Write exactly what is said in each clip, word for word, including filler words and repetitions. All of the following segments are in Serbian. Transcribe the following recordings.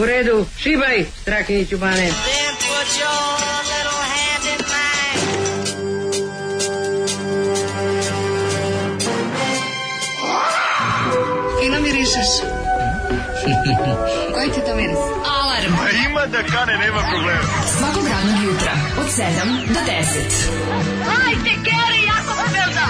U redu, šibaj, Strakiniću Bane. Then put your little hand in mine. Fino mirišeš. Koji ti to miris? Alarm. A ima da kane, nema problema. Svakog radnog jutra od sedam do deset. Hajde, Geri, jako se velda.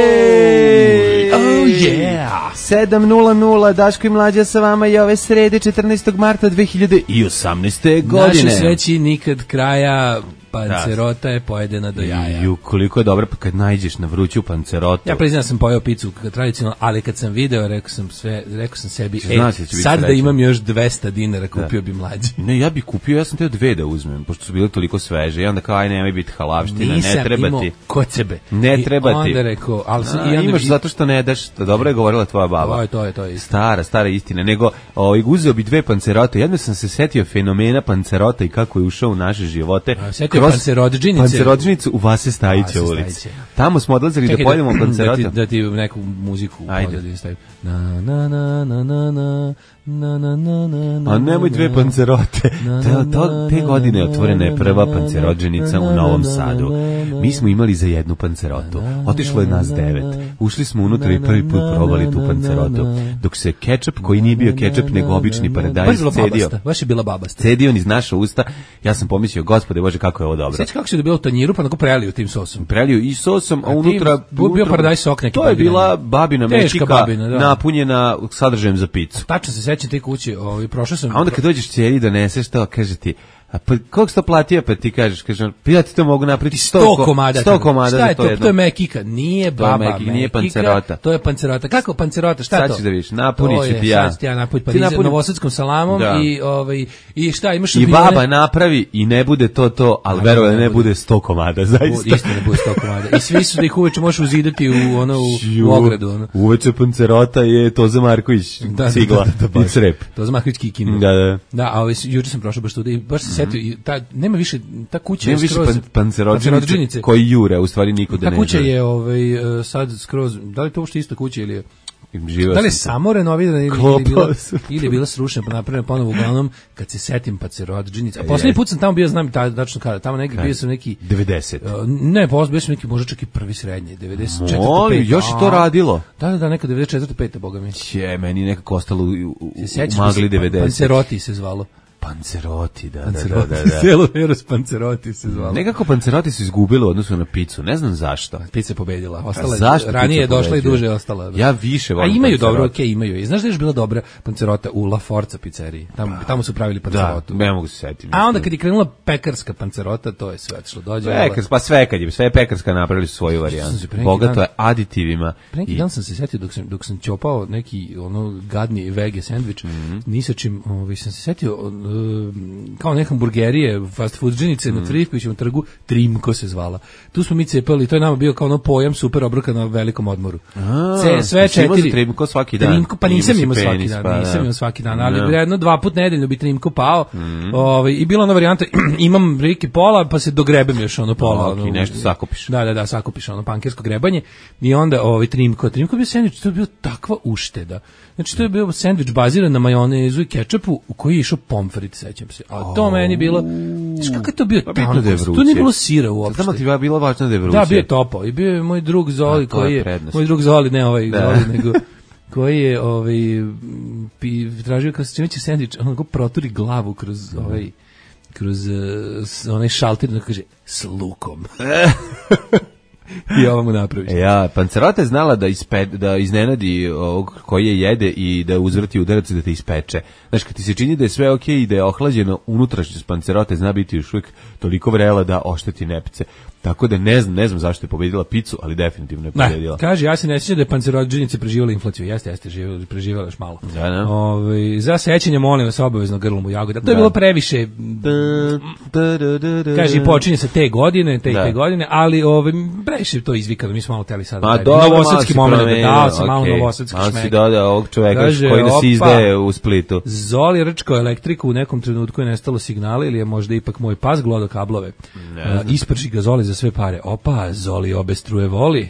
Jej! Oh yeah! sedam nula nula, Daško i Mlađa sa vama i ove srede četrnaestog marta dve hiljade osamnaeste. godine. Naše sreći nikad kraja, pancerota je pojedena do jaja. Ju, koliko je dobro kad najđeš na vruću pancerotu. Ja priznam sam pojeo picu tradicionalno, ali kad sam video, rekao sam sve, rekao sam sebi, e, Znaš da će biti sad da srećan. imam još dvesta dinara, kupio Da. bi Mlađi. Ne, ja bih kupio, ja sam teo dve da uzmem, pošto su bile toliko sveže. I onda kao, aj, nemoj biti halavština, Nisam ne treba imao ti. kod sebe. Ne I treba ti. onda rekao, ali sam, A, i onda, imaš i- zato što ne daš, dobro je govorila tvoja baba. To je, to je, to je istina. Stara, stara istina. Nego, ovaj, uzeo bi dve pancerote. Jedno sam se setio fenomena pancerota i kako je ušao u naše živote. A, setio pancerodžinice. Pancerodžinicu u Vase Stajića Vase ulici. Stajića. Tamo smo odlazili da pojedemo da pancerota. ti, da ti neku muziku Ajde. pozadini stavim. Na, na, na, na, na, na, na, na, na, na, na, A nemoj dve na. pancerote. Na, To, na, to, te na, godine je na, otvorena je na, prva na, pancerođenica na, u na, Novom na, Sadu. na, na. Mi smo imali za jednu pancerotu. Otišlo je nas devet. Ušli smo unutra i prvi put probali tu pancerotu. Dok se kečap, koji nije bio kečap, nego obični Baš paradajz, bila cedio. babasta, baš je bila babasta. Cedio niz naša usta. Ja sam pomislio, gospode Bože, kako je ovo dobro. Sjeći kako se dobio u tanjiru, pa onako prelio tim sosom. Prelio i sosom, a A unutra... tim- bio unutra- paradajz sok neki To je paradajz. bila babina Teška mečika babina, da. napunjena sadržajem za picu. Tačno se sećam te kuće, ovaj prošao sam. A onda kad dođeš ćeri doneseš to, kaže ti, a pa koliko si to platio, pa ti kažeš, kažeš, pa ja ti to mogu napraviti sto komada. sto komada Šta za je to to? jedno. To je mekika, nije To je baba mekika, nije mekika, pancerota. To je pancerota. Kako pancerota? Šta je Sad to? ćeš da vidiš, napunit To ću je, ti ja. Sad ću ti ja napunit Ti parizer napuni- novosadskom salamom Da. i ovaj i šta imaš I šampione? baba napravi i ne bude to to, ali A, verovali ne ne bude. bude sto komada, zaista. Istina bude sto komada. I svi su da ih uveče možeš uzidati u ono u, Ju, u ogradu, ono. Uveče pancerota je Toza Marković, Da, cigla da, da, da, i baš. crep. To za Mahvić Kikin. Da, da. Da, a ovaj juče sam prošao baš tu i baš se setio i ta nema više ta kuća Nema je više skroz pan, pancerođenice pancerodžinice. koji jure, u stvari niko da Ta ne kuća želi. je ovaj e, sad skroz, da li je to uopšte ista kuća ili je Živeo da li je sam samo renovirana ili, ili, Klopao je bila, sam. ili je bila srušena pa napravljena ponovo uglavnom kad se setim pa se rodžinice. A poslednji Jest. put sam tamo bio, znam ta, tačno kada, tamo negdje bio sam neki devedeset. uh, ne, posle bio sam neki možda čak i prvi srednji, devedeset četvrte. Molim, još je to radilo. Da, da, da, neka devedeset četvrte pete boga mi. Je, meni je nekako ostalo u, u, u Sećaš magli se, devedeset. Panceroti se zvalo. Panceroti, da, da, da, Panceroti, da, da. Celo Eros Panceroti se zvalo. Nekako panceroti su izgubili u odnosu na picu, ne znam zašto. Pizza je pobedila. Ostala je, Zašto ranije je pizza došla i pobeđuje? duže je ostala. Ja više A volim imaju pancerota. dobro, okej, imaju. I znaš da je još bila dobra pancerota u La Forza pizzeriji? Tamo, tamo su pravili Da, pancerotu. ne mogu se setiti. A onda kad je krenula pekarska pancerota, to je sve otišlo. Dođe. Pekars, pa sve kad je, sve pekarska napravili su svoju Sam se varijantu. pre neki Bogato dan- je aditivima. Pre neki i- dan sam se setio dok sam dok sam ćopao neki ono gadni vege sendvič, Mhm. ni sa čim, ovaj sam se setio uh, kao neke hamburgerije, fast foodžinice Mhm. na Trifkovićevom trgu, Trimko se zvala. Tu smo mi cepali, to je nama bio kao ono pojam super obroka na velikom odmoru. A, Ce, sve jesi imao za četiri. Trimko svaki dan? Trimko, pa Imao nisam si imao svaki penis, dan, pa nisam da. imao svaki dan, ali Da. jedno dva put nedeljno bi Trimko pao. Ovaj i bila ona varijanta imam riki pola, pa se dogrebem još ono pola, Ok, ono, nešto sakupiš. Da, da, da, sakupiš ono pankersko grebanje i onda ovaj Trimko, Trimko je bio sendvič, to je bio takva ušteda. Znači to je bio sendvič baziran na majonezu i kečapu u koji je išao pomfrit, sećam se. A to meni bilo, znaš kako je to bio Pa bitno da je tanko, tu vruće. nije bilo sira uopšte. Znamo ti je bilo važno da je vruće. Da, bio je topao i bio je moj drug Zoli A, to je koji je, prednost. moj drug Zoli, ne ovaj Da. Zoli, nego koji je ovaj pi, tražio kao se čime će sendvič, on go proturi glavu kroz ovaj kroz uh, s- onaj šalter da kaže s lukom. I ovo mu napraviš. E, ja, pancerota je znala da, ispe, da iznenadi ovog koji je jede i da uzvrti udarac i da te ispeče. Znaš, kad ti se čini da je sve okej i da je ohlađeno, unutrašnjost pancerote zna biti još uvijek toliko vrela da ošteti nepce. Tako da ne znam, ne znam zašto je pobedila picu, ali definitivno je pobedila. Ne, kaže, ja se ne sjećam da je pancerodžinice preživjela inflaciju. Jeste, jeste, živjela, preživjela još malo. Da, da. Ovaj, za sećanje, molim vas, obavezno grlom u jagoda. To je Da. bilo previše, kaže, i počinje se te godine, te i Da. te godine, ali ovaj, previše to to izvikano, mi smo malo teli sada. Ma dobro, novosadski moment, dao sam malo okay. novosadski šmek. Malo si dodao ovog čoveka Kaže, koji nas opa, izdaje u Splitu. Zoli rčkao elektriku, u nekom trenutku je nestalo signala ili je možda ipak moj pas glodo kablove. Uh, isprži ga Zoli za sve pare. Opa, Zoli obe struje voli.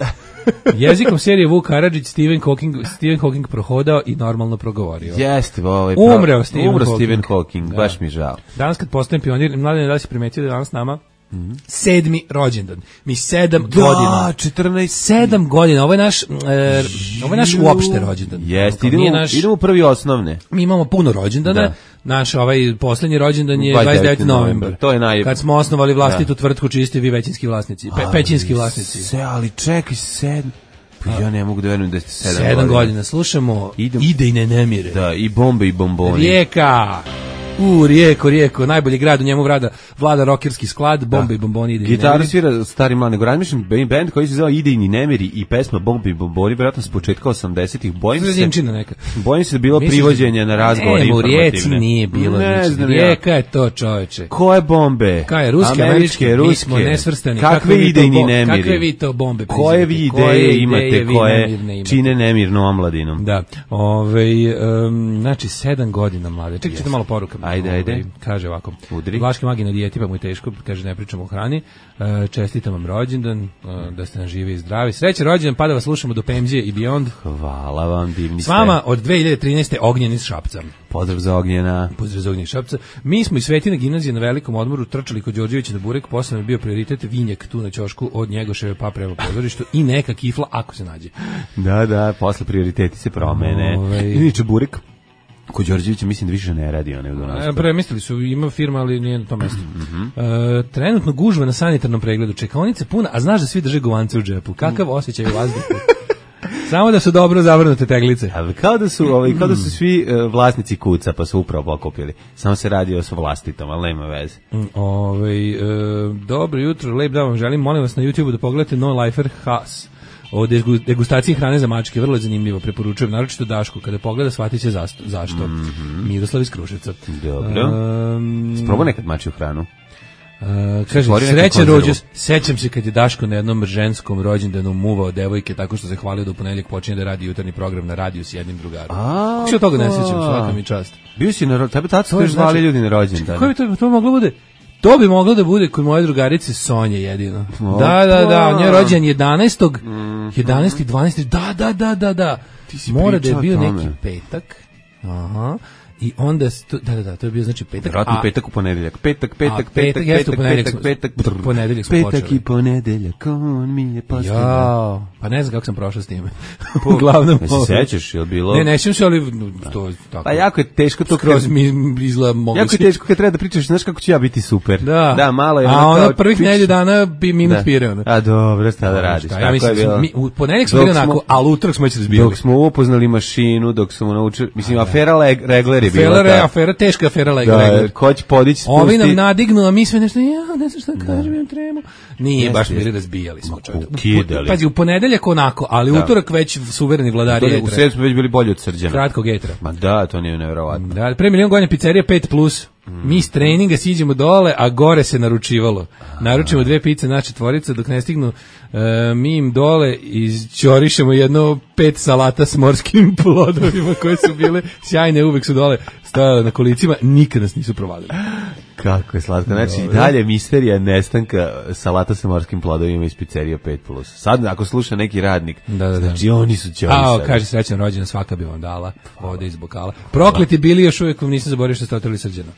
Jezikom serije Vuk Karadžić Stephen Hawking, Stephen Hawking prohodao i normalno progovorio. Jeste, ovaj Umreo Stephen Umro Hawking. Stephen Hawking, Da. baš mi žao. Danas kad postajem pionir, mladen, da li si primetio da je danas s nama mm-hmm. sedmi rođendan. Mi sedam Da, godina. četrnaest Sedam godina. Ovo je naš, e, ovo je naš uopšte rođendan. Jeste, Nije idemo, naš, idemo u prvi osnovne. mi imamo puno rođendana. Da. Naš ovaj poslednji rođendan je dvadeset dvadeset deveti novembar. To je naj... Kad smo osnovali vlastitu tvrtku čiji ste vi većinski vlasnici, pe, pećinski vlasnici. Se, ali čekaj, sedam. Pa ja ne mogu da verujem da ste sedam, Sedam godina. godina. Slušamo Idem. Ide i ne nemire. Da, i bombe i bomboni. Rijeka. U, Rijeko, Rijeko, najbolji grad, u njemu vlada, vlada rokerski sklad, bombe i bomboni, ide i Gitaru nemiri. svira stari mlad, nego razmišljam band koji se zove Idejni nemiri i pesma Bombe i bomboni, vjerojatno s početka osamdesetih. Bojim se, Zrenčina neka. bojim se da je bilo Misliš- privođenja na razgovore Ne, u Rijeci informativne. nije bilo. Ne znači, znam ja. Rijeka je to, čoveče. Koje bombe? Koje, ruske, američke, mi smo nesvrstani. Kakve vi to idejni bo- nemiri? Kakve vi to bombe Koje vi prizivate? ideje Koje imate, ideje vi koje nemirne imate? čine nemirnu omladinom? Da, ovaj, um, znači sedam godina mlade. Čekaj, yes. malo porukama. Ajde, ajde. Ovaj, kaže ovako. Udri. Vlaški magi na dijeti, pa mu je teško, kaže ne pričamo o hrani. E, čestitam vam rođendan, e, da ste nam živi i zdravi. Srećan rođendan, pa da vas slušamo do P M G i Beyond. Hvala vam, divni S vama od dve hiljade trinaeste Ognjen iz Šapca. Pozdrav za Ognjena. Pozdrav za Ognjen iz Šapca. Mi smo iz Svetina gimnazije na velikom odmoru trčali kod Đorđevića na burek, posle nam je bio prioritet vinjak tu na ćošku od Njegoševe pa prema pozorištu i neka kifla ako se nađe. Da, da, posle prioriteti se promene. Ovaj. Inače, burek kod Đorđevića mislim da više ne radi, one u donosu. E, Premislili su, ima firma, ali nije na tom mestu. Mm-hmm. e, trenutno gužva na sanitarnom pregledu, čekaonice puna, a znaš da svi drže govance u džepu. Kakav osjećaj u vazduhu? Samo da su dobro zavrnute teglice. Ali kao da su, ovaj, kao da su svi uh, vlasnici kuca, pa su upravo pokupili. Samo se radi o svom vlastitom, ali nema veze. Mm, ovaj, e, dobro jutro, lep dan vam želim. Molim vas na YouTubeu da pogledate No Lifer Has o degustaciji hrane za mačke, vrlo je zanimljivo, preporučujem, naročito Dašku, kada pogleda shvatit će zašto. zašto. Mm-hmm. Miroslav iz Kruševca. Dobro. Um, Sprobao nekad mačju hranu? Uh, kaže, srećan rođendan. Sećam se kad je Daško na jednom ženskom rođendanu muvao devojke tako što se hvalio da u ponedeljak počinje da radi jutarnji program na radiju s jednim drugarom. Kako se od toga ne sećam, svaka mi čast. Bio si na tebe tad ste zvali znači, ljudi na rođendan. Kako bi to, to moglo bude? To bi moglo da bude kod moje drugarice Sonje jedino. Opa. Da, da, da, njoj rođendan jedanaestog jedanaesti dvanaesti Da, da, da, da, da. Mora da je bio neki petak. Aha. I onda sto, da da da to je bio znači petak, vratno petak u ponedeljak. Petak, petak, a, petak, petak, petak, petak, petak, ponedeljak smo petak počeli. I ponedeljak, on mi je postavio. Ja, pa ne znam kako sam prošao s time. Uglavnom. Ne se sećaš, je li bilo? Ne, ne sećam se, ali to je tako. Pa jako je teško to kroz mi izgleda mogli. Jako je teško kad treba da pričaš, znaš kako ću ja biti super. Da, da malo je. A onda prvih nedelju dana bi minut pireo. A dobro, šta da radiš? Ja mislim, mi u ponedeljak smo bili onako, a utorak smo već razbijali. Dok smo upoznali mašinu, dok smo naučili, mislim, afera Regler je bila. Afera, afera, teška afera Regler. Da, ko će podići, spusti. Ovi nam nadignu, a mi sve nešto, ja ne znam šta kažem, imam tremu. Nije, baš bili razbijali smo čovjek. Pazi, u ponedeljak onako, ali utorak već suvereni vladari etra. U sredu smo već bili bolji od Srđana. Kratkog etra. Ma da, to nije nevjerovatno. Da, pre milion godina pizzerija pet plus. Mi iz treninga siđemo dole, a gore se naručivalo. Naručimo dve pice na četvorica, dok ne stignu, uh, mi im dole izćorišemo jedno pet salata s morskim plodovima koje su bile sjajne, uvek su dole stajale na kolicima, nikad nas nisu provalili. Kako je slatko. Znači, Dobre. dalje misterija nestanka salata sa morskim plodovima iz pizzerija pet plus. Sad, ako sluša neki radnik, da, da, znači da. oni su ćorisali. A, kaže, srećan rođendan, svaka bi vam dala ovde iz bokala. Prokleti bili, još uvijek vam nisam zaboravio što ste otrali Srđana.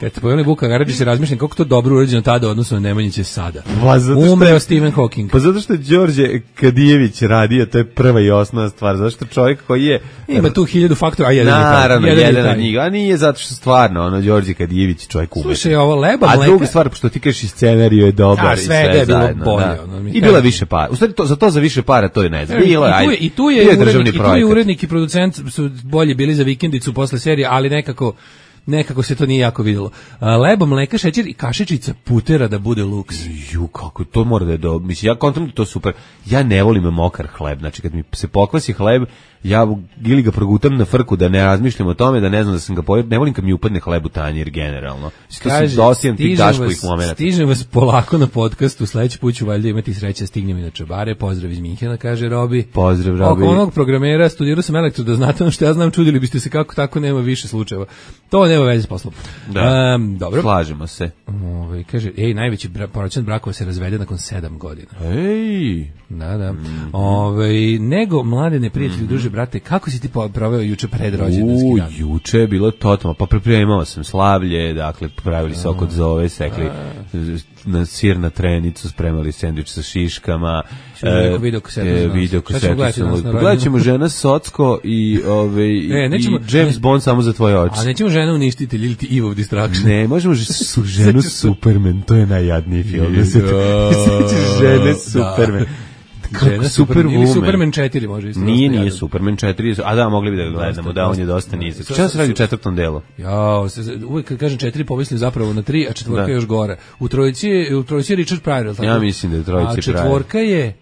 Kad ste pojeli Vuka Karadžić se razmišljam kako to dobro urađeno tada odnosno na Nemanjiće sada. Umreo Stephen Hawking. Pa zato što je Đorđe Kadijević radio, to je prva i osnovna stvar. Zato što čovjek koji je... Ima tu hiljadu faktora, a jedan je taj. Naravno, jedan, jedan od njih. A nije zato što stvarno, ono, Đorđe Kadijević čovjek umetnik. Slušaj, ovo leba mleka... A druga stvar, pošto ti kažeš i scenariju je dobar. A, sve, i sve je bilo zajedno, bolje. Da. Ono, I bila više para. U stvari, to, za to za više para, to je ne znam. Bilo, I, tu je, i tu je, urednik, i tu je urednik i producent su bolje bili za vikendicu posle serije, ali nekako nekako se to nije jako videlo. A, lebo, mleka, šećer i kašičica putera da bude luks. Ju, kako to mora da je do... Mislim, ja kontrolim to super. Ja ne volim mokar hleb. Znači, kad mi se pokvasi hleb, ja ili ga progutam na frku da ne razmišljam o tome, da ne znam da sam ga pojeo. Ne volim kad mi upadne hleb u tanjir, generalno. Kaže, dosijem tih daškovih momenata. Stižem vas polako na podcastu, sledeći put ću valjda imati sreće, stignem i na Čabare. Pozdrav iz Minhena, kaže Robi. Pozdrav, Robi. Oko onog programera, studirao sam elektro, da znate ono što ja znam, čudili biste se kako tako nema više slučajeva. To nema veze s poslom. Da, um, dobro. Slažemo se. Ove, kaže, ej, najveći bra, procent brakova se razvede nakon sedam godina. Ej! Da, da. Mm-hmm. Ove, nego, mlade neprijatelji, mm-hmm. duže brate, kako si ti proveo juče pred rođendanski dan? U, juče je bilo totalno, pa pripremao sam slavlje, dakle, pravili se oko zove, sekli na sir na trenicu, spremali sendvič sa šiškama. E, video kasetu e, video kasetu. Gledat ćemo Žena Socko i, ove, e, nećemo, i James ne, Bond samo za tvoje oči. A nećemo Žena uništitelj ili ti Evil Distraction? Ne, možemo su Ženu Superman, to je najjadniji film. Žene Superman. Kako Superwoman. Ili Superman četiri može isto. Nije, nije Superman četiri, a da, mogli bi da ga gledamo, da, on je dosta nizak. Šta se radi u četvrtom delu? Ja, uvijek kad kažem četiri, pomislim zapravo na tri, a četvorka je još gore. U trojici je, u trojici je Richard Pryor, tako? Ja mislim da je u trojici Pryor. A četvorka je,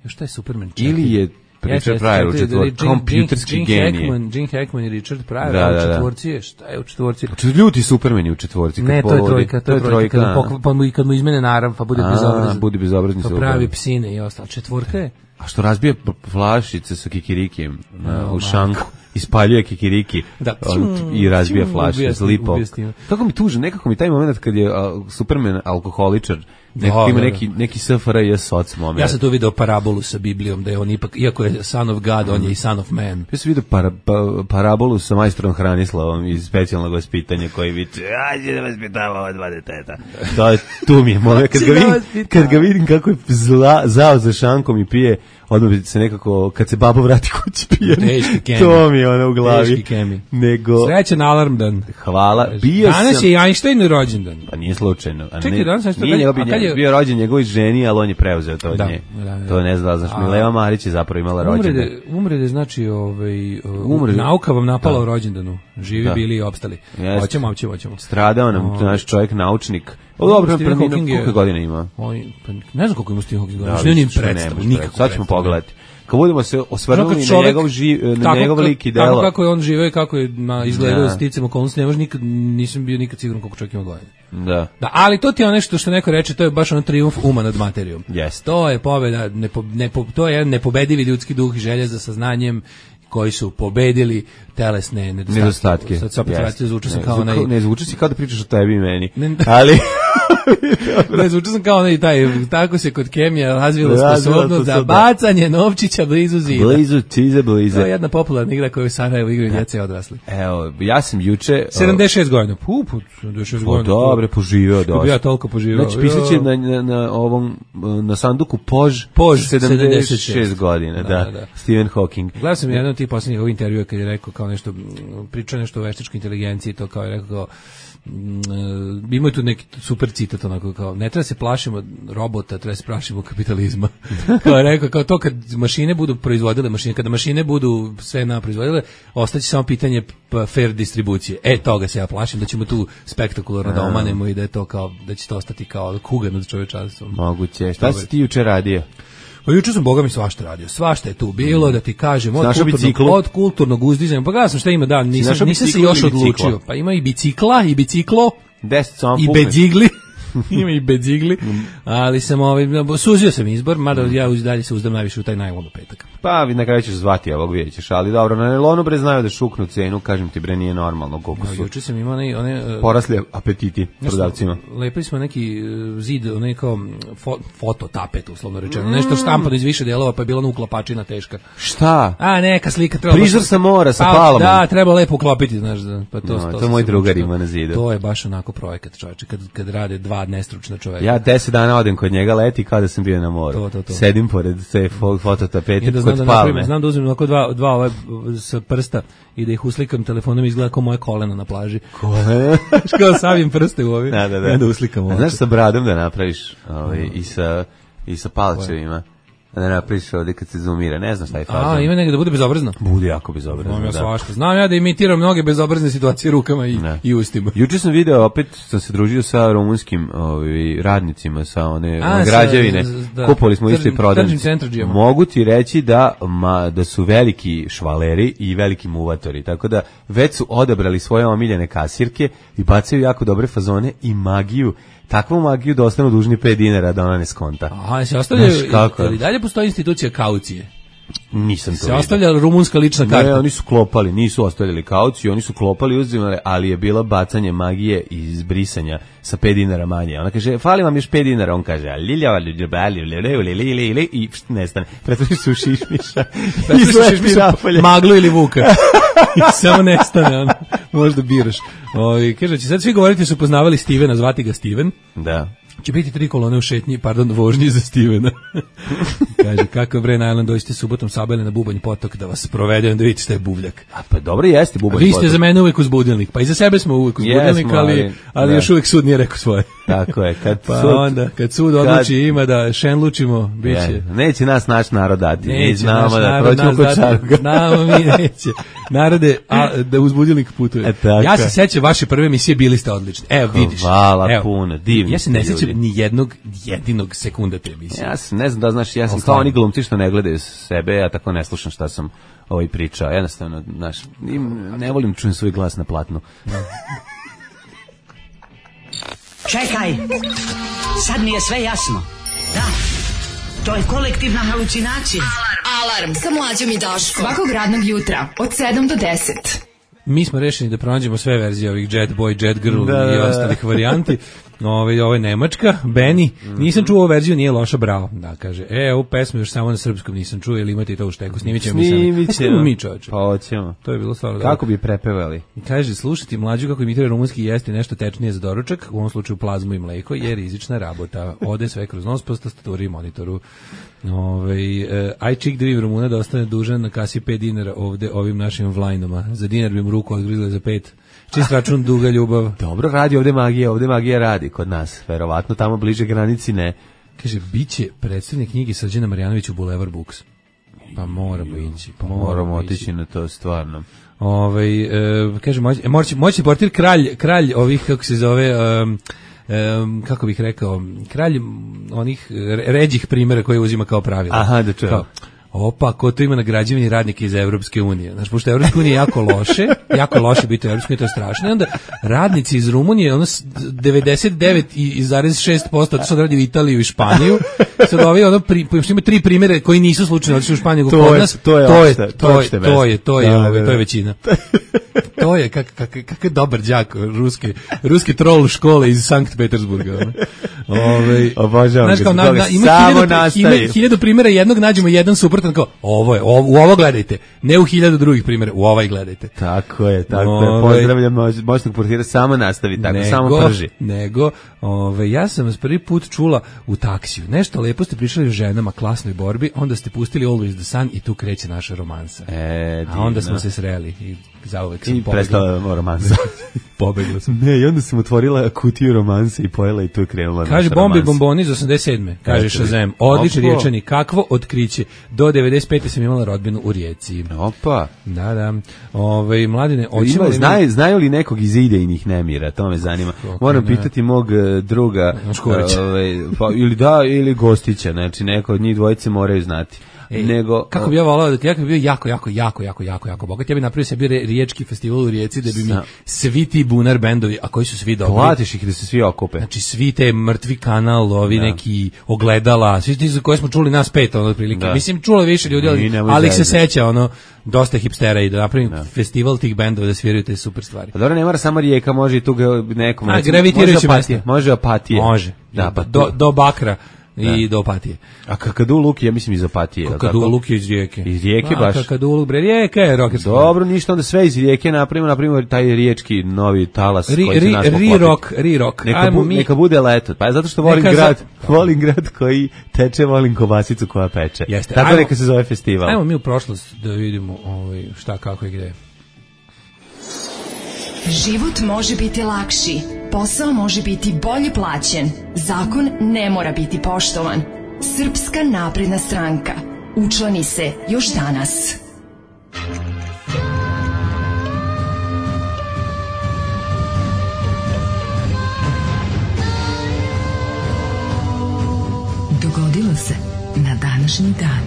šta je Superman četiri? Ili je Richard Pryor u četvorci, kompjuterski genije. Gene Hackman i Richard Pryor, da, a da, u četvorci je, šta je u četvorci? Ljuti Superman je u četvorci. Ne, to je trojka, to je trojka. Pa mu, kad mu izmene narav, pa bude bezobrazan. Bude bezobrazni. Pa pravi psine i ostalo. Četvorka je? A što razbije flašice sa kikirikijem no, u šanku, ispaljuje kikiriki da, on, i razbija flašice, zlipo. Tako mi tuže, nekako mi taj moment kad je uh, Superman alkoholičar, nekako ima neki, neki S F R J soc moment. Ja sam tu video parabolu sa Biblijom, da je on ipak, iako je son of God, mm. on je i son of man. Ja sam video para, pa, parabolu sa majstrom Hranislavom iz specijalnog vaspitanja koji viče, ajde da vaspitava ova dva deteta. To je, tu mi je moment, kad ga vidim, kad ga vidim kako je zla, zao za šankom i pije, odmah bi se nekako, kad se babo vrati kući pijen, to mi je ono u glavi. Nego, srećan alarmdan. Hvala. Bio danas sam, je Einstein rođendan. Pa nije slučajno. A čekaj, ne, danas je nije njegov, je... bio rođen njegovoj ženi, ali on je preuzeo to od da, nje. Da, da. To ne zna, znaš, Mileva Marić je zapravo imala rođendan. Umrede, umrede znači, ovaj, umrede. Nauka vam napala da. u rođendanu. Živi da. bili i opstali. Jeste. Hoćemo, hoćemo, hoćemo. Stradao nam o... naš čovjek, naučnik. O, dobro, preminuo, koliko godina ima? On, pa, ne znam koliko ima Stephen Hawking godina. Ne nim predstavu, nikako. Sad ćemo pogledati. Kad budemo se osvrnuli na njegov, živ, na njegov lik i delo. Tako kako je on živeo i kako je na izgledao da. sticam okolnosti, ne može nikad, nisam bio nikad siguran koliko čovjek ima godina. Da. Da, ali to ti je nešto što neko reče, to je baš ono trijumf uma nad materijom. Yes. To je pobeda, nepo, nepo, to je jedan nepobedivi ljudski duh i želja za saznanjem koji su pobedili telesne nedostatke. nedostatke. Sad se opet vratio, zvučio sam kao onaj... Ne, zvučio si kao da pričaš o tebi i meni. Ne, ali... ne, zvučio sam kao onaj taj, tako se kod kemija razvila sposobnost za bacanje novčića blizu zida. Blizu cize, blize. To je jedna popularna igra koju u Sarajevu igraju djeca i odrasli. Evo, ja sam juče... sedamdeset šest godina. Pu, pu, sedamdeset šest godina. Dobre, poživio dosta. Ja toliko poživio. Znači, pisat će na, na, na ovom, na sanduku Pož, Pož sedamdeset šest godina, da, da, da. Stephen Hawking. Gledao sam jedan od tih posljednjih ovih intervjua kad je rekao kao nešto, pričao nešto o veštačkoj inteligenciji, to kao je rekao kao, Uh, imaju tu neki super citat onako kao ne treba se plašimo robota, treba se plašimo kapitalizma. Kao je rekao, kao to kad mašine budu proizvodile mašine, kada mašine budu sve na proizvodile, ostaće samo pitanje fair distribucije. E, toga se ja plašim, da ćemo tu spektakularno da omanemo i da je to kao, da će to ostati kao kuga nad čovečanstvom. Moguće. Šta si ti juče radio? Pa juče sam boga mi svašta radio. Svašta je tu bilo, da ti kažem, od kulturnog, od kulturnog uzdizanja. Pa gledam sam šta ima, da, nisam, nisam se još odlučio. Pa ima i bicikla, i biciklo, i bedzigli. Ima i bedzigli, ali sam ovaj, suzio sam izbor, mada ja uz dalje se uzdam najviše u taj najlon u petak. Pa na kraju ćeš zvati, ovog vidjet ćeš, ali dobro, na nailonu bre znaju da šuknu cenu, kažem ti bre nije normalno koliko su. Juče sam imao one, one porasli apetiti prodavcima. Lepili smo neki zid, onaj kao fo, foto tapet, uslovno rečeno, nešto štampano iz više delova, pa je bila uklapačina teška. Šta? A neka slika treba. Prizor sa mora sa palmom. Da, treba lepo uklopiti, znaš, pa to no, to, to moj drugar ima na zidu. To je baš onako projekat, čoveče, kad kad rade dva nestručna čoveka. Ja deset dana odem kod njega leti kao da sam bio na moru. To, to, to. Sedim pored te fototapete kod da palme. Znam da uzmem onako dva, dva ove sa prsta i da ih uslikam telefonom, izgleda kao moje kolena na plaži. Kolena? Kao savim prste u ovi. Da, da, da. Da uslikam ovo. Znaš sa bradom da napraviš ovaj, i sa, i sa palčevima. da napriš ovdje kad se zoomira, ne znam šta je fazon. A, ima negdje da bude bezobrazno? Bude jako bezobrazno, Znam ja da. svašta. Znam ja da imitiram mnoge bezobrazne situacije rukama i, i ustima. Juče sam video, opet sam se družio sa rumunskim ovi, radnicima, sa one A, građevine. sa- da. Kupovali smo isto i Tržnim- prodavnice. tržnim centradžijama. Mogu ti reći da, ma, da su veliki švaleri i veliki muvatori, tako da već su odabrali svoje omiljene kasirke i bacaju jako dobre fazone i magiju, takvu magiju da ostanu dužni pet dinara da ona ne skonta. Aha, se ostavljaju, Znaš kako? ali dalje postoji institucija kaucije. Nisam to Se vidio. ostavlja rumunska lična Ne, karta. oni su klopali, nisu ostavljali kauciju, oni su klopali, uzimali, ali je bilo bacanje magije i izbrisanja sa pet dinara manje. Ona kaže, fali vam još pet dinara, on kaže, lilja, lilja, i pšt, nestane. Pretvori se u šišmiša. Preslišiš mi maglu ili vuka. I samo nestane, ono, možda biraš. Ovi, kaže, će sad svi govoriti su poznavali Stevena, zvati ga Steven. Da. Će biti tri kolone u šetnji, pardon, vožnji za Stevena. Kaže, kako bre, na Island, dođite subotom Sabele na Bubanj potok da vas provedem, da vidite šta je buvljak. A pa dobro jeste bubanj. Vi ste za mene uvek uz budilnik, pa i za sebe smo uvek uz Jesmo, budilnik, ali, ali- ali da. još uvek sud nije rekao svoje. Tako je, kad Pa sud- onda, kad sud odluči ima da šenlučimo, bit će... Je, neće nas naš narod dati, mi Neće znamo naš da narod proćemo nas kod dati, Čaruga. znamo mi neće. Narode, a, da uz budilnik putuje. E, tako Ja se je. sećam vaše prve emisije, bili ste odlični. Evo, vidiš. Hvala Evo. puno, divni Ja se ne ste sećam ljudi. ni jednog jedinog sekunda te emisije. Ja sam, ne znam da znaš, ja sam Ali kao stvarno. oni glumci što ne gledaju sebe, ja tako ne slušam šta sam ovaj pričao. Jednostavno, znaš, im- ne volim čujem svoj glas na platnu. Čekaj, sad mi je sve jasno. Da, to je kolektivna halucinacija. Alarm sa mlađom i Daškom. Svakog radnog jutra od sedam do deset. Mi smo rešeni da pronađemo sve verzije ovih Jet Boy, Jet Girl Da, i da, da. ostalih varijanti. Ove, ovo je Nemačka, Benny. Nisam čuo ovu verziju, nije loša, bravo. Da, kaže, e, ovu pesmu još samo na srpskom nisam čuo, ili imate i to u šteku, snimit ćemo mi sami. Snimit A snimimo ćemo. mi, čoveče. Pa hoćemo. To je bilo stvarno dobro. Kako bi prepevali? Kaže, slušati mlađu kako imitira rumunski jesti nešto tečnije za doručak, u ovom slučaju plazmu i mleko, je rizična rabota. Ode sve kroz nos po tastaturi i monitoru. Ove, e, aj čik da vidim Rumuna da ostane dužan na kasi pet dinara ovde ovim našim vlajnoma. Za dinar bi mu ruku odgrizali za pet. Čist račun, duga ljubav. Dobro radi ovde magija, ovde magija radi kod nas. Verovatno tamo bliže granici ne. Kaže, biće predstavnik knjige Srđana Marjanovića u Boulevard Books. Pa moramo ići. Pa Moramo ići. otići na to stvarno. Ovaj e, kaže moći moći moći portir kralj kralj ovih kako se zove um, um, kako bih rekao kralj onih re- ređih primjera koje uzima kao pravilo. Aha, da čujem. Kao, opa, ko to ima na građevini radnike iz Evropske unije. Znaš, pošto Evropska unija je jako loše, jako loše biti u Evropskoj uniji, to je strašno. I onda radnici iz Rumunije, ono s- devedeset devet zarez šest posto to sad radi u Italiju i Španiju. Sad ovi ono pri, pošto ima tri primjere koji nisu slučajno otišli u Španiju nego To kod je- nas. to je to je opšte- to je opšte to je to je mesto. Da, ovaj, da, to je da. većina. To je kak kak kakav dobar đak ruske ruski trol škole iz Sankt Petersburga. ono. Ovaj Obožavam znaš ga kao zbog na, toga. na, ima Samo hiljadu, nastavi. ima hiljadu primjera, jednog nađemo jedan suprotan kao ovo je, ovo, u ovo gledajte, ne u hiljadu drugih primjera, u ovaj gledajte. Tako je, tako je. Ovaj. Pozdravljam moć- moćnog portira, samo nastavi tako, samo prži. Nego, ove, ja sam vas prvi put čula u taksiju. Nešto lepo ste pričali o ženama, klasnoj borbi, onda ste pustili Always the Sun i tu kreće naša romansa. E, A onda divno. smo se sreli i zauvek sam I pobegla. prestala romansa. Pobegla sam. Ne, i onda sam otvorila kutiju romanse i pojela i tu je krenula Kaže naša Bombi romansa. bomboni iz osamdeset sedme Kaže Eto, Shazam, odlični opo. riječani, kakvo otkriće. Do devedeset pete sam imala rodbinu u Rijeci. Opa. Da, da. Ove, mladine, Ima, hoćemo li mi- znaju, znaju li nekog iz idejnih nemira, to me zanima. Moram ne. pitati mog e, druga, Škorića. ovaj, pa, ili da, ili Gostića, znači neko od njih dvojice moraju znati. Ej, Nego, kako bi ja volao da ti, ja kad bi bio jako, jako, jako, jako, jako, jako bogat, ja bi napravio sebi re- riječki festival u Rijeci da bi mi Sa- svi ti bunar bendovi, a koji su svi dobri. platiš ih da se svi okupe. Znači svi te mrtvi kanal, ovi Da. neki ogledala, svi ti za koje smo čuli nas pet ono otprilike. Da. Mislim čulo je više ljudi, I ali, nemoj ali ih se zezati. seća ono dosta hipstera i da napravim festival tih bendova da sviraju te super stvari. Pa dobro, ne mora samo Rijeka, može i tu ga- nekom. A, recimo, gravitirajuće može Opatije, mesto. može Opatije. Može. Da, pa do, tu. do Bakra i do Opatije. A Kakaduluk, ja mislim iz Opatije. je li tako? Kakaduluk je iz Rijeke. Iz Rijeke A, baš. Kakaduluk, bre, Rijeka je rokerska. Dobro, ništa, onda sve iz Rijeke napravimo, napravimo taj riječki novi talas Ri, koji će ri, nas ri poklopiti. rock, ri rock. Neka, Ajmo bu, mi. neka bude leto. Pa zato što volim Neka za- grad, volim grad koji teče, volim kobasicu koja peče. Jeste. Tako Ajmo- neka se zove festival. Ajmo mi u prošlost da vidimo ovaj, šta, kako i gde. Život može biti lakši, posao može biti bolje plaćen, zakon ne mora biti poštovan. Srpska napredna stranka. Učlani se još danas. Dogodilo se na današnji dan.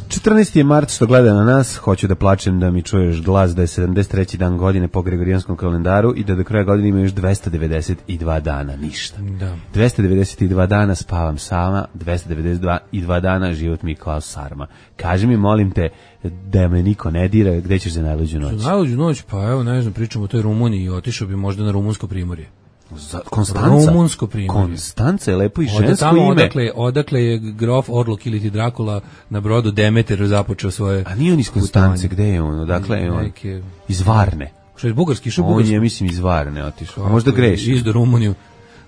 četrnaesti je mart, što gleda na nas, hoću da plačem da mi čuješ glas da je sedamdeset treći dan godine po Gregorijanskom kalendaru i da do kraja godine ima još dvesta devedeset dva dana, ništa. Da. dvesta devedeset dva dana spavam sama, dvesta devedeset dva dana život mi kao sarma. Kaži mi, molim te, da me niko ne dira, gde ćeš za najluđu noć? Za najluđu noć, pa evo, ne znam, pričamo o toj Rumuniji i otišao bi možda na rumunsko primorje. Za, Konstanca? Rumunsko primorje. Konstanca je lepo i žensko Ode tamo, ime. Odakle, odakle je grof Orlok ili ti Drakula na brodu Demeter započeo svoje... A nije on iz Konstance, gde je on? Odakle je on? Neke... Iz Varne. Što je bugarski, što je On bugarski? je, mislim, iz Varne otišao. A možda greši. Iz do Rumuniju.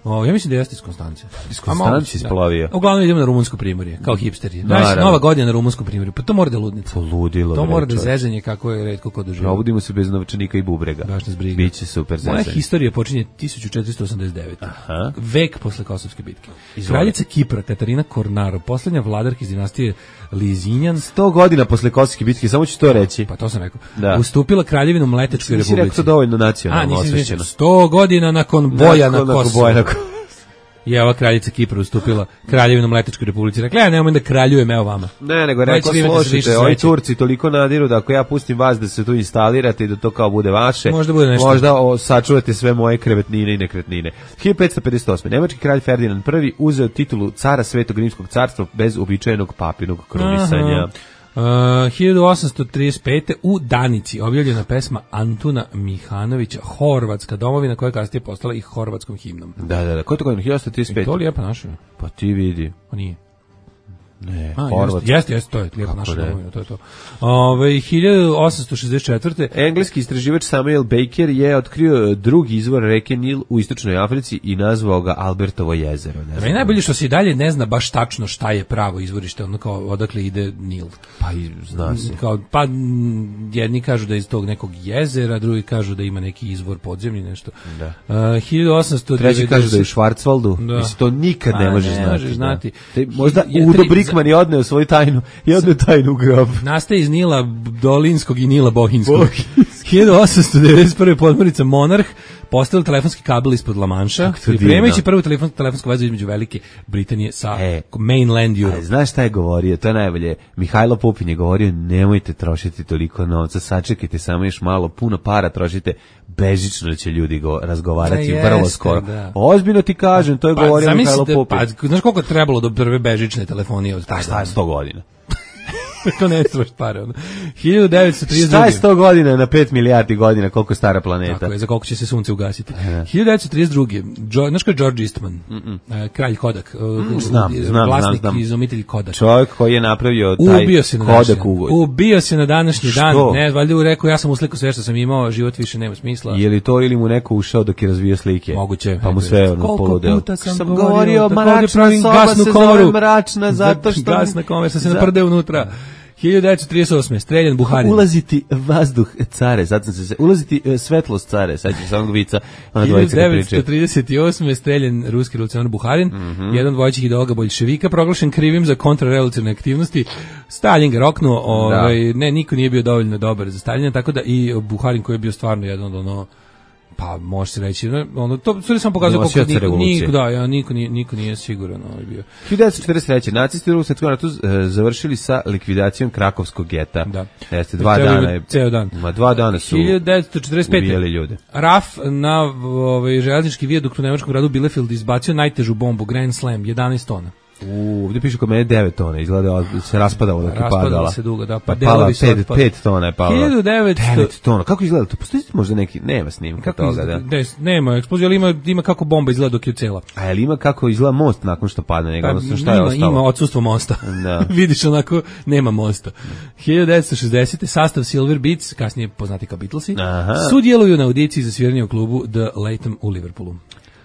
O, ja mislim da jeste iz Konstance. Iz Konstance isplovio. Da. Uglavnom idemo na rumunsko primorje, kao hipsteri. Naravno. Znaš, nova godina na rumunskom primorju, pa to mora da je ludnica. Poludilo. To bre, mora da čovječe. zezanje kako je retko ko doživa. Probudimo se bez novčanika i bubrega. Baš nas briga. Biće super Moja zezanje. historija počinje tisuću četiristo osamdeset devete. Aha. Vek posle Kosovske bitke. Izvoli. Kraljica Kipra, Katarina Kornaro, poslednja vladarka iz dinastije Lizinjan, sto godina posle Kosovske bitke, samo ću to reći. pa to sam rekao, Da. ustupila kraljevinu Mletečkoj Nisi republici. rekao to dovoljno A, nacionalno nisi osvešćeno. izvinjeno. sto godina nakon boja na Nakon- nakon Kosovu. boja na Kosovu. Je ova kraljica Kipra ustupila kraljevinu Mletečkoj republici. Rekla, ja nemoj da kraljujem, evo vama. Ne, nego Ovaj rekao, će vi imati više slušajte, ovi sreće. Turci toliko nadiru da ako ja pustim vas da se tu instalirate i da to kao bude vaše, Možda bude nešto. možda o, sačuvate sve moje krevetnine i nekretnine. hiljadu petsto pedeset osme. Nemački kralj Ferdinand prvi uzeo titulu cara Svetog rimskog carstva bez uobičajenog papinog krunisanja. Aha. Uh, hiljadu osamsto trideset pete. u Danici objavljena pesma Antuna Mihanovića, Horvatska domovina, koja je kasnije postala i horvatskom himnom. Da, da, da. Ko je to godina? hiljadu osamsto trideset pete. To lijepa naša? Pa ti vidi. Pa nije. Ne, A, Horvatska. jeste, jeste, to je lijepa Kako naša ne? domovina, to je to. Ove, hiljadu osamsto šezdeset četvrte. Engleski istraživač Samuel Baker je otkrio drugi izvor reke Nil u istočnoj Africi i nazvao ga Albertovo jezero. Ne Meni najbolje što se i dalje ne zna baš tačno šta je pravo izvorište, ono kao odakle ide Nil. Pa i zna se. Kao, pa m, jedni kažu da je iz tog nekog jezera, drugi kažu da ima neki izvor podzemni, nešto. Da. Uh, hiljadu osamsto devedeset. Treći kaže da je u Švarcvaldu. Da. Mislim, to nikad Pa ne možeš ne znati. možeš da. znati. Te, možda Je- Udo tri- Brickman je odneo svoju tajnu i odneo tajnu u grob. Nastaje iz Nila Dolinskog i Nila Bohinskog. hiljadu osamsto devedeset prve. podmornica Monarh postavila telefonski kabel ispod La Manša, Kako to pripremajući divno. prvu telefon, telefonsku vezu između Velike Britanije sa E. mainland A, Europe. znaš šta je govorio? To je najbolje. Mihajlo Pupin je govorio, nemojte trošiti toliko novca, sačekajte samo još malo, puno para trošite, bežično će ljudi go, razgovarati Da, vrlo jeste, skoro. da. Ozbiljno ti kažem, to je govorio Mihajlo zamislite, Pupin. pa, znaš koliko je trebalo do prve bežične telefonije od A tada? šta je sto godina? To ne trebaš pare. Ono. hiljadu devetsto trideset druge. Šta je sto godina na pet milijardi godina, koliko je stara planeta? Tako je, za koliko će se sunce ugasiti. hiljadu devetsto trideset druge. Jo, znaš ko je George Eastman? E, kralj Kodak. e, znam, znam, vlasnik znam, znam. iz obitelji Kodak. Čovjek koji je napravio taj Ubio se na današnji Kodak dan. ugovor. Ubio se na današnji dan. Što? Ne, valjda je rekao, ja sam uslikao sve što sam imao, život više nema smisla. Je li to ili mu neko ušao dok je razvio slike? Moguće. Pa mu Ajde. sve ono Koliko poludeo. puta sam, sam govorio, govorio, takođe mračna pravim soba gasnu se komoru. zove mračna, zato što... Gasna komora, što se Za- naprde unutra. hiljadu devetsto trideset osme. streljan Buharin. Ulaziti vazduh care, sad sam se se ulaziti e, svetlost care, sad ću samo vica, ona dvojica kad hiljadu pričaju. devetsto trideset osme. streljan ruski revolucionar Buharin, Mhm. jedan od vodećih ideologa boljševika, proglašen krivim za kontrarevolucionarne aktivnosti. Stalin ga roknuo, ovaj, ne, niko nije bio dovoljno dobar za Staljina, tako da i Buharin koji je bio stvarno jedan od ono, pa može se reći, ne, ono, to sve sam pokazao Nosioca koliko niko, revolucije. niko, da, ja, niko, nije, niko nije siguran ovaj bio. hiljadu devetsto četrdeset treće. nacisti u Drugom svjetskom ratu e, završili sa likvidacijom Krakovskog geta. Da. Jeste, dva Ceo- dana je... ceo dan. Ma, dva dana su hiljadu devetsto četrdeset pete. ubijali ljude. RAF na ovaj, železnički vijadukt u nemačkom gradu Bielefeld izbacio najtežu bombu, Grand Slam, jedanaest tona. U, ovdje piše kod mene devet tona, izgleda da se raspadalo dok je Raspadala padala. se dugo, da, pa pa delovi pala, su pet, otpali. pet tona je pala. hiljadu devetsto devet tona, kako izgleda to? Postoji možda neki, nema snimka Kako toga, izgleda? da. Des, nema eksplozija, ali ima, ima kako bomba izgleda dok je cela. A je li ima kako izgleda most nakon što padne njega, odnosno šta je ima, ostalo? ima odsustvo mosta. Da. Vidiš onako, nema mosta. hiljadu devetsto šezdesete. sastav Silver Beats, kasnije poznati kao Beatlesi, Aha. sudjeluju na audiciji za sviranje u klubu The Latham u Liverpoolu.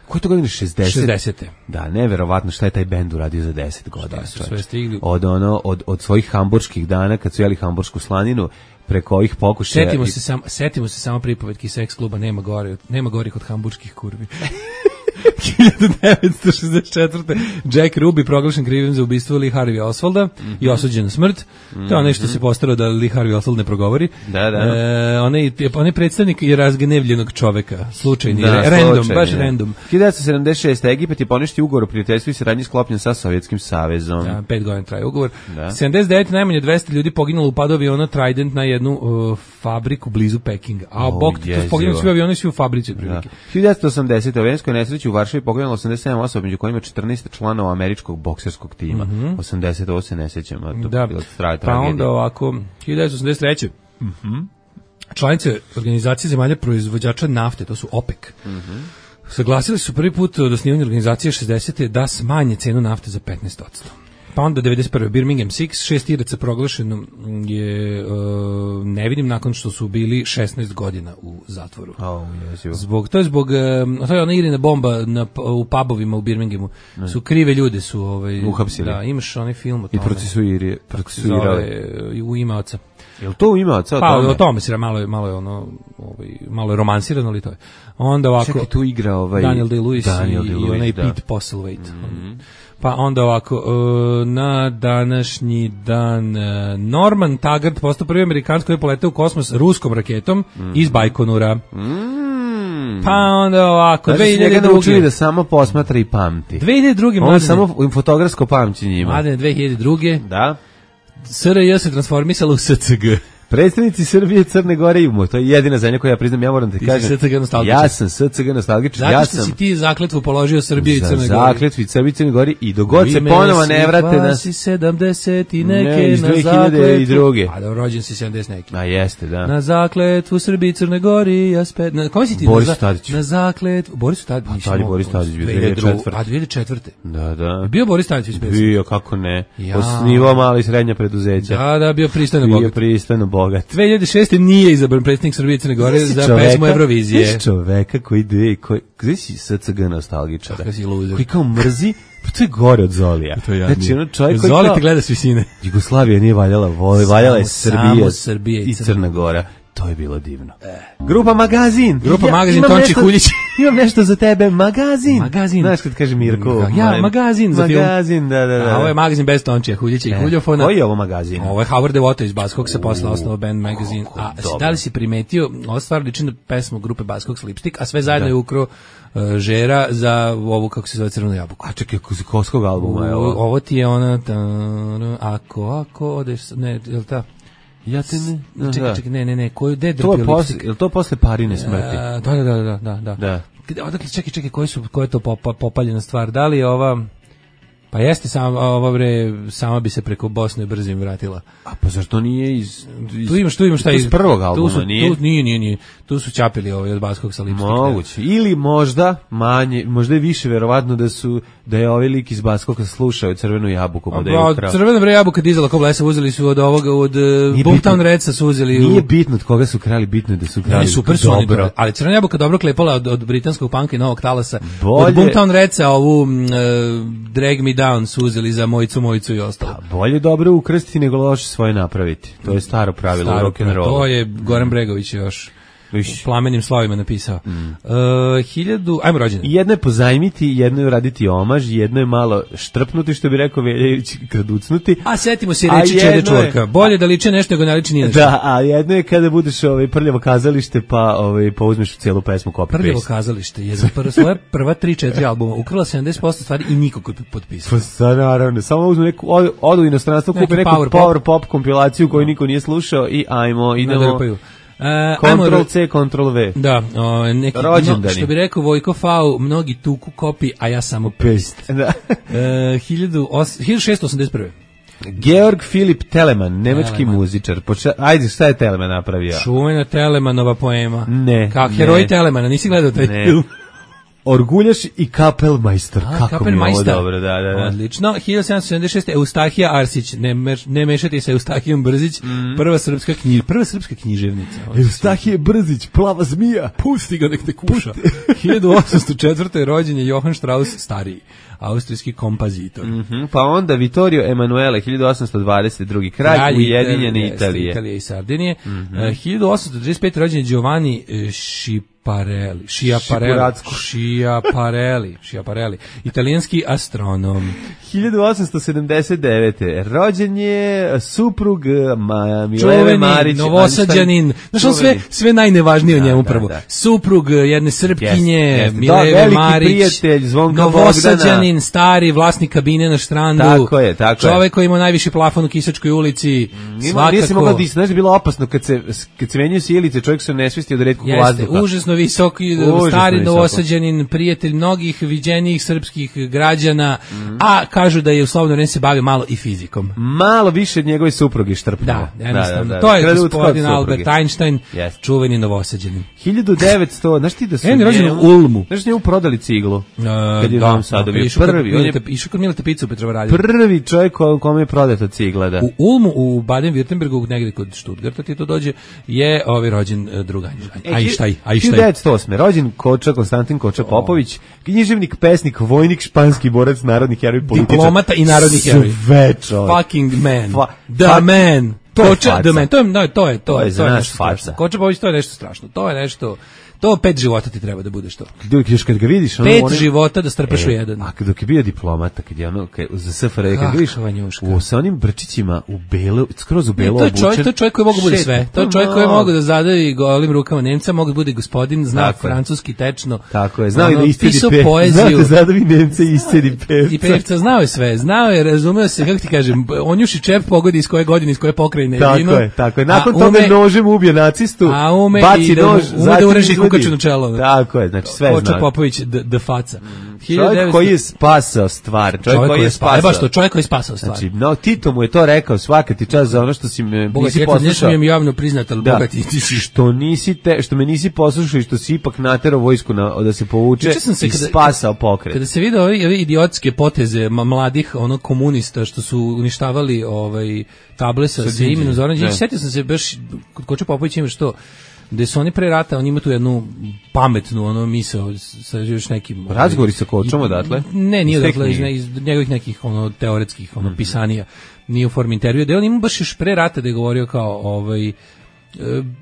Koje to godine? šezdeset? šezdesete. Da, neverovatno šta je taj bend uradio za deset godina. Šta su čoveče. sve stigli. Od, ono, od, od svojih hamburških dana, kad su jeli hamburšku slaninu, preko ovih pokušaja... Setimo i- se, sam, setimo se samo pripovetki seks kluba, nema gore, nema gorih od hamburških kurvi. hiljadu devetsto šezdeset četvrte. Jack Ruby proglašen krivim za ubistvo Lee Harvey Oswalda mm-hmm. i osuđen na smrt. Mm-hmm. To je onaj što se postarao da Lee Harvey Oswald ne progovori. Da, da. E, onaj, onaj predstavnik je razgnevljenog čoveka. Slučajni, da, random, slučajni, baš da. random. hiljadu devetsto sedamdeset šeste. Egipat je poništio ugovor o prijateljstvu i saradnji sklopljen sa Sovjetskim savezom. Da, pet godina traje ugovor. Da. sedamdeset devete. najmanje dvesta ljudi poginulo u padu aviona Trident na jednu uh, fabriku blizu Pekinga. A Oh, bok, to poginulo svi avioni, svi u fabrici otprilike. hiljadu devetsto osamdesete. u avijanskoj nesreći u Varšavi poginulo osamdeset sedam osoba, među kojima četrnaest članova američkog bokserskog tima. Mm-hmm. osamdeset ovo se ne sećam, a to da. bilo straja Pa tragedija. onda ovako, hiljadu devetsto osamdeset treće. Mhm. Članice organizacije zemalja proizvođača nafte, to su OPEC. Mhm. Saglasili su prvi put od osnivanja organizacije šezdesete da smanje cenu nafte za petnaest posto. Pa onda devedeset prve. Birmingham Six, šest Iraca proglašeno je uh, nevinim nakon što su bili šesnaest godina u zatvoru. Oh, yes, zbog, to je zbog, uh, to je ona Irina bomba na, u pubovima u Birminghamu. Ne. Su krive ljude su ovaj, uhapsili. Da, imaš onaj film o tome. I procesuirali. Procesuirali. U ime oca. Je li to u ime oca? Pa o tome se malo je, malo je ono, ovaj, malo je romansirano, ali to je. Onda ovako. Čekaj, tu igra ovaj Daniel Day-Lewis Daniel i, Day-Lewis, i onaj da. Pete Postlethwaite. Mm-hmm. Pa onda ovako, uh, na današnji dan uh, Norman Taggart postao prvi Amerikanac koji je poletao u kosmos ruskom raketom mm-hmm. iz Bajkonura. Mm. Pa onda ovako, znači, dve hiljade druge. Njega naučili da samo posmatra i pamti. dve hiljade druge. On samo fotografsko pamćenje ima. Mladene, dve hiljade druge. Da. S R J se transformisala u S C G. Predstavnici Srbije, Crne Gore i Umo, to je jedina zemlja koja ja priznam, ja moram te ti kažem. Ja sam S C G nostalgičan. Zato ja što sam si ti zakletvu položio Srbije i Crne Gore. Zakletvu i Srbije i Crne Gore i dogod se ponovo ne vrate na sedamdeset i neke ne, na zakletvu. A da, rođen si sedamdeset neki. A jeste, da. Na zakletvu Srbije i Crne Gore i aspet. Na kome si ti? Boris na, Tadić. Na zakletvu Boris Tadić. A tad je Boris Tadić bio dve hiljade četvrte. A dve hiljade četvrte. Da, da. Bio Boris Tadić već pesnik. Bio, kako ne. Ja. Osnivao mala i srednja preduzeća. Da, da, bio pristojno bogat. Bio pristojno bogat. dve hiljade šeste nije izabran predsjednik Srbije i Crne Gore za čoveka, pesmu Eurovizije. Znaš čoveka koji ide, koji, gdje si S C G nostalgičar? Kako si luzer. Koji kao mrzi, pa to je gore od Zolija. To je znači, ono čovjek koji Zoli kao, te gleda s visine. Jugoslavija nije valjala, voli, valjala je Srbija, Srbija i Crna, Crna Gora. To je bilo divno. E. Grupa Magazin. Grupa ja, Magazin, Tonči Huljić. Imam nešto za tebe, Magazin. Magazin. Znaš kad kaže Mirko. Ja, maj, Magazin za film. Magazin, da, da, da. A ovo je Magazin bez Tončija Huljića i Huljofona. Koji je ovo Magazin? Ovo je Howard Devoto iz Baskog sa posla osnovao band Magazin. A da li si primetio, ova stvar liči na pesmu grupe Baskog Slipstick, a sve zajedno je ukro uh, Žera za ovu, kako se zove, Crvenu jabuku. A čekaj, Koskog albuma je ovo. Ovo ti je ona, ta, ako, ako odeš, ne, je li ta? Ja te ne... Čekaj, čekaj, ne, ne, ne, koju, de to je posle, je li to posle Parine smrti? Da, da, da, da, da. da. da. Odakle, čekaj, čekaj, koji su, koja je to popa, popaljena stvar? Da li je ova... Pa jeste, sama, ova bre, sama bi se preko Bosne brzim vratila. A pa zašto nije iz... iz tu imaš, tu imaš šta iz... iz prvog albuma, tu su, nije? Tu, nije, nije, nije. Tu su čapili ovaj od Baskog sa Lipstika. Moguće. Ili možda manje, možda je više verovatno da su, da je ovaj lik iz Baskoga slušao Crvenu jabuku. Pa da je ukrao. Crvena bre jabuka dizala ko blesa, uzeli su od ovoga, od Boomtown Redsa su uzeli. Nije u... bitno od koga su krali, bitno je da su krali super dobro. Ali Crvena jabuka dobro klepala od, od britanskog punka i novog talasa. Bolje... Od Boomtown Redsa ovu uh, Drag Me Down su uzeli za Mojicu, Mojicu i ostalo. Pa bolje dobro ukrstiti nego loše svoje napraviti. To je staro pravilo u rock'n'rollu. To je Goran Bregović još u Plamenim slovima napisao. Mm. Uh, hiljadu, ajmo rođendan. Jedno je pozajmiti, jedno je uraditi omaž, jedno je malo štrpnuti, što bi rekao Veljević, kraducnuti. A setimo se reći Čede Čurka. Je... Bolje da liče nešto nego ne liči nije nešto. Da, a jedno je kada budeš ovaj, prljavo kazalište, pa ovaj, pouzmeš celu pesmu copy-paste. Prljavo kazalište je za prva, svoja prva tri četiri albuma ukrila sedamdeset posto stvari i niko koji potpisao. Pa sad, naravno, samo uzmu neku, odu u inostranstvo, kupi neku power, power pop. pop kompilaciju koju no. niko nije slušao i ajmo, idemo... Uh, Control C, Control V. Da, o, neki, no, što bi rekao Vojko Fau, mnogi tuku kopi, a ja samo paste. Da. uh, hiljadu šeststo osamdeset prve. Georg Filip Telemann, nemački Telemann. muzičar. Poča... Ajde, šta je Telemann napravio? Čuvena Telemannova poema. Ne. Kao heroj Telemana, nisi gledao taj ne. film? Orguljaš i Kapelmajstor. A, kako Kapelmajstor. mi je ovo dobro, da, da, da. Odlično. hiljadu sedamsto sedamdeset šeste. Eustahija Arsić, ne, meš, ne mešati se Eustahijom Brzić, mm. prva srpska knjiž, prva srpska književnica. Eustahije Brzić, plava zmija. Pusti ga, nek te kuša. hiljadu osamsto četvrte. rođen je Johann Strauss stariji, austrijski kompozitor. Mm -hmm. Pa onda Vittorio Emanuele, hiljadu osamsto dvadeset drugi. kralj, kralj Ujedinjene Italije. Italije i Sardinije. Mm -hmm. uh, hiljadu osamsto trideset pete. rođen je Giovanni Šip Parelli, Schiaparelli, Schiaparelli, Schiaparelli, italijanski astronom. hiljadu osamsto sedamdeset devete. Rođen je suprug ma, Mileve Čuveni, Marić. Novosađanin. Znaš, on sve, sve najnevažnije da, o njemu da, prvo. Da. Suprug jedne Srpkinje, Yes, yes. Mileve Da, Marić, prijatelj Zvonka Novosađanin, stari vlasnik kabine na Štrandu. Tako je, tako čovek je. koji ima najviši plafon u Kisačkoj ulici. Nije, svakako. nije se mogla disati, znaš da je bilo opasno kad se, kad se menjaju sjelice, čovjek se ne svesti od retkog Jeste, vazduha. užasno visok, Užasno stari visoko. Novosađanin, prijatelj mnogih viđenijih srpskih građana, mm. a kažu da je u slobodno vreme se bavi malo i fizikom. Malo više od njegove supruge štrpnuo. Da, jednostavno. Da, da, da. To je Kradutka gospodin od Albert supruge. Einstein, Yes. čuveni Novosađanin. hiljadu devetsto, znaš ti da su En je rođen u njemu- Ulmu. Znaš njemu prodali ciglu? Uh, Kad je u Novom Sadu bio išao kod prvi, on je Milete- išao kod Milete Picu u Petrovaradiju. prvi čovjek ko- kome je prodata cigla, da. U Ulmu, u Baden-Württembergu, negde kod Stuttgarta ti to dođe, je ovaj rođen uh, druga Einstein. E, hiljadu devetsto osme. Rođen Koča, Konstantin Koča Popović, književnik, pesnik, vojnik, španski borac, narodni heroj, političar. Diplomata i narodni heroj. Sve čovjek. Fucking man. Fa- the fa- man. to je Koča, faca. the man. To je, no, to je, to To je je, za to je nas nešto faca. strašno. Koča Popović, to je nešto strašno. To je nešto, to pet života ti treba da budeš to. Dok još kad ga vidiš, ono, Pet one- života da strpaš u jedan. A dok je bio diplomata, kad je ono, kad, za S F R, kad Kakva ga vidiš, njuška. u, sa onim brčićima u belo, skroz u Ne, belo to je obučen. čovjek, to je čovjek koji mogu bude Šeta. sve. To je čovjek koji mogu da zadavi golim rukama Nemca, mogu da bude gospodin, zna Tako je. francuski tečno. Tako je, znao i Ono, da iscedi pisao pevca. Znao poeziju. da zadavi Nemca i iscedi pevca. I pevca znao je sve, znao je, razumeo se, kako ti kažem, on juši čep pogodi iz koje godine, iz koje pokrajine je Tako vino. je, tako je. Nakon a toga ume- nožem ubije nacistu, A ume baci i da mu- nož, ume da zatim ureži izvadi- kukaču na čelo. Tako je, znači sve Koča zna. Popović, d, d faca. Čovjek koji je spasao stvar, čovjek koji je spasao. E, baš to, spasao. čovjek koji je spasao stvar. Znači, no, Tito mu je to rekao, svaka ti čast za ono što si me Boga nisi ti, poslušao. nešto mi je javno priznat, ali Da. Boga ti, ti si... Što nisi te, što me nisi poslušao i što si ipak naterao vojsku na, da se povuče Juče sam se i kada- spasao pokret. Kada se vide ove, ove idiotske poteze ma- mladih ono komunista što su uništavali ovaj table sa, sa imenom Zoran Đinđić, Ne. setio sam se baš kod Koče Popovića ima što gde su oni pre rata, on ima tu jednu pametnu ono misao sa još nekim ovaj, Razgovori sa Kočom odatle? Ne, nije Iz te odatle, iz, knjige? ne- iz njegovih nekih ono teoretskih ono pisanija, nije u formi intervjua, da je on ima baš još pre rata da je govorio kao ovaj e,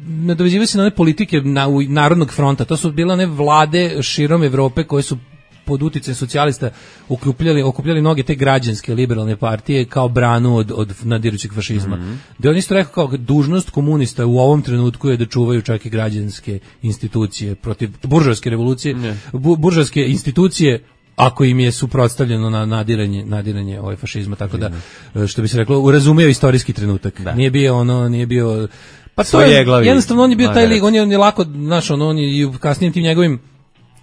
nadovezivao se na one politike na, u, Narodnog fronta, to su bile one vlade širom Evrope koje su pod uticajem socijalista okupljali, okupljali mnoge te građanske liberalne partije kao branu od, od nadirućeg fašizma. Mhm. Da on isto rekao kao dužnost komunista u ovom trenutku je da čuvaju čak i građanske institucije protiv buržoaske revolucije, bu, buržoaske institucije ako im je suprotstavljeno na nadiranje nadiranje ovaj fašizma, tako da što bi se reklo razumeo istorijski trenutak. Da. Nije bio ono, nije bio pa to Svoje je, glavi jednostavno on je bio taj magarac. lik, on je, on je lako, znaš, ono, on je i u kasnijim tim njegovim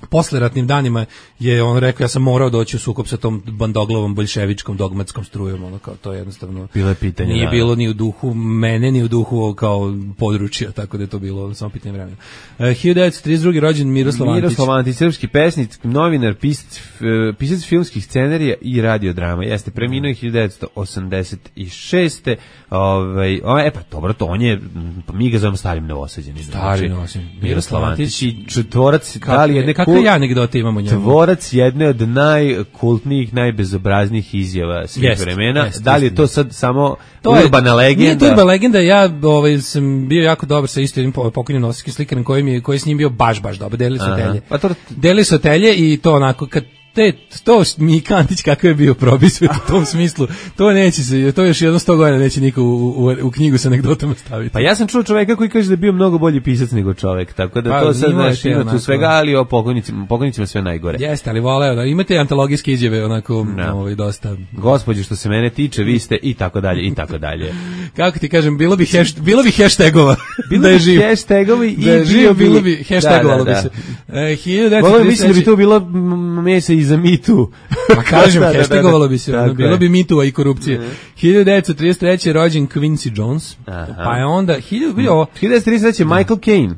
posleratnim danima je on rekao ja sam morao doći u sukob sa tom bandoglavom boljševičkom dogmatskom strujom, ono kao to je jednostavno Bilo je pitanje, nije da. bilo ni u duhu mene ni u duhu kao područja, tako da je to bilo samo pitanje vremena. Uh, hiljadu devetsto trideset drugi rođen Miroslav Antić. Miroslav Antić, srpski pesnik, novinar, pisac, f- pisac filmskih scenarija i radiodrama. Jeste preminuo je hiljadu devetsto osamdeset šeste. Ovaj, o, e pa dobro, to on je, m, mi ga zovemo starim Novosađenim. Stari Novosađanin. Miroslav Antić i Antić. tvorac, da li jedne kakve kul- ja anegdote imamo njemu? tvorac jedne od najkultnijih, najbezobraznijih izjava svih Jest, vremena. jest, da li je jest, to jest. sad samo To je- urbana legenda? Nije to urbana legenda, ja ovaj, sam bio jako dobar sa isto jednim po- pokojnim novosadskim slikarom koji, mi je, koji je s njim bio baš, baš dobar, delili su Aha. telje. Pa to- Delili su telje i to onako, kad te, to Mika Antić kakav je bio probisvet u tom smislu, to neće se, to još jedno sto godina neće niko u, u, u knjigu sa anegdotama staviti. Pa ja sam čuo čoveka koji kaže da je bio mnogo bolji pisac nego čovek, tako da Pa, to sad imao je znaš, te ima tu onako- svega, ali o pokojnicima, pokojnicima sve najgore. Jeste, ali voleo da imate antologijske izjave onako Da. ovaj, dosta. Gospođe, što se mene tiče, vi ste i tako dalje, i tako dalje. Kako ti kažem, bilo bi, hasht, bilo bi hashtagova Bilo da je bi živ. hashtagovi i Da je živ, bio bilo bi, hashtagovalo da, bi da, se. da. E, hiljadu devetsto Voleo trideset mislim da bi treće to bilo m, mesa i za mitu. Pa kažem, Da, da, da, da. hashtagovalo bi se, ono, Tako bilo je. bi mitova i korupcije. hiljadu devetsto trideset treće rođen Quincy Jones, Aha. pa je onda, hiljadu, vidi ovo, hiljadu devetsto trideset treće. Michael Caine.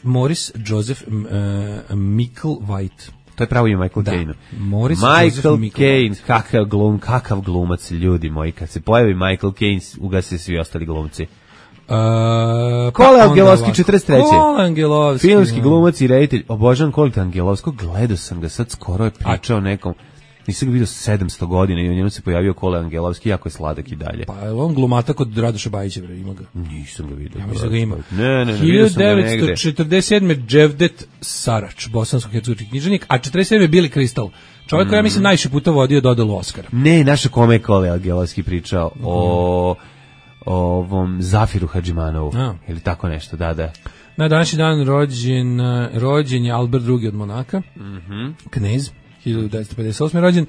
Morris Joseph m, e, Michael White. To je pravo ime Michael Da. Caine. Morris Michael Joseph Michael Caine, kakav glum, kakav glumac, ljudi moji. Kad se pojavi Michael Caine, ugase svi ostali glumci. Uh, pa Kole onda Angelovski, ovako. četrdeset treće. Kole Angelovski. Filmski da. glumac i reditelj. Obožavam Koleta Angelovskog, gledao sam ga sad, skoro je pričao nekom. Nisam ga vidio sedamsto godina i u njemu se pojavio Kole Angelovski, jako je sladak i dalje. Pa je on glumata kod Radoša Bajića, bre, ima ga. Nisam ga vidio. Ja mislim da ga ima. Ne, ne, ne, vidio sam ga negde. hiljadu devetsto četrdeset sedme. Dževdet Sarač, bosansko-hercegovački književnik, a četrdeset sedme. Bili Kristal. Čovjek koji ja mislim najviše puta vodio dodelu Oskara. Ne, naša kome je Kole Angelovski pričao mm. o, o ovom Zafiru Hadžimanovu. A. Ili tako nešto, da, da. Na današnji dan rođen, rođen je Albert drugi od Monaka, mm-hmm. knez, hiljadu devetsto pedeset osme. rođen.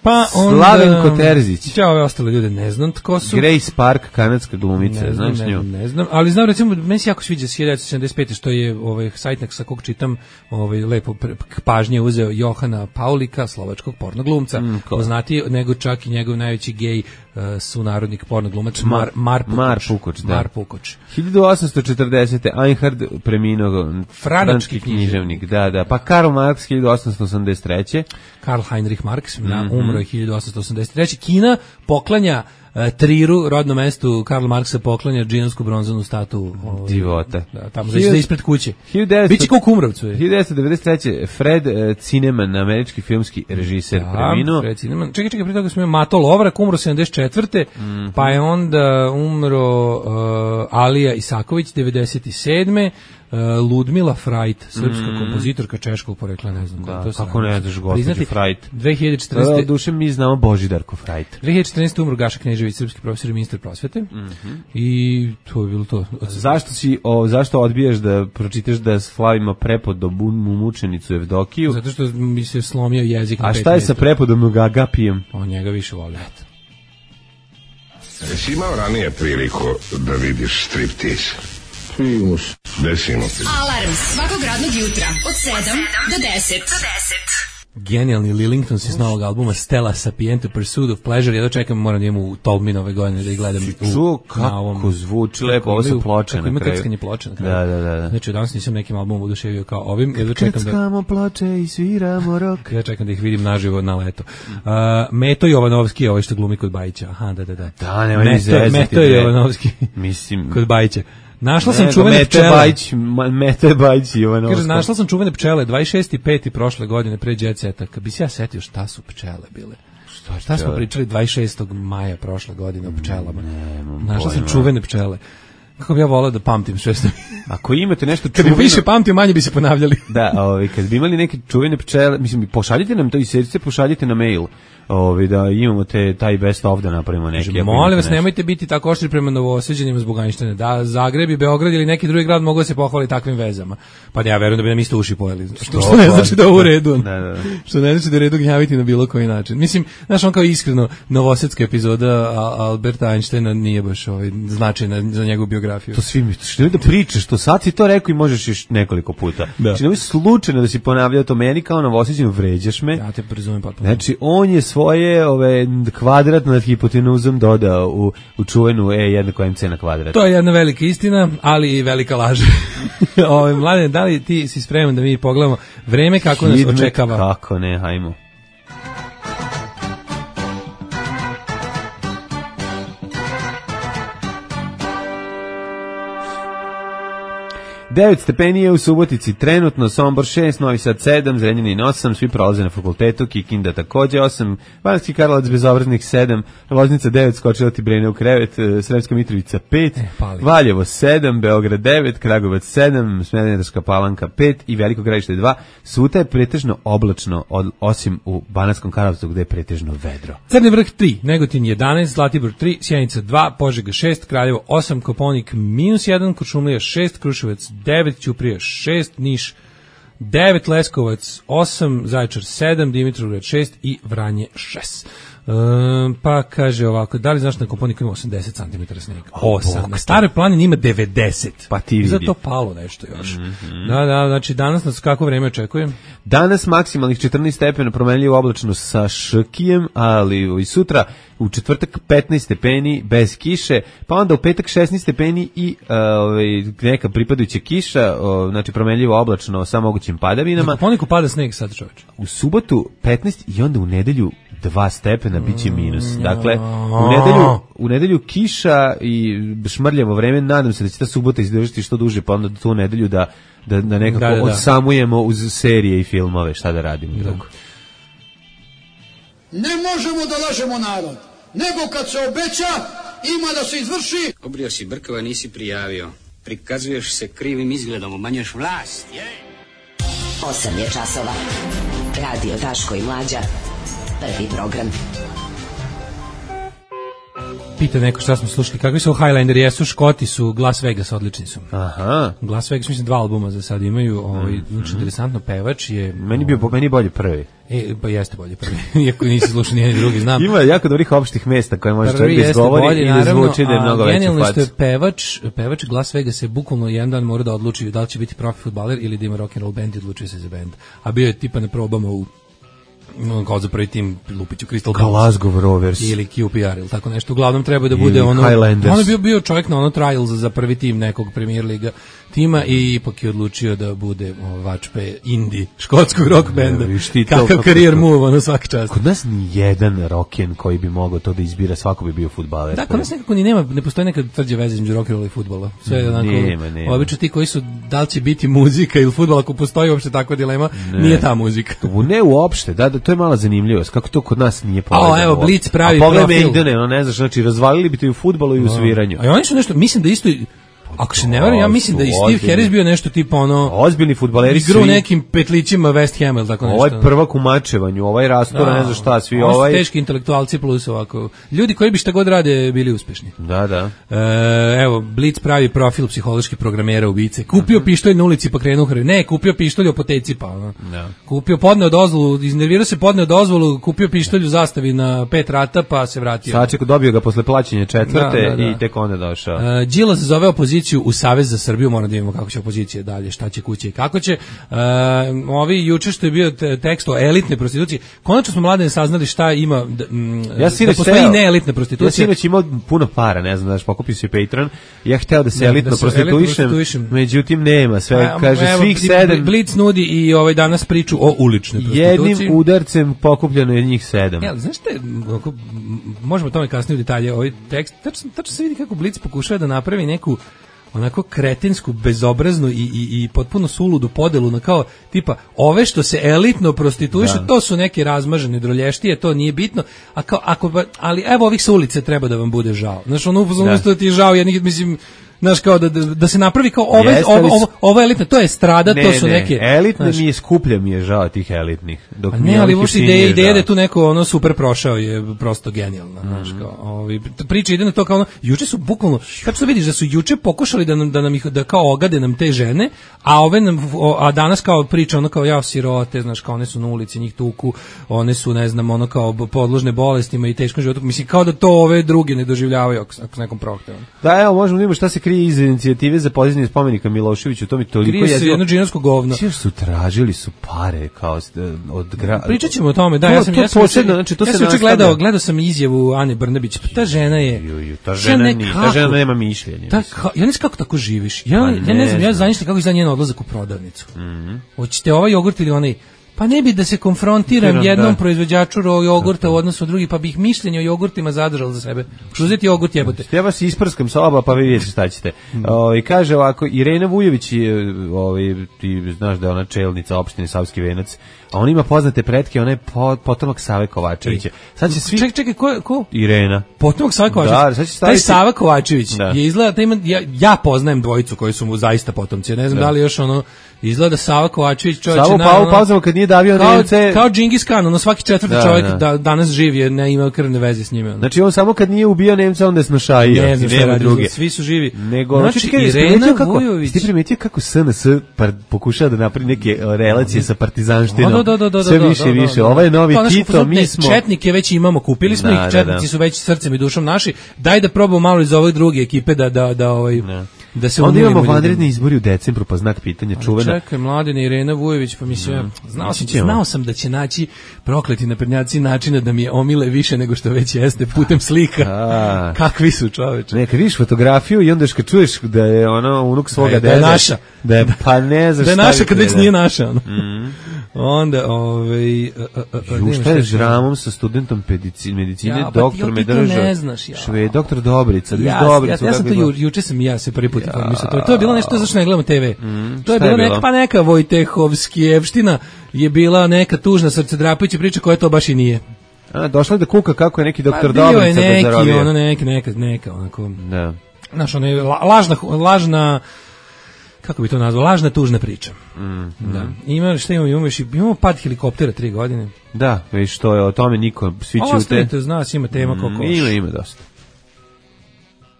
Pa onda, Slavenko Terzić. Ja ove ostale ljude ne znam tko su. Grace Park, kanadska glumica, ne znam, znaš nju? Ne, ne znam, ali znam recimo, meni se jako sviđa s hiljadu devetsto sedamdeset pete. što je ovaj sajtnik sa kog čitam, ovaj lepo pažnje uzeo Johana Paulika, slovačkog pornoglumca, mm, poznatiji nego čak i njegov najveći gej uh, sunarodnik pornoglumac Mar, Mar Pukoč. Mar Pukoč, da. Mar Pukoč. hiljadu osamsto četrdesete. Einhard preminuo, frančki književnik, da, da. Pa Karl Marx hiljadu osamsto osamdeset treće. Karl Heinrich Marx, mm-hmm. umro je hiljadu osamsto osamdeset treće. Kina poklanja uh, Triru, rodnom mestu Karla Marksa, poklanja džinovsku bronzanu statu. Ovaj, divota. Da, tamo znači da ispred kuće. devetsto Biće kao Kumrovcu. hiljadu devetsto devedeset treće. Fred uh, Zinnemann, američki filmski režiser, da, preminuo. Fred Zinnemann. Čekaj, čekaj, prije toga smo imali Mato Lovrak, umro sedamdeset četvrte. Mm-hmm. Pa je onda umro uh, Alija Isaković, devedeset sedme. Uh, Ludmila Frajt, srpska mm. kompozitorka češkog porekla, ne znam da, to se kako ne znaš gospođu Frajt. dve hiljade četrnaeste. Da, duše mi znamo Božidarku Frajt. dve hiljade četrnaeste. umro Gaša Knežević, srpski profesor i ministar prosvete. Mm-hmm. I to je bilo to. Zašto si o, zašto odbijaš da pročitaš da slavimo prepod do mučenicu Evdokiju? Zato što mi se slomio jezik. A šta je sa prepodom Agapijem? On njega više voli. Jesi imao ranije priliku da vidiš striptiz? Primus. Desimo ti. Alarm svakog radnog jutra od sedam do deset. Genijalni Lillingtons iz novog albuma Stella Sapiente Pursuit of Pleasure. Ja dočekam, moram da imam u Tolmin ove godine da ih gledam. Čuo kako zvuči lepo, ovo su ploče na kraju. Ima krckanje ploče na kraju. Da, da, da. Znači, danas nisam nekim albumom oduševio kao ovim. Ja dočekam da... Krckamo ploče i sviramo rok. Ja čekam da ih vidim naživo na leto. Uh, Meto Jovanovski je ovaj što glumi kod Bajića. Aha, da, da, da. Da, nema ni zezati. Meto Jovanovski. Mislim... Kod Bajića. Našla sam ne, čuvene Mete pčele. Bajić, Mete Bajić i Jovanovska. Kaže, našla sam čuvene pčele dvadeset šesti peti prošle godine pre Jet Seta. Kad bi se ja setio šta su pčele bile. Šta, šta smo pričali dvadeset šestog maja prošle godine o pčelama. Ne, našla sam čuvene pčele. Kako bi ja volao da pamtim sve što... Ako imate nešto čuveno... Kad bi više pamtio, manje bi se ponavljali. Da, ovaj, kad bi imali neke čuvene pčele, mislim, pošaljite nam to i sredice, pošaljite na mail. Ovi, da imamo te taj best of da napravimo neki. Kaže, molim vas, nemojte biti tako oštri prema Novosađanima zbog Einsteina. Da, Zagreb i Beograd ili neki drugi grad mogu da se pohvali takvim vezama. Pa ja verujem da bi nam isto uši pojeli. Što, što ne znači da je u redu. Da, da. Što ne znači da je redu gnjaviti na bilo koji način. Mislim, znaš, on kao iskreno, novosadska epizoda Alberta Einsteina nije baš ovaj, značajna za njegovu biografiju. To svi mi, što ne da pričaš, to sad si to rekao i možeš još nekoliko puta. Da. Znači, nemoj slučajno da si ponavljao to meni kao Novosađanu, vređaš me. Ja te razumem potpuno. Znači, on je svoje ove kvadrat nad hipotenuzom dodao u, u čuvenu E jednako M C na kvadrat. To je jedna velika istina, ali i velika laž. Ove, Mladene, da li ti si spreman da mi pogledamo vreme kako nas Hidmet, očekava? Kako ne, hajmo. devet stepeni je u Subotici trenutno, Sombor šest, Novi Sad sedam, Zrenjanin osam, svi prolaze na fakultetu, Kikinda takođe osam, Banatski Karlovac bezobraznih sedam, Loznica devet, skočila ti Brene u krevet, Sremska Mitrovica pet, e, Valjevo sedam, Beograd devet, Kragujevac sedam, Smederevska Palanka pet i Veliko Gradište dva. Sutra je pretežno oblačno, od, osim u Banatskom Karlovcu gde je pretežno vedro. Crni vrh tri, Negotin jedanaest, Zlatibor tri, Sjenica dva, Požega šest, Kraljevo osam, Koponik minus jedan, Kuršumlija šest, Kruševac devet, Ćuprija šest, Niš devet, Leskovac osam, Zaječar sedam, Dimitrovgrad šest i Vranje šest. Um, pa kaže ovako, da li znaš na Koponiku ima osamdeset centimetara snijega? osam. Na Staroj planini ima devedeset. Pa ti vidi. Zato palo nešto još. Mm-hmm. Da, da, znači danas nas kako vreme očekuje? Danas maksimalnih četrnaest stepena, promenljivo oblačno sa škijem, ali i sutra u četvrtak petnaest stepeni bez kiše, pa onda u petak šesnaest stepeni i uh, ovaj, neka pripadajuća kiša, uh, znači promenljivo oblačno sa mogućim padavinama. Na Koponiku pada sneg sad, čoveče. U subotu petnaest i onda u nedelju dva stepena biće minus. Dakle, u nedelju, u nedelju kiša i šmrljavo vreme, nadam se da će ta subota izdržati što duže, pa onda tu nedelju da, da, da nekako da, da, da. odsamujemo uz serije i filmove, šta da radimo. Da. Ne možemo da lažemo narod, nego kad se obeća, ima da se izvrši. Obrio si brkova, nisi prijavio. Prikazuješ se krivim izgledom, umanjuješ vlast. osam je časova. Radio Daško i Mlađa. Prvi program. Pita neko šta smo slušali, kakvi su Highlanderi, jesu Škoti, su Las Vegas, odlični su. Aha. Las Vegas, mislim, dva albuma za sad imaju, ovaj, mm. znači, interesantno, pevač je... Meni bio, po meni bolje prvi. E, pa jeste bolje prvi, iako nisi slušao nijedni drugi, znam. Ima jako dobrih opštih mesta koje može prvi čovjek izgovori bolje, i da zvuči da je mnogo veći genijalno fac. što je pevač, pevač Las Vegas se bukvalno jedan dan mora da odluči da li će biti profi fudbaler ili da ima rock'n'roll band i odlučuje se za band. A bio je tipa na probama u kao za prvi tim Lupiću Crystal Glasgow Rovers ili Q P R ili tako nešto. Uglavnom treba da bude ono on je bio bio čovjek na ono trials za prvi tim nekog Premier liga tima i ipak je odlučio da bude vačpe indie škotskog rock benda. Kakav karijer move ono svaki čast. Kod nas ni jedan rocken koji bi mogao to da izbira, svako bi bio fudbaler. Da, kod nas nekako ni nema, ne postoji neka tvrđa veza između rock'n'rolla i fudbala. Sve je onako, obično ti koji su, da li će biti muzika ili fudbal, ako postoji uopšte takva dilema, ne. Nije ta muzika. Ne uopšte, da, da, to je mala zanimljivost, kako to kod nas nije povezano. A evo, Blitz pravi profil. A pogledaj Maidene, no ne znaš, znači razvalili bi to i u fudbalu i u sviranju. A oni su nešto, mislim da isto... Ako se ne varam, ja mislim da i Steve Harris bio nešto tipa ono... Ozbiljni fudbaleri svi. Igru nekim petlićima West Ham ili tako nešto. Ovaj prvak u mačevanju, ovaj rastora, ne znam šta, svi ovo ovaj... Ovo su teški intelektualci plus ovako. Ljudi koji bi šta god rade bili uspešni. Da, da. E, evo, Blitz pravi profil psiholoških programera ubice. Kupio pištolj na ulici pa krenuo hrvi. Ne, kupio pištolj u apoteci pa. Ono. Da. Kupio, podneo dozvolu, iznervirao se, podneo dozvolu, kupio pištolj u zastavi na pet rata pa se vratio. Saček dobio ga posle plaćanja četvrte da, da, da. i tek onda došao. E, Đilas zove opoziciju u Savez za Srbiju, moramo da vidimo kako će opozicija dalje, šta će kuće i kako će. Uh, ovi juče što je bio tekst o elitne prostitucije, konačno smo mladene saznali šta ima, da, m, ja da postoji neelitne prostitucije. Ja sinoć imao puno para, ne znam, daš, pokupio si Patreon, ja hteo da se ne, elitno da se prostituišem, elitno međutim nema, sve, A, kaže evo, svih sedam. Blic nudi i ovaj danas priču o uličnoj prostituciji. Jednim udarcem pokupljeno je njih sedam. Ja, znaš te, možemo o tome kasnije u detalje, ovaj tekst, tačno, tačno se vidi kako Blic pokušava da napravi neku onako kretinsku, bezobraznu i, i, i potpuno suludu podelu na kao tipa ove što se elitno prostituišu, to su neke razmažene drolještije, to nije bitno, a kao, ako, ali evo ovih sa ulice treba da vam bude žao. Znaš, ono upoznamo da ti je žao, ja nikad mislim, znaš, kao da, da, da se napravi kao ove, Jeste, ovo, ovo, ovo elitne, to je strada, ne, to su ne, neke... elitne znaš, mi je skuplja, mi je žao tih elitnih. Dok a ne, ali uopšte ideja, ideja da je tu neko ono super prošao je prosto genijalna. Mm. Znaš, kao, ovi, priča ide na to kao ono, juče su bukvalno, kako što vidiš da su juče pokušali da nam, da nam ih, da kao ogade nam te žene, a ove nam, a danas kao priča ono kao ja sirote, znaš, kao one su na ulici, njih tuku, one su, ne znam, ono kao podložne bolestima i teškom životu, mislim, kao da to ove druge ne doživljavaju ako, ako s nekom prohtevom. Da, evo, možemo da vidimo šta se krije iz inicijative za podizanje spomenika Miloševiću, to mi toliko je. Krije se jedno džinovsko govno. Svi su tražili su pare kao od gra... Pričat ćemo o tome, da, to, ja sam, to ja sam, posebno, znači, to ja se sam gledao, gledao sam izjavu Ane Brnabić, ta žena je... Ju, ju, ta žena, ne, ni, ta žena nema mišljenja. Ta, ka, ja ne znam kako tako živiš, ja, ne, ja ne znam, ja zamišljam kako izgleda njen odlazak u prodavnicu. Mm -hmm. Hoćete ovaj jogurt ili onaj... Pa ne bi da se konfrontiram Tiram, jednom da. proizvođaču jogurta u odnosu od drugih, pa bih mišljenje o jogurtima zadržal za sebe. Uzeti jogurt jebote. Ja vas isprskam sa oba, pa vi vidite šta ćete. Mm. O, kaže ovako, Irena Vujović, ovaj, ti znaš da je ona čelnica opštine Savski Venac, a on ima poznate pretke, ona je potomak Save Kovačevića. Sad će svi... Čekaj, čekaj, ko, ko? Irena. Potomak Save Kovačevića. Da, sad će staviti... Taj Sava Kovačević da. je izgleda, taj ima, ja, ja poznajem dvojicu koji su mu zaista potomci. Ne znam da, da li još ono... Izgleda Sava Kovačević čovjek Savo pa u pauzama kad nije davio kao, Nemce kao Džingis Khan, ono svaki četvrti da, čovjek da. da danas živi jer ne ima krvne veze s njime. Ono. Znači on samo kad nije ubio Nemca onda je snošajio. Ne znam šta radi, druge. Svi su živi. Nego znači, znači Irena Vujović. Ti primetio kako S N S pokušava da napravi neke relacije sa partizanštinom. Da, da, da, da, sve više i više. Ovo je novi Tito, mi smo četnike već imamo, kupili smo ih, četnici su već srcem i dušom naši. Daj da probamo malo iz ove druge ekipe da da da ovaj da se onda imamo vanredni izbori u decembru, pa znak pitanja čuvena. Čekaj, Mladena Irena Vujović, pa mislim, mm. znao, sam, znao sam da će naći prokleti naprednjaci načina da mi je omile više nego što već jeste putem slika. A. Kakvi su čoveče. Ne, kad vidiš fotografiju i onda kad čuješ da je ono unuk svoga dede. Da je naša. Da je, pa ne znaš da je naša kad već nije naša. Ono. Mm. Onda, ovaj... Uh, uh, šta je žramom sa studentom medicine, medicine ja, doktor me drža. Ne znaš, ja. Šve, doktor Dobrica, ja, Dobrica. Ja, ja sam to ju, juče sam ja se prvi put ja. informisao. To, to je bilo nešto zašto ne gledamo te ve. Mm, to je bilo neka, pa neka Vojtehovskijevština je bila neka tužna srcedrapajuća priča koja to baš i nije. A, došla je da kuka kako je neki doktor Pa bio je Dobrica neki, bezarobio. ono neki, neka, neka, onako, Da. znaš, ono je la- lažna, lažna, kako bi to nazvao, lažna tužna priča. Mm, Da. Ima, šta imamo, imamo, još i- imamo pad helikoptera tri godine. Da, viš što je o tome niko, svi A ćute. ostavite, zna, ima tema Mm, koliko. Ima, ima dosta.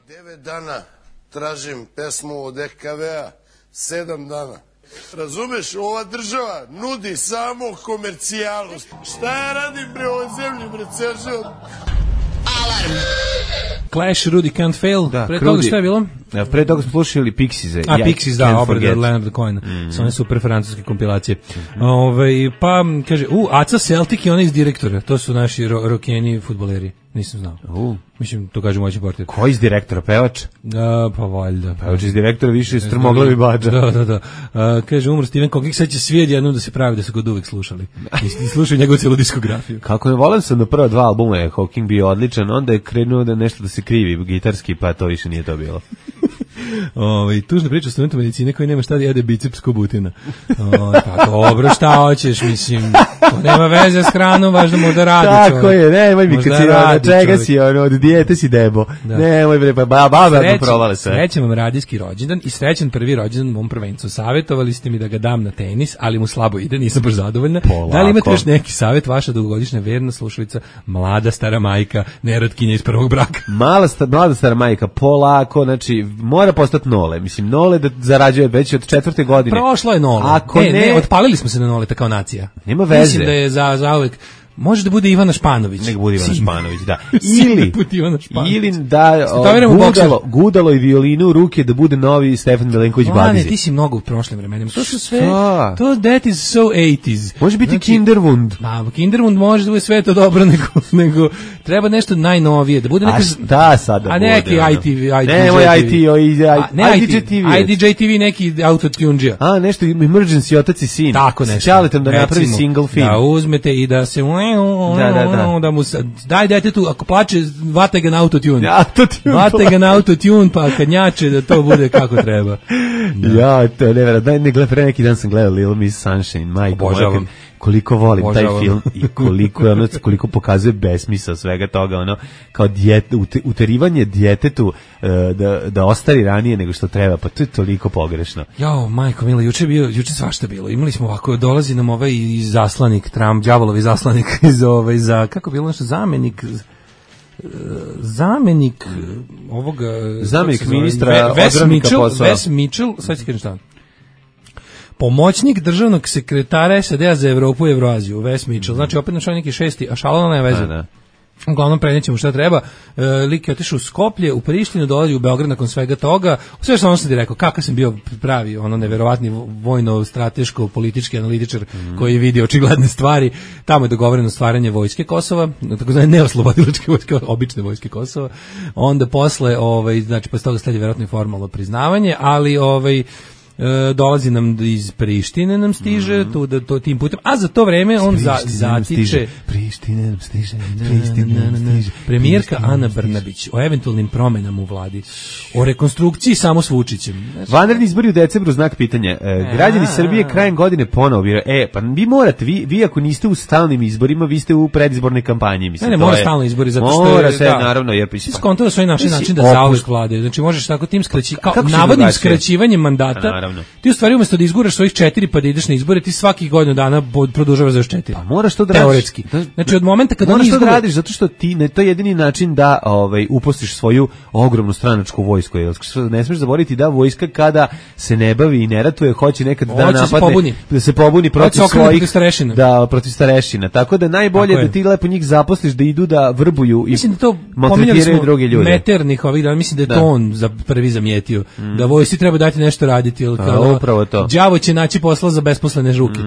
Devet dana tražim pesmu od E K V-a, sedam dana. Razumeš, ova država nudi samo komercijalu. Šta ja radim bre ovoj zemlji, bre, Seržo? Alarm. Clash, Rudy Can't Fail, Da, pre toga Krudi. šta je bilo? Ja, pre toga smo slušali Pixies-e. A Ja Pixies, Can't da, obrada Forget. od Leonarda Cohena. Mm. Sa one super francuske kompilacije. Ove, pa, kaže, u, Aca Celtic i ona iz direktora. To su naši ro rokeni fudbaleri. Nisam znao. U. Mislim, to kaže moći portir. Ko iz direktora, pevač? Da, pa valjda. Pevač iz direktora više strmoglavi bađa. Da, da, da. A, kaže, umro Steven Kokik, sad će svi jednom da se pravi da su ga od uvek slušali. I, i slušaju njegovu cijelu diskografiju. Kako je volan sam na prva dva albuma je Hawking bio odličan, onda je krenuo da nešto da se krivi gitarski, pa to više nije to bilo. Ove, tužna priča o studentu medicine koji nema šta da jede biceps ko butina. O, pa dobro, šta hoćeš, mislim, to nema veze s hranom, važno možda radi Tako čovjek. je, nemoj mi kad Možda si, ono, radi čega čovjek. si, ono, od dijete si debo. Da. Nemoj bre, pa ba- baba Srećan- mi provale sve. Srećan vam radijski rođendan i srećan prvi rođendan mom prvencu. Savjetovali ste mi da ga dam na tenis, ali mu slabo ide, nisam baš zadovoljna. Polako. Da li imate još neki savjet, vaša dugogodišnja verna slušalica, mlada stara majka, nerotkinja iz prvog braka? Mala sta, mlada stara majka, polako, znači, mora postati nole. Mislim, nole da zarađuje već od četvrte godine. Prošlo je nole. Ako ne, ne, ne, otpalili smo se na noleta kao nacija. Nema veze. Mislim da je za, za uvek. Može da bude Ivana Španović. Nek bude Ivana Sin. Španović, da. Sin Ili, da bude Ivana Španović. ili da o, Statoviramo gudalo, bokser. gudalo i violinu u ruke da bude novi Stefan Milenković Mlane, Badizi. ti si mnogo u prošlim vremenima. To su sve, Šta? to that is so eighties. Može biti Znači, Kinderwund. Da, Kinderwund može da bude sve to dobro, nego, nego treba nešto najnovije, da bude neka... A šta sad da A bude? neki ono? I T V, I D J Nemoj T V. I T, o, i, A, ne I D J T V. I D J T V neki autotunđija. A, nešto emergency otac i sin. Tako S nešto. Ćaletom da napravi Recimo, single film. Da uzmete i da se... Da, da, da. da mu se, daj detetu, ako plače, vate ga na autotune. Autotune. Vate ga na autotune, pa kad njače da to bude kako treba. Ja, to je nevjerojatno. Daj, ne gleda, pre neki dan sam gledao Little Miss Sunshine, majko moja, Obožavam. kad- koliko volim Obožavam. taj film i koliko je ono, koliko pokazuje besmisao svega toga, ono, kao djete, ute, uterivanje djetetu e, da, da ostari ranije nego što treba, pa to je toliko pogrešno. Jao, majko mila, juče je bio, juče svašta bilo. Imali smo ovako, dolazi nam ovaj zaslanik, Trump, đavolovi zaslanik iz ovaj za kako bilo nešto zamenik e, zamenik e, ovoga Zamenik kako se zove, ministra Ve- Wes odbrane Mitchell, posao. Wes Mitchell, sad ću kažem šta. Pomoćnik državnog sekretara S A D-a za Evropu i Evroaziju, Wes Mitchell. Znači opet našao neki šesti, a šalona nema veze. Da, da. Uglavnom prenijećemo šta treba. E, lik je otišao u Skoplje, u Prištinu, dolazi u Beograd nakon svega toga. Sve što ono sam ti rekao, kakav sam bio pravi, ono neverovatni vojno-strateško politički analitičar Mhm. koji vidi očigledne stvari. Tamo je dogovoreno stvaranje vojske Kosova, takozvane neoslobodilačke vojske, obične vojske Kosova. Onda posle, ovaj, znači posle toga sledi verovatno i formalno priznavanje, ali ovaj E, dolazi nam iz Prištine nam stiže Mhm. tu da to tim putem, a za to vreme on za, Priština nam zatiče stiže, Priština nam stiže, Priština nam stiže. premijerka Priština nam Ana stiže. Brnabić o eventualnim promenama u vladi, o rekonstrukciji samo s Vučićem. Znači, Vanredni izbori u decembru, znak pitanja. E, građani Srbije krajem godine ponovo biraju. E, pa vi morate, vi, vi ako niste u stalnim izborima, vi ste u predizbornoj kampanji. Mislim, ne, ne, to mora je- stalno izbori, zato što je- Mora se, da. naravno, jer... Svi skonto da svoj naši Mislim, način da opust- zauvek vlade. Znači možeš tako tim skraći, kao Kako će navodnim drugačije? skraćivanjem mandata. Pa, naravno. Ti u stvari umesto da izguraš svojih četiri pa da ideš na izbore, ti svakih godinu dana bod- produžavaš za još četiri. Pa moraš to da radiš. Teoretski. Da- Znači od momenta kada oni moraš to da izgube, radiš zato što ti ne, to je jedini način da ovaj uposliš svoju ogromnu stranačku vojsku. Jer ne smiješ zaboraviti da vojska kada se ne bavi i ne ratuje, hoće nekad da Hoće se napadne, pobuni. da se pobuni protiv se okrene svojih protiv starešina. da protiv starešina. Tako da najbolje Tako da je. ti lepo njih zaposliš da idu da vrbuju i mislim da to pominjali maltretiraju smo druge ljude. Meternih ovih dana, mislim da je Da. to on za prvi zamijetio. Da vojsci treba dati nešto raditi, jer A, kao upravo to. đavo će naći posla za besposlene žuke.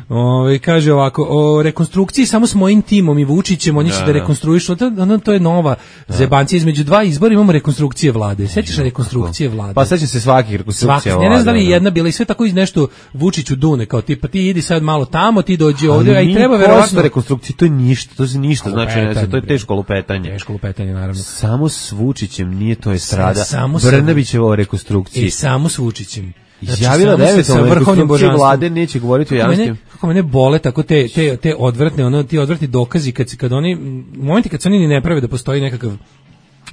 Ovaj, kaže ovako, o rekonstrukciji samo s mojim timom i Vučićem, oni će da, da. rekonstruišu, to, ono, to je nova zebancija između dva izbora, imamo rekonstrukcije vlade. Sećaš rekonstrukcije vlade? Pa sad će se svakih rekonstrukcija. Svaki, ne, ne znam da li je vlade, jedna bila i sve tako iz nešto Vučiću dune, kao tipa ti idi sad malo tamo, ti dođi ovdje, a Ali i treba nije verovatno košta rekonstrukcija, to je ništa, to je ništa, znači ne, Lupetanje, to je bre. teško lupetanje. Teško lupetanje, naravno. Samo s Vučićem nije to estrada. Samo sa- Brnabićeva o rekonstrukciji. I samo s Vučićem. Izjavila da eventualno rekonstrukcija vlade neće govoriti o javnosti. Kako mene bole tako te, te, te odvratne, ono, ti odvratni dokazi kad, kad oni, u momenti kad se oni ni ne prave da postoji nekakav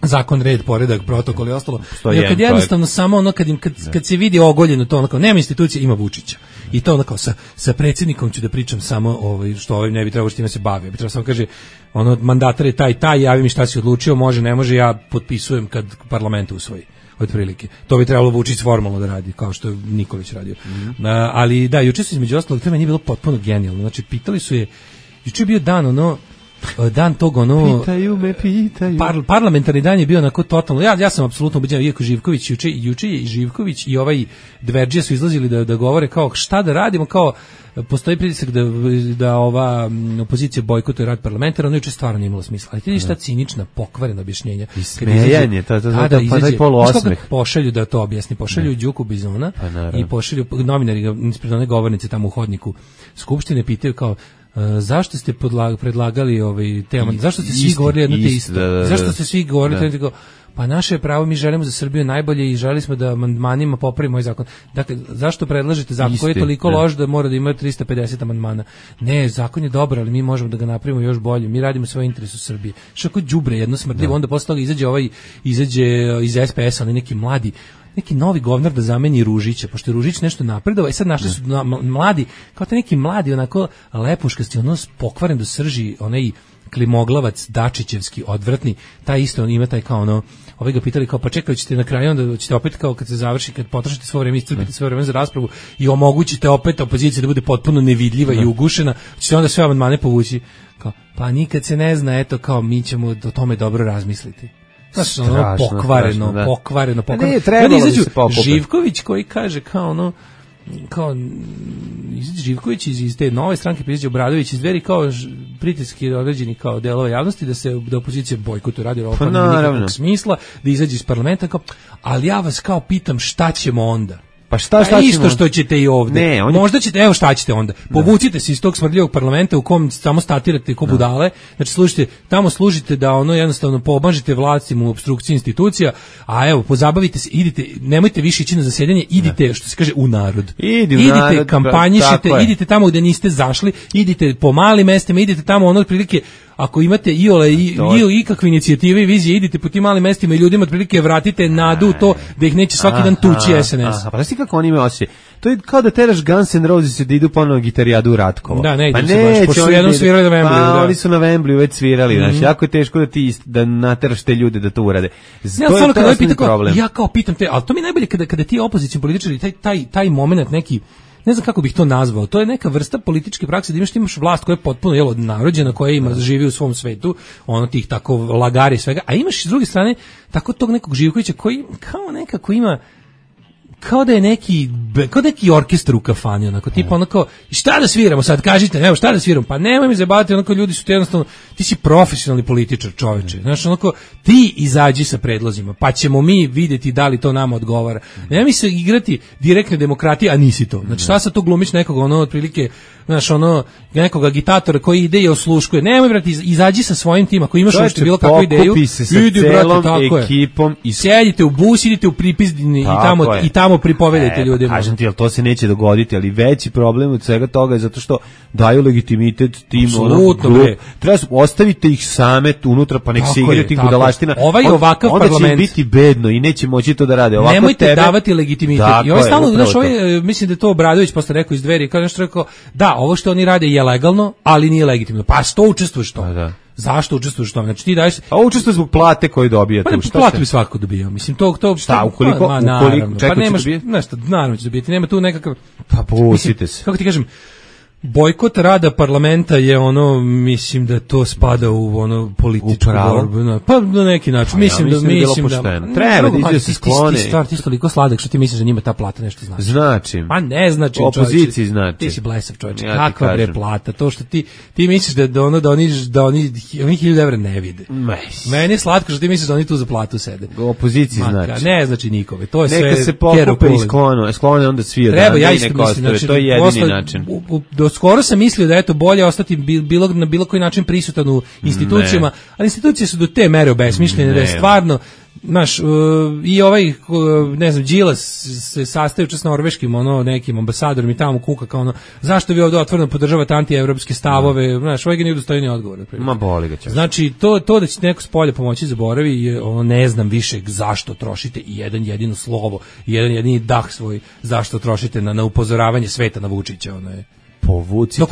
zakon, red, poredak, protokol i ostalo. Jer kad jednostavno samo ono, kad, im, kad, kad se vidi ogoljeno to, ono kao, nema institucije, ima Vučića. I to ono kao, sa, sa predsjednikom ću da pričam samo, ovaj, što ovaj ne bi trebalo što time se bavi. Bi trebalo samo kaže, ono, mandatar je taj, taj, javi mi šta si odlučio, može, ne može, ja potpisujem kad parlament usvoji. Otprilike. To bi trebalo Vučić formalno da radi, kao što je Nikolić radio. Mm-hmm. Uh, ali da, juče su između ostalog, to meni je bilo potpuno genijalno. Znači, pitali su je, juče je bio dan, ono, dan tog, ono... Pitaju me, pitaju. Par, parlamentarni dan je bio onako totalno, ja, ja sam apsolutno ubeđen, iako Živković, juče, juče je i Živković i ovaj Dverđija su izlazili da, da govore kao šta da radimo, kao postoji pritisak da, da ova opozicija bojkotuje rad parlamenta, ono juče stvarno nije imalo smisla. Ali ti vidiš ta cinična, pokvarena objašnjenja. I smejanje, to, to, to, to, pa taj poluosmeh. Pošalju da to objasni, pošalju ne. Đuku Bizona pa, i pošalju novinari ispred one govornice tamo u hodniku Skupštine, pitaju kao Uh, zašto ste podlag, predlagali ovaj tema? Zašto ste svi govorili jedno te isto? Da, da, da. Zašto ste svi govorili da. Tako, pa naše je pravo, mi želimo za Srbiju najbolje i želeli smo da amandmanima popravimo ovaj zakon. Dakle, zašto predlažete zakon koji je toliko da. loš da mora da ima trista pedeset amandmana? Ne, zakon je dobar, ali mi možemo da ga napravimo još bolje. Mi radimo svoj interes u Srbiji. Što ako đubre jedno smrdljivo, onda posle toga izađe ovaj izađe iz S P S-a, oni neki mladi neki novi govnar da zameni Ružića, pošto je Ružić nešto napredovao i sad našli su na, mladi, kao te neki mladi, onako lepuškasti, ono pokvaren do srži, onaj klimoglavac Dačićevski, odvratni, taj isto on ima taj kao ono, ovaj ga pitali kao pa čekaj, ćete na kraju onda ćete opet kao kad se završi, kad potrošite svo vreme, iscrpite svo vreme za raspravu i omogućite opet opoziciji da bude potpuno nevidljiva i ugušena, ćete onda sve amandmane povući, kao pa nikad se ne zna, eto kao mi ćemo o tome dobro razmisliti. Znaš, ono, strašno, pokvareno, strašno, da. pokvareno, pokvareno. Ne, trebalo da se pokupe. Živković koji kaže kao ono, kao izađe Živković iz, iz te nove stranke, izađe Obradović iz Dveri kao pritiski određeni kao delova javnosti da se da opozicija bojkotuje radi ovo pa nema nikakvog smisla, da izađe iz parlamenta kao, ali ja vas kao pitam šta ćemo onda? Pa šta, šta pa isto što ćete i ovde. Ne, on... Možda ćete, evo šta ćete onda. Povucite se iz tog smrdljivog parlamenta u kom samo statirate ko budale. Znači slušajte, tamo služite da ono jednostavno pomažete vlastima u opstrukciji institucija, a evo pozabavite se, idite, nemojte više ići na zasedanje, idite ne. što se kaže u narod. Idi u idite, narod, kampanjišite, idite tamo gde niste zašli, idite po malim mestima, idite tamo ono otprilike. Ako imate iole i i ikakve inicijative i vizije, idite po tim malim mestima i ljudima otprilike vratite nadu u to da ih neće svaki dan tući S N S. Aha, pa znaš ti kako oni imaju osjećaj? To je kao da teraš Guns N' Roses da idu ponovno gitarijadu u Ratkovo. Da, ne, pa se baš, pošto su jednom svirali na Wembley. Pa, da. Oni su na Wembley već svirali, mm-hmm. Znači, jako je teško da ti da nateraš te ljude da to urade. Ja, to je, to je pita, problem. Ja kao pitam te, ali to mi je najbolje kada, kada ti opozicioni političari, taj, taj, taj moment neki, ne znam kako bih to nazvao, to je neka vrsta političke prakse da imaš, imaš vlast koja je potpuno jel, narodđena, koja ima, živi u svom svetu, ono tih tako lagari i svega, a imaš s druge strane tako tog nekog Živkovića koji kao nekako ima kao da je neki kao da neki orkestar u kafani, onako tipa onako šta da sviramo sad, kažite, evo šta da sviramo, pa nemoj mi zabaviti, onako ljudi su ti jednostavno, ti si profesionalni političar, čoveče, znaš, onako ti izađi sa predlozima, pa ćemo mi vidjeti da li to nama odgovara. Nemoj mi se igrati direktne demokratije, a nisi to. Znači šta sad tu glumiš nekog ono otprilike, znaš, ono nekog agitatora koji ide i osluškuje. Nemoj brate, izađi sa svojim tim, ako imaš nešto bilo kakvu ideju, idi brate, tako ekipom i sjedite u bus, idite u pripizdini i tamo i tamo pripovedajte e, ljudima. Kažem ti, ali to se neće dogoditi, ali veći problem od svega toga je zato što daju legitimitet tim ono, treba su, ostavite ih same unutra, pa nek se igraju tih budalaština. Ovaj ovakav onda parlament će biti bedno i neće moći to da rade. Ovako nemojte tebe, davati legitimitet. I ovaj stalno, znaš, ovaj, mislim da je to Obradović posle rekao iz Dveri, kao nešto rekao, da, ovo što oni rade je legalno, ali nije legitimno. Pa što učestvuješ to? Pa da. Zašto učestvuješ u tome? Znači ti daješ, a učestvuješ zbog plate koju dobijate. Pa ne, platu bi svako dobijao. Mislim to to šta ukoliko ma, ukoliko pa nemaš nešto, naravno će dobiti. Nema tu nekakav pa pustite se. Kako ti kažem? Bojkot rada parlamenta je ono, mislim da to spada u ono političku borbu, no, pa na neki način. Mislim, ja, mislim da mislim da, da treba da ide se sklone. Ti stvar ti toliko sladak što ti misliš da njima ta plata nešto znači. Znači. Pa ne znači, opoziciji znači. Ti si blesav čovjek. Ja kakva bre plata? To što ti ti misliš da, da ono da oni da oni oni hiljadu evra ne vide. Mes. Meni je slatko što ti misliš da oni tu za platu sede. Opoziciji znači. Ne znači nikome. To je neka sve. Neka se pokupe i sklone, sklone onda svi od. Treba ja isto mislim, to je jedini način. Skoro sam mislio da je to bolje ostati bilo, na bilo koji način prisutan u institucijama, ne. Ali institucije su do te mere obesmišljene da je stvarno Znaš, uh, i ovaj, uh, ne znam, Đilas se sastaju čas s norveškim, ono, nekim ambasadorom i tamo kuka kao ono, zašto vi ovdje otvoreno podržavate antievropske stavove, znaš, ovaj ga nije dostojni odgovor. Ma boli ga će. Znači, to, to da će neko s polja pomoći zaboravi, je, ono, ne znam više zašto trošite i jedan jedino slovo, i jedan jedini dah svoj, zašto trošite na, na upozoravanje sveta na Vučića, ono je. Povucite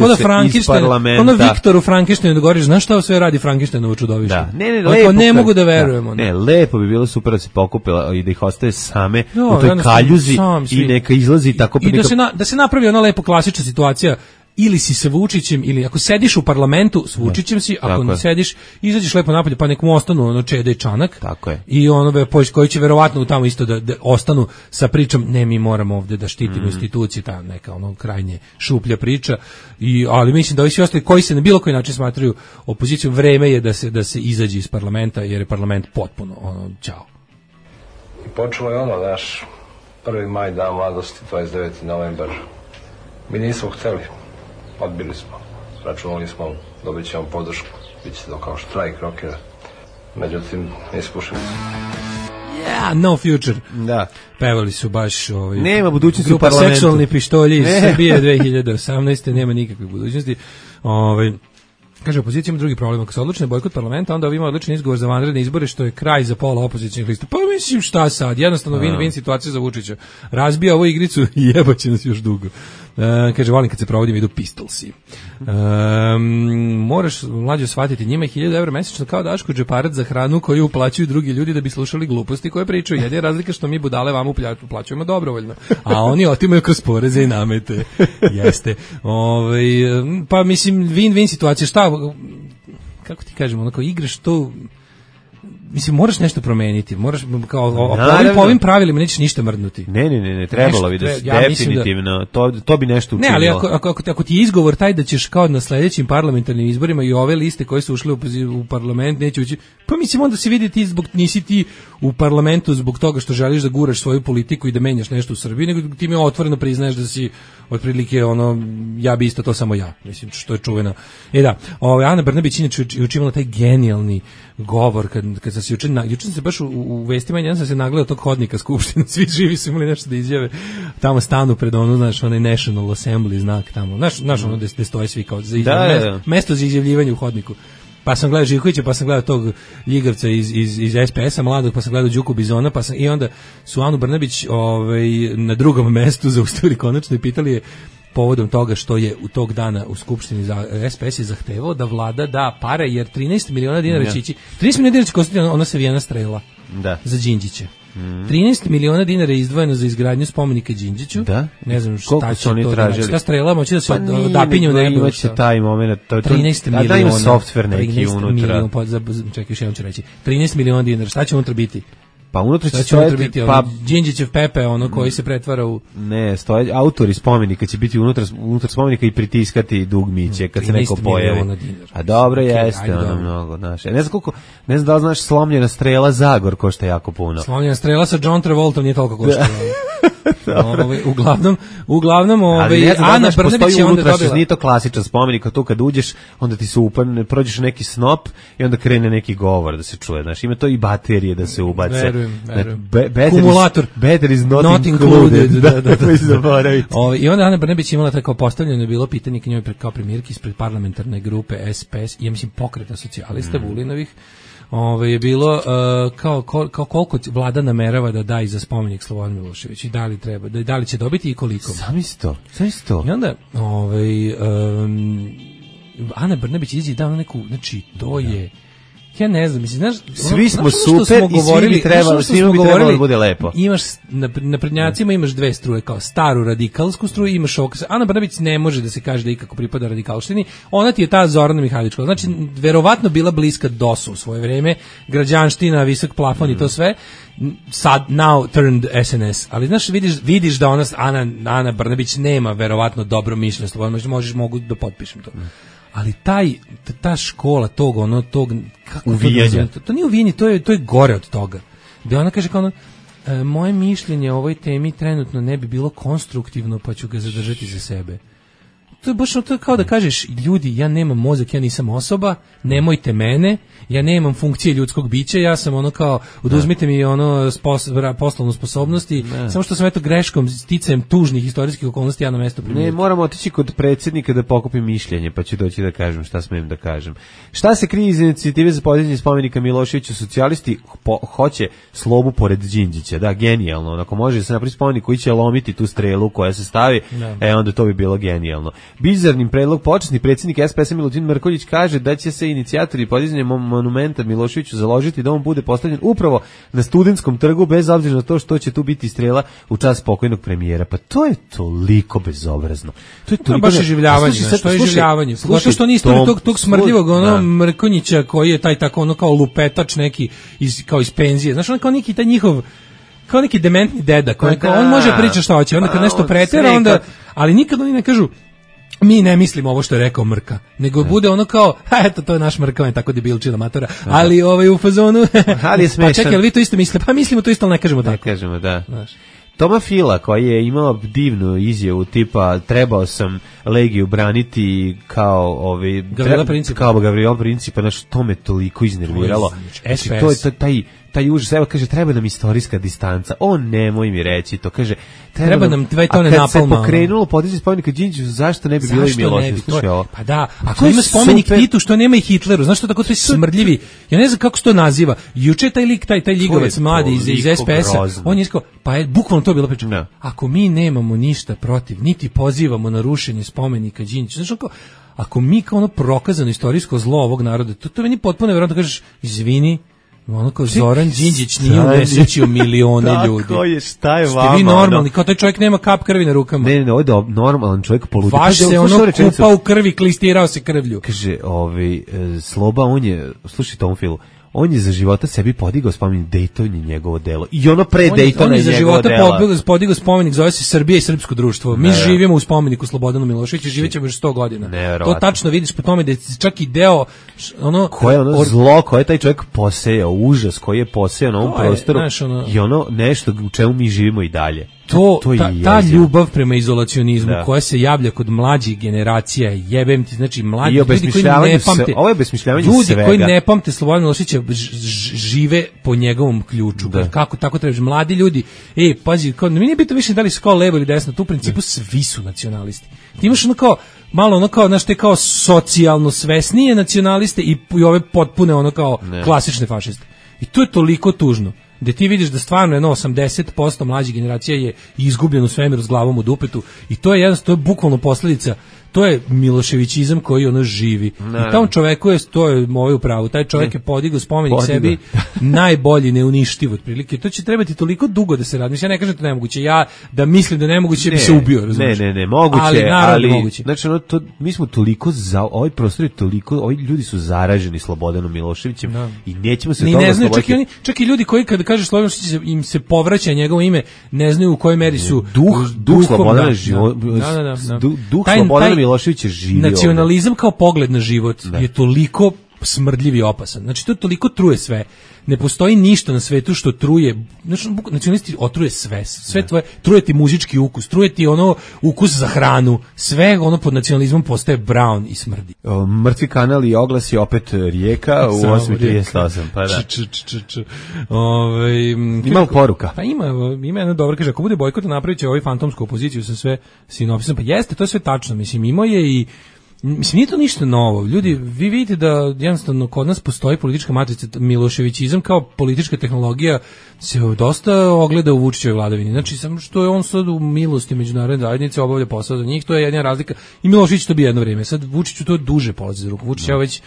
se iz parlamenta. Ono Viktoru Frankensteinu da govoriš, znaš šta sve radi Frankensteinovo čudovište? Da, ne, ne, lepo, lepo. Ne mogu da verujemo. Da, ne, lepo bi bilo super da se pokupila i da ih ostaje same no, u toj kaljuzi sam, i neka izlazi tako. I, i da, se na, da se napravi ona lepo klasična situacija, ili si sa Vučićem, ili ako sediš u parlamentu s Vučićem si, ako ne sediš, izađeš lepo napolje, pa nek mu ostanu ono Čeda i Čanak. Tako je. I ono koji će verovatno tamo isto da, da ostanu sa pričom, ne, mi moramo ovde da štitimo mm. institucije, ta neka ono krajnje šuplja priča. I, ali mislim da ovi svi ostali koji se na bilo koji način smatraju opozicijom, vreme je da se, da se izađe iz parlamenta, jer je parlament potpuno ono, ćao. I počelo je ono, naš prvi maj, dan mladosti, dvadeset deveti novembar. Mi nismo hteli. Odbili smo, računali smo, dobit ćemo podršku, bit će to kao štrajk rokera, međutim, ispušili smo. Yeah, no future. Da. Pevali su baš ovaj, nema budućnosti u parlamentu. Seksualni pištolji iz Srbije dve hiljade osamnaeste. Nema nikakve budućnosti. Ovaj, kaže, opozicija ima drugi problem. Ako se odlučne bojkot parlamenta, onda ima odličan izgovor za vanredne izbore, što je kraj za pola opozicijnih lista. Pa mislim šta sad, jednostavno win-win situacija za Vučića. Razbija ovu igricu i jebaće nas još dugo. Uh, kaže, volim kad se provodim, idu pistolsi. Um, moraš, mlađe, shvatiti, njima je hiljadu evra mesečno kao Daško džeparac za hranu koju uplaćuju drugi ljudi da bi slušali gluposti koje pričaju. Jedina razlika što mi budale vam uplaćujemo dobrovoljno, a oni otimaju kroz poreze i namete. Jeste. Ovaj, pa mislim, win-win situacija. Šta, kako ti kažemo, onako, igraš to... Mislim, moraš nešto promeniti, moraš kao o, po, ovim, po ovim pravilima nećeš ništa mrdnuti. Ne, ne, ne, ne trebalo bi da se ja definitivno, da, to, to bi nešto učinilo. Ne, ali ako, ako, ako, ako ti je izgovor taj da ćeš kao na sledećim parlamentarnim izborima i ove liste koje su ušle u, u parlament neće ući, pa mislim onda se vidi ti zbog, nisi ti u parlamentu zbog toga što želiš da guraš svoju politiku i da menjaš nešto u Srbiji, nego ti mi otvoreno priznaješ da si otprilike ono, ja bi isto to samo ja, mislim, što je čuveno. E da, ovaj, Ana Brnabić inače učinila taj genijalni govor kad, kad sam se juče, juče sam se baš u, u vestima jedan sam se nagledao tog hodnika Skupštine, svi živi su imali nešto da izjave, tamo stanu pred ono, znaš, onaj National Assembly znak tamo, znaš, znaš ono gde stoje svi kao za izjav, da, mesto, mesto za izjavljivanje u hodniku. Pa sam gledao Živkovića, pa sam gledao tog ljigavca iz, iz, iz es pe esa mladog, pa sam gledao Đuku Bizona, pa sam, i onda su Anu Brnabić ovaj, na drugom mestu zaustavili konačno i pitali je povodom toga što je u tog dana u Skupštini za es pe es je zahtevao da vlada da pare, jer trinaest miliona dinara će ići, trinaest miliona dinara će kostiti ona savijena strela da. Za Đinđića. Mm. trinaest miliona dinara je izdvojeno za izgradnju spomenika Đinđiću. Da? Ne znam šta koliko će oni to tražili. Šta strela moći da se pa odapinju u nebu. Imaće taj moment. To, trinaest miliona. Da ima softver neki unutra. Milion, pa, čekaj, još jednom ću reći. trinaest miliona dinara. Šta će unutra biti? Pa unutra će stojati pa Đinđićev Pepe, ono koji se pretvara u ne, stoje autori spomenika će biti unutra unutar spomenika i pritiskati dugmiće kad se neko pojavi. A dobro okay, jeste, ono mnogo, znaš. Ne znam koliko, ne znam da li znaš slomljena strela Zagor košta jako puno. Slomljena strela sa John Travoltom nije toliko košta. Ovaj uglavnom, uglavnom ovaj Ana Brnabić je onda dobila. Nije to klasičan spomenik, tu kad uđeš, onda ti se upadne, prođeš neki snop i onda krene neki govor da se čuje. Znaš, ima to i baterije da se ubace. Verujem, verujem. Kumulator. Battery is not, not included. Da, da, da. O, i onda Ana Brnabić imala tako postavljeno je bilo pitanje k njoj kao premijerki ispred parlamentarne grupe es pe es, ja mislim Pokreta socijalista mm. Vulinovih. Ove je bilo uh, kao, kao koliko vlada namerava da da i za spomenik Slobodan Milošević i da li treba, da, da li će dobiti i koliko. Sam isto, sam isto. I onda ovaj, um, Ana Brnabić izađe i da neku, znači to je ja ne znam, mislim, znaš, svi smo super smo i svi bi trebalo, svi bi trebalo da bude lepo. Imaš na naprednjacima imaš dve struje, kao staru radikalsku struju, imaš ovog. Ana Brnabić ne može da se kaže da ikako pripada radikalštini. Ona ti je ta Zorana Mihajlićka. Znači, verovatno bila bliska dosu u svoje vreme, građanština, visok plafon mm. i to sve. Sad now turned es en es. Ali znaš, vidiš, vidiš da ona Ana Ana Brnabić nema verovatno dobro mišljenje, slobodno možeš mogu da potpišem to. Mm. Ali taj ta škola tog ono tog kako uvijanja. To, to nije uvijanje, to je to je gore od toga. Da ona kaže kao ono, e, moje mišljenje o ovoj temi trenutno ne bi bilo konstruktivno, pa ću ga zadržati za sebe. to je baš to je kao da kažeš, ljudi, ja nemam mozak, ja nisam osoba, nemojte mene, ja nemam funkcije ljudskog bića, ja sam ono kao, oduzmite mi ono spos, poslovnu sposobnost i samo što sam eto greškom, sticajem tužnih istorijskih okolnosti, ja na mesto primio. Ne, moramo otići kod predsjednika da pokupim mišljenje, pa ću doći da kažem šta smem da kažem. Šta se krije iz inicijative za podizanje spomenika Miloševiću? Socijalisti po, hoće Slobu pored Đinđića, da, genijalno, onako može da se napravi spomenik koji će lomiti tu strelu koja se stavi, da. E onda to bi bilo genijalno. Bizarnim predlog počasni predsjednik S P S Milutin Mrkonjić kaže da će se inicijatori podizanja monumenta Miloševiću založiti da on bude postavljen upravo na Studentskom trgu bez obzira na to što će tu biti strela u čast pokojnog premijera. Pa to je toliko bezobrazno. To je toliko baš iživljavanje, što je iživljavanje. Slušaj, što niste tog tog smrdljivog ono Mrkonjića koji je taj tako ono kao lupetač neki iz kao iz penzije. Znaš, on kao neki taj njihov kao neki dementni deda, koji kao, on može pričati šta hoće, onda kad nešto pretera, onda, ali nikad oni ne kažu mi ne mislimo ovo što je rekao Mrka, nego ne. Bude ono kao, ha, eto, to je naš Mrka, on je tako debilčina matora, ali ovaj u fazonu, ali je smešan. Pa čekaj, ali vi to isto mislite? Pa mislimo to isto, ali ne kažemo tako. Ne kažemo, da. Znaš. Toma Fila, koji je imao divnu izjavu tipa trebao sam Legiju braniti kao ovi Gavrila Principa, kao Gavrila Principa, znači to me toliko iznerviralo. Znači, to je taj taj užas, evo kaže treba nam istorijska distanca. O nemoj mi reći to, kaže treba, treba nam dve tone napalma. A kad se pokrenulo podizanje spomenika Đinđiću, zašto ne bi bilo i Milošević? Pa da, ako ima spomenik Titu što nema i Hitleru, znaš što tako to je smrdljivi. Ja ne znam kako se to naziva. Juče taj lik, taj taj ligovac mladi iz iz S P S-a, on je rekao, pa je bukvalno to bilo priča. No. Ako mi nemamo ništa protiv, niti pozivamo na rušenje spomenika Đinđiću, znaš kako ako mi kao ono prokazano istorijsko zlo ovog naroda, to to meni potpuno nevjerojatno, kažeš izvini, ono kao Zoran Đinđić nije unesrećio milione ljudi. Tako je, šta je vama? Ste vi normalni, kao taj čovjek nema kap krvi na rukama. Ne, ne, ovo je normalan čovjek poludi. Vaš se ono kupa u krvi, klistirao se krvlju. Kaže, ovaj, Sloba, on je, slušaj Tomu Filu, on je za života sebi podigao spomenik, Dayton je njegovo delo. I ono pre Daytona je njegovo delo. On je za života podigao spomenik, zove se Srbija i srpsko društvo. Mi ne, živimo u spomeniku Slobodanu Miloševiću, živećemo još sto godina. Ne, to tačno vidiš po tome da je čak i deo ono koje ono or... zlo koje je taj čovjek posejao, užas koji je posejao na ovom prostoru znaš, ono... i ono nešto u čemu mi živimo i dalje. To, to ta, ta ljubav prema izolacionizmu da. Koja se javlja kod mlađih generacija, jebem ti, znači mlađi ljudi koji ne pamte, se, ovo je besmišljavanje ljudi svega. Koji ne pamte Slobodan Miloševića žive po njegovom ključu. Da. Kako tako trebaš, mladi ljudi, ej, pazi, kao, mi nije bitno više da li su kao levo ili desno, tu u principu da. Svi su nacionalisti. Ti imaš ono kao, malo ono kao, znaš, te kao socijalno svesnije nacionaliste i, i ove potpune ono kao ne. Klasične fašiste. I to je toliko tužno. Da ti vidiš da stvarno jedno osamdeset posto mlađih generacija je izgubljeno u svemiru s glavom u dupetu i to je jednostavno, to je bukvalno posljedica, to je Miloševićizam koji ono živi. Ne. I tom čoveku je, to je moj upravo, taj čovjek ne. Je podigao spomenik Podigo. Sebi najbolji, neuništiv otprilike. To će trebati toliko dugo da se radi. Mislim, ja ne kažem da je nemoguće, ja da mislim da je nemoguće ne. Bi se ubio, razumiješ? Ne, ne, ne, moguće, ali, ali moguće. Znači, ono, to, mi smo toliko, za, ovaj prostor je toliko, ovi ljudi su zaraženi Slobodanom Miloševićem no. I nećemo se ni toga ne znaju, čak i, oni, čak i ljudi koji kada kaže Slobodan Milošević im se povraća njegovo ime, ne znaju u kojoj meri su duh, duh Slobodana život, duh Slobodana Miloševića živi. Nacionalizam kao pogled na život da. Je toliko smrdljiv i opasan. Znači to toliko truje sve. Ne postoji ništa na svetu što truje. Znači nacionalisti otruje sve. Sve tvoje, truje ti muzički ukus, truje ti ono ukus za hranu. Sve ono pod nacionalizmom postaje brown i smrdi. O, mrtvi kanal i oglas je opet Rijeka u osam trideset osam. Pa da. Č, č, č, č. Ove, ima poruka. Pa ima, ima jedna dobra, kaže, ako bude bojkot napravit će ovaj fantomsku opoziciju sa sve sinopsisom. Pa jeste, to je sve tačno. Mislim, imao je i mislim, nije to ništa novo. Ljudi, vi vidite da jednostavno kod nas postoji politička matrica, Miloševićizam kao politička tehnologija se dosta ogleda u Vučićevoj vladavini. Znači, samo što je on sad u milosti međunarodne zajednice, obavlja posao za njih, to je jedna razlika. I Milošević to bi jedno vrijeme. Sad Vučiću to duže polazi za ruku. Vučić je već,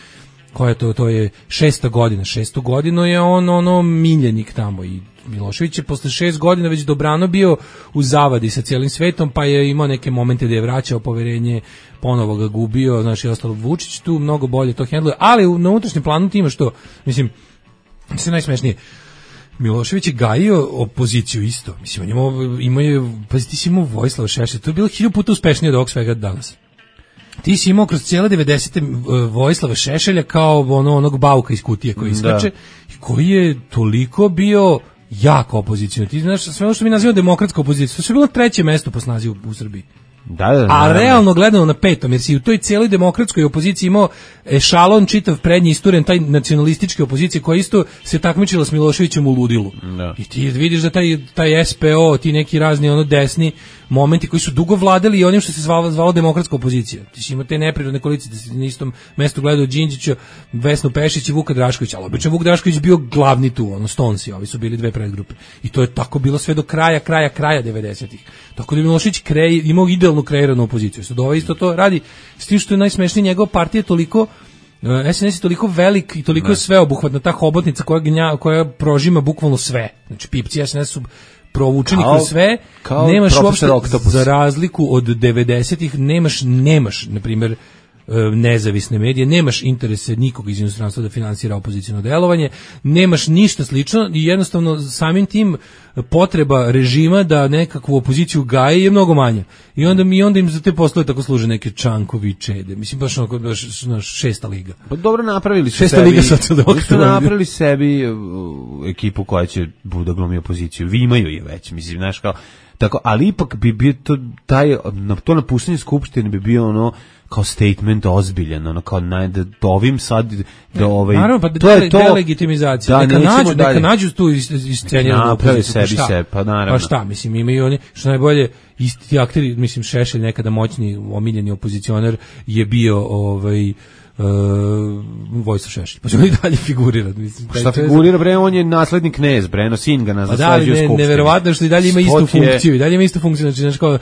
koja je to, to je šesta godina. Šestu godinu je on ono miljenik tamo i Milošević je posle šest godina već dobrano bio u zavadi sa cijelim svetom, pa je imao neke momente da je vraćao poverenje, ponovo ga gubio, znači ostalo Vučić tu mnogo bolje to hendluje, ali na unutrašnjem planu ti ima što, mislim, sve najsmešnije, Milošević je gajio opoziciju isto, mislim, imao, imao je, pazi, ti si imao Vojislava Šešelja, to je bilo hiljadu puta uspešnije od ovog svega danas. Ti si imao kroz cijele devedesete Vojislava Šešelja kao ono, onog bauka iz kutije koji iskače, i koji je toliko bio jako opozicijno. Ti znaš, sve ono što mi nazivamo demokratska opozicija, to je bilo treće mesto po snazi u, u Srbiji. Da, da, da, a da, realno gledano na petom, jer si u toj cijeloj demokratskoj opoziciji imao ešalon čitav prednji isturen, taj nacionalističke opozicije koja isto se takmičila s Miloševićem u ludilu. Da. I ti vidiš da taj, taj S P O, ti neki razni ono desni momenti koji su dugo vladali i onim što se zvalo, zvalo demokratska opozicija. Ti si imao te neprirodne koalicije, da si na istom mestu gledao Đinđića, Vesnu Pešić i Vuka Draškovića, ali obično Vuk Drašković bio glavni tu, ono Stonsi, ovi su bili dve predgrupe. I to je tako bilo sve do kraja, kraja, kraja devedesetih. Tako da je Milošević krej, imao idealnu kreiranu opoziciju. Sad ovaj isto to radi, s tim što je najsmešnije, njegova partija je toliko, S N S je toliko velik i toliko je sveobuhvatna, ta hobotnica koja, gnja, koja prožima bukvalno sve. Znači, pipci S N S su provučeni kao, kroz sve, kao nemaš uopšte, Octopus. za razliku od devedesetih, nemaš, nemaš, na primjer, nezavisne medije, nemaš interese nikog iz inostranstva da finansira opoziciono delovanje, nemaš ništa slično i jednostavno samim tim potreba režima da nekakvu opoziciju gaje je mnogo manja. I onda mi onda im za te poslove tako služe neke Čankovi i Čede. Mislim baš onako baš, baš šesta liga. Pa dobro napravili su šesta sebi. Liga socijaldemokrata. Su napravili sebi uh, ekipu koja će da glumi opoziciju. Vi imaju je već, mislim, znaš kao tako, ali ipak bi bio to taj to napuštanje skupštine bi bio ono kao statement ozbiljan, ono kao naj, da ovim sad da ovaj naravno, pa to je to delegitimizacija, da, neka nađu, dalje. neka nađu tu iscenjenu opoziciju, sebi pa se, pa naravno. Pa šta, mislim, imaju oni, što najbolje, isti ti akteri, mislim, Šešelj, nekada moćni, omiljeni opozicionar, je bio ovaj Uh, Vojislav Šešelj, pa će on i dalje figurirati. Mislim, šta figurira, bre, on je naslednik knez, bre, no sin ga nas pa da, ne, neverovatno što i dalje ima istu je... funkciju, i dalje ima istu funkciju, znači, znači kao, uh,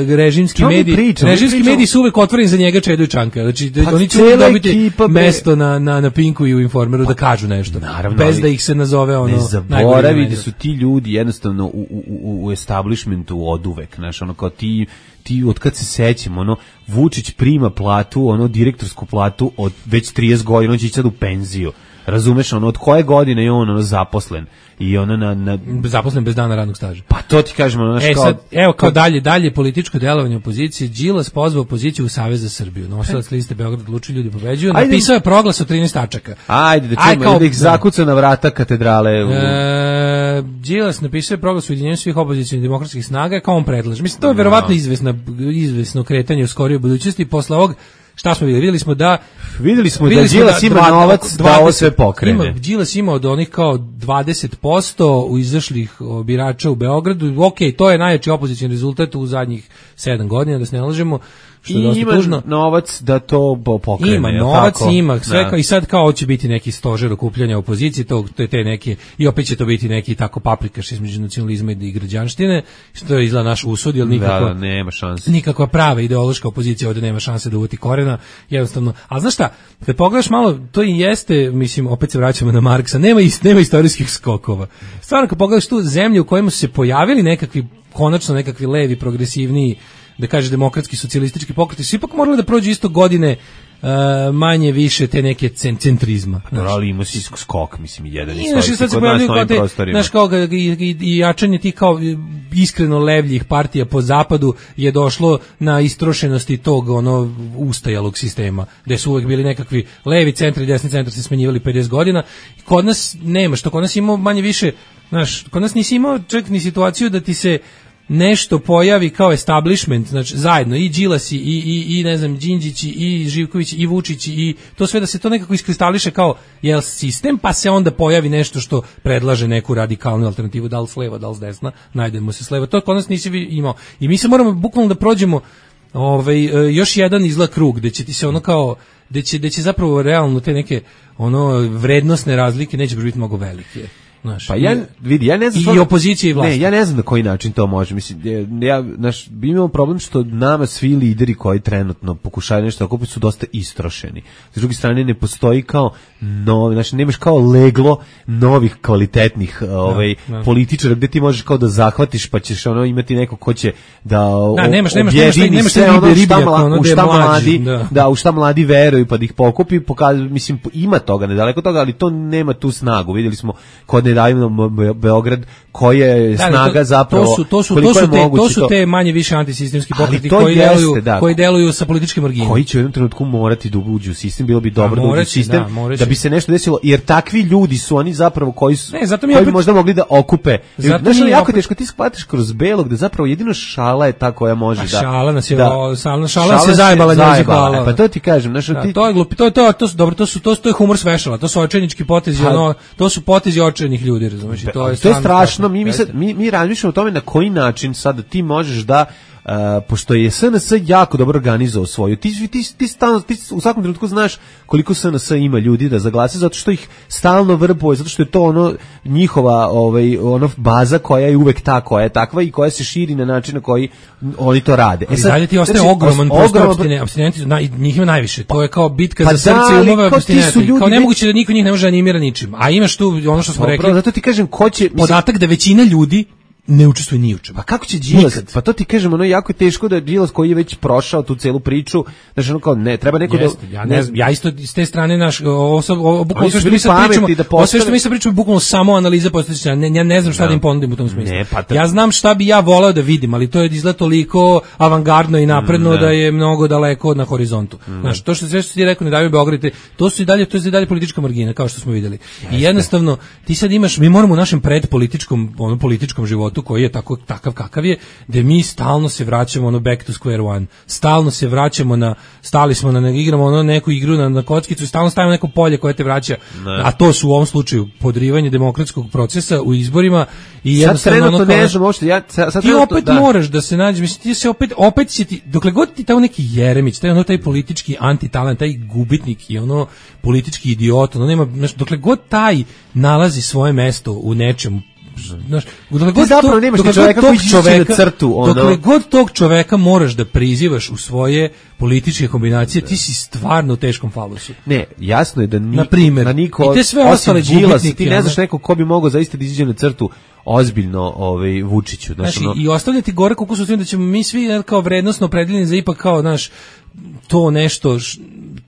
režimski mediji, pričam, režimski mediji su uvek otvoreni za njega Čedu i Čanka, znači, pa oni će uvek dobiti ekipa, mesto na, na, na Pinku i u Informeru pa, da kažu nešto, naravno, bez da ih se nazove ono... Ne zaboravi da su ti ljudi jednostavno u, u, u, u establishmentu oduvek, znaš, ono kao ti ti od kad se sećamo, ono, Vučić prima platu, ono, direktorsku platu od već trideset godina, on će ići sad u penziju. Razumeš, ono, od koje godine je on ono, zaposlen? I ono na, na... Zaposlen bez dana radnog staža. Pa to ti kažemo, ono, e, kao... sad, evo, kao dalje, dalje političko delovanje opozicije, Đilas pozvao opoziciju u Savez za Srbiju. Nosilac liste Beograd odluči ljudi pobeđuju. Napisao je proglas od trinaest tačaka. Ajde, da čujemo, Aj, da ih zakuca na vrata katedrale. U... E, Đilas napisao je proglas u ujedinjenju svih opozicionih demokratskih snaga, kao on predlaže. Mislim, to je verovatno izvesna, izvesno kretanje u skorijoj budućnosti. Posle ovog, šta smo vidjeli? Vidjeli smo da vidjeli smo vidjeli da Đilas ima dva, novac da ovo sve pokrene. Ima, Đilas ima od onih kao dvadeset posto u izašlih birača u Beogradu. Ok, to je najjači opozicioni rezultat u zadnjih sedam godina, da se ne lažemo. Što I ima tužno. Novac da to pokrene. Ima novac, tako? Ima sve da. Kao, i sad kao će biti neki stožer okupljanja opozicije, to, to je te neke, i opet će to biti neki tako paprikaš između nacionalizma i građanštine, što je izgleda naš usud, jer nikako, da, da, nema šanse. Nikakva prava ideološka opozicija ovdje nema šanse da uvati korena, jednostavno. Ali znaš šta, kad pogledaš malo, to i jeste, mislim, opet se vraćamo na Marksa, nema, ist, nema istorijskih skokova. Stvarno, kad pogledaš tu zemlju u kojima su se pojavili nekakvi, konačno nekakvi levi, progresivniji, da kaže demokratski socijalistički pokreti, su ipak morali da prođu isto godine uh, manje više te neke centrizma. Pa dobro, ali ima si skok, mislim, jedan i znaš, sad se pojavljaju kao te, znaš, kao i, i, i jačanje tih kao iskreno levljih partija po zapadu je došlo na istrošenosti tog ono ustajalog sistema, gde su uvek bili nekakvi levi centri i desni centar se smenjivali pedeset godina. Kod nas nema, što kod nas imao manje više, znaš, kod nas nisi imao čak ni situaciju da ti se nešto pojavi kao establishment, znači zajedno i Đilasi i i i ne znam Đinđići i Živković i Vučić i to sve da se to nekako iskristališe kao jel sistem, pa se onda pojavi nešto što predlaže neku radikalnu alternativu, da li s leva, da li s desna, najdemo se s leva. To kod nas nisi imao. I mi se moramo bukvalno da prođemo ovaj još jedan izlak krug gde će ti se ono kao gde će, gde će zapravo realno te neke ono vrednosne razlike neće biti mnogo velike. Znaš, pa ja vidi, ja ne znam i opozicija i vlast. Ne, ja ne znam na koji način to može. Mislim, ja, naš, imamo problem što nama svi lideri koji trenutno pokušaju nešto tako su dosta istrošeni. S druge strane ne postoji kao novi, znači nemaš kao leglo novih kvalitetnih no, ovaj no. političara gde ti možeš kao da zahvatiš pa ćeš ono imati neko ko će da da nemaš nemaš nemaš nemaš sve ono ribe, šta, mla, ono u šta mladi, da. da u šta mladi veruju pa da ih pokupi, pokazuje, mislim ima toga nedaleko toga, ali to nema tu snagu. Vidjeli smo kod nedavno Beograd koja je Da, snaga to, zapravo, to su, to su, koliko to su je te, moguće to su te manje više antisistemski pokreti to koji, jeste, deluju, da. koji deluju sa političkim marginom. Koji će u jednom trenutku morati da uđu u sistem, bilo bi dobro da, moraće, uđu u sistem, da, moraće. da bi se nešto desilo, jer takvi ljudi su oni zapravo koji su, ne, zato mi koji opet, bi možda mogli da okupe. Zato Znaš, mi jako opet, teško, ti shvatiš kroz belog da zapravo jedino šala je ta koja može da... Šala nas je, da, o, šala, šala nas je zajebala, zajebala. Pa to ti kažem. Znaš, da, ti, to je glupi, to je to, to su, dobro, to su, to, to je humor svešala, to su očajnički potezi, pa, ono, to su potezi očajnih ljudi, razumiješ, to je, to je strašno, strašno. Mi, mi, sad, mi, mi razmišljamo o tome na koji način sad ti možeš da Uh, pošto je S N S jako dobro organizovao svoju, ti, ti, ti, ti, stalno, ti u svakom trenutku znaš koliko S N S ima ljudi da zaglase, zato što ih stalno vrbuje, zato što je to ono njihova ovaj, ono baza koja je uvek ta koja je takva i koja se širi na način na koji oni to rade. E sad, dalje ti ostaje znači, ogroman prostor abstinenti, abstinenti na, njih ima najviše, to je kao bitka pa za srce da, i umove abstinenti, kao nemoguće da niko njih ne može animira ničim, a imaš tu ono što smo Dobro, rekli, zato ti kažem ko će, mislim, podatak da većina ljudi ne učestvuje ni u čemu. Pa kako će Đilas? Pa to ti kažem, ono jako je teško da Đilas koji je već prošao tu celu priču, znači ono kao ne, treba neko Jeste, da ja ne znam, ja isto s te strane naš ovo bukvalno sve što mi sad pričamo, da postane... sve što mi sad pričamo bukvalno samo analiza postojeća. Ne, ja ne znam šta da, da im ponudim u tom smislu. Ne, pa ta... Ja znam šta bi ja voleo da vidim, ali to je izgleda toliko avangardno i napredno ne. Da je mnogo daleko na horizontu. Ne. Znaš, to što sve što ti rekao ne daju Beograd, to su i dalje, to je i dalje politička margina kao što smo videli. Jeste. I jednostavno ti sad imaš, mi moramo u našem predpolitičkom, ono političkom životu koji je tako takav kakav je, da mi stalno se vraćamo ono back to square one. Stalno se vraćamo na, stali smo na, igramo ono neku igru na, na kockicu i stalno stavimo neko polje koje te vraća, ne. A to su u ovom slučaju podrivanje demokratskog procesa u izborima i jednostavno ono ne znam uopšte, ja sad, sad ti opet da. Moraš da se nađeš, mislim ti se opet opet će ti, dokle god ti taj neki Jeremić, taj ono taj politički antitalent, taj gubitnik i ono politički idiot, ono nema, dokle god taj nalazi svoje mesto u nečemu. Znaš, dokle god zapravo nemaš čoveka koji će na crtu, ono. Dokle god tog čoveka moraš da prizivaš u svoje političke kombinacije, ti si stvarno u teškom falusu. Ne, jasno je da ni, na primjer, na niko, i te sve ostale gubitnike, ti ne znaš neko ko bi mogao zaista da izađe na crtu ozbiljno ovaj Vučiću, znači ono... i ostavljati gore koliko su tim da ćemo mi svi kao vrednosno opredeljeni za ipak kao naš to nešto š,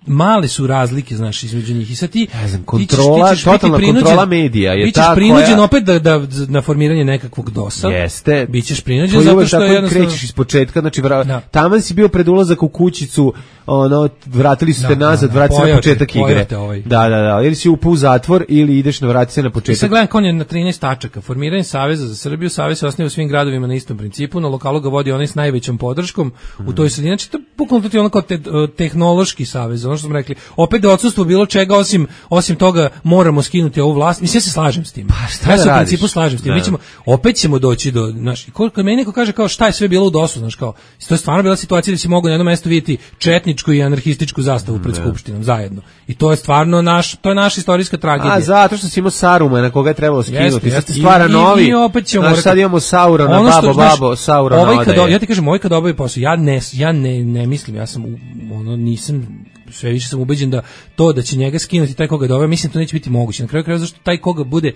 male su razlike, znaš, između njih. I sad ti, ja znam, kontrola, ti ćeš, ti ćeš totalna kontrola medija je ta koja... Bićeš prinuđen opet da, da, na formiranje nekakvog dosa. Jeste. Bićeš prinuđen zato što je jednostavno... krećeš iz početka, znači vra... da. Taman si bio pred ulazak u kućicu, ono, vratili su te da, nazad, da, da, vrati se na početak igre. Ovaj. Da, da, da, ili si upao u zatvor ili ideš na vrati se na početak. I sad gledam kao je na trinaest tačaka. Formiranje Saveza za Srbiju, Savez se osniva u svim gradovima na istom principu, na lokalu ga vodi onaj s najvećom podrškom mm. u toj sredini. Znači, to bukvalno to ono kao te, tehnološki savez, ono što smo rekli. Opet da odsustvo bilo čega osim osim toga moramo skinuti ovu vlast. Mislim ja se slažem s tim. Pa šta ja se u principu slažem s tim. Mi ćemo opet ćemo doći do naš koliko meni neko kaže kao šta je sve bilo u dosu, znači kao to je stvarno bila situacija da se mogu na jednom mestu vidjeti četničku i anarhističku zastavu pred skupštinom zajedno. I to je stvarno naš to je naša istorijska tragedija. A zato što si imao Saruma na koga je trebalo skinuti. Sad stvara I, novi. I, i opet ćemo znači, sad imamo Saurona, ono babo, znaš, babo, Saurona. Ovaj kad ja ti kažem, ovaj kad obavi posao, ja ne ja ne ne mislim, ja sam ono nisam sve više sam ubeđen da to da će njega skinuti taj koga doveo, mislim to neće biti moguće. Na kraju krajeva zašto taj koga bude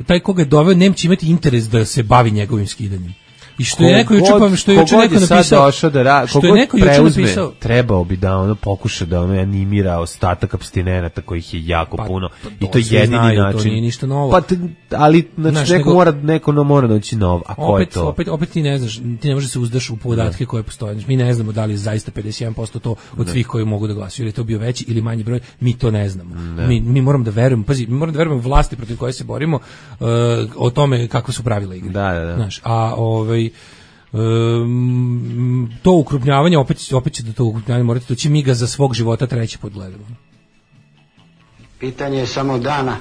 taj koga je doveo neće imati interes da se bavi njegovim skidanjem. I što je neko juče pa što je juče neko napisao da ra, što je neko juče napisao trebao bi da ono pokuša da ono animira ostatak apstinenata kojih je jako pa, puno to, i to je jedini znaju, način. To nije ništa novo. Pa ali znači znaš, neko nego, mora neko no mora doći nov. A ko opet, je to? Opet opet ti ne znaš, ti ne možeš se uzdaš u podatke ne. Koje postoje. Mi ne znamo da li je zaista pedeset jedan posto to od ne. Svih koji mogu da glasaju ili je to bio veći ili manji broj. Mi to ne znamo. Ne. Mi mi moramo da verujemo, pazi, mi moramo da verujemo vlasti protiv koje se borimo uh, o tome kakve su pravila igre. Da, da, da. Znaš, a ovaj Um, to ukrupnjavanje opet, opet će da to ukrupnjavanje morate doći, mi ga za svog života treći put gledamo. Pitanje je samo dana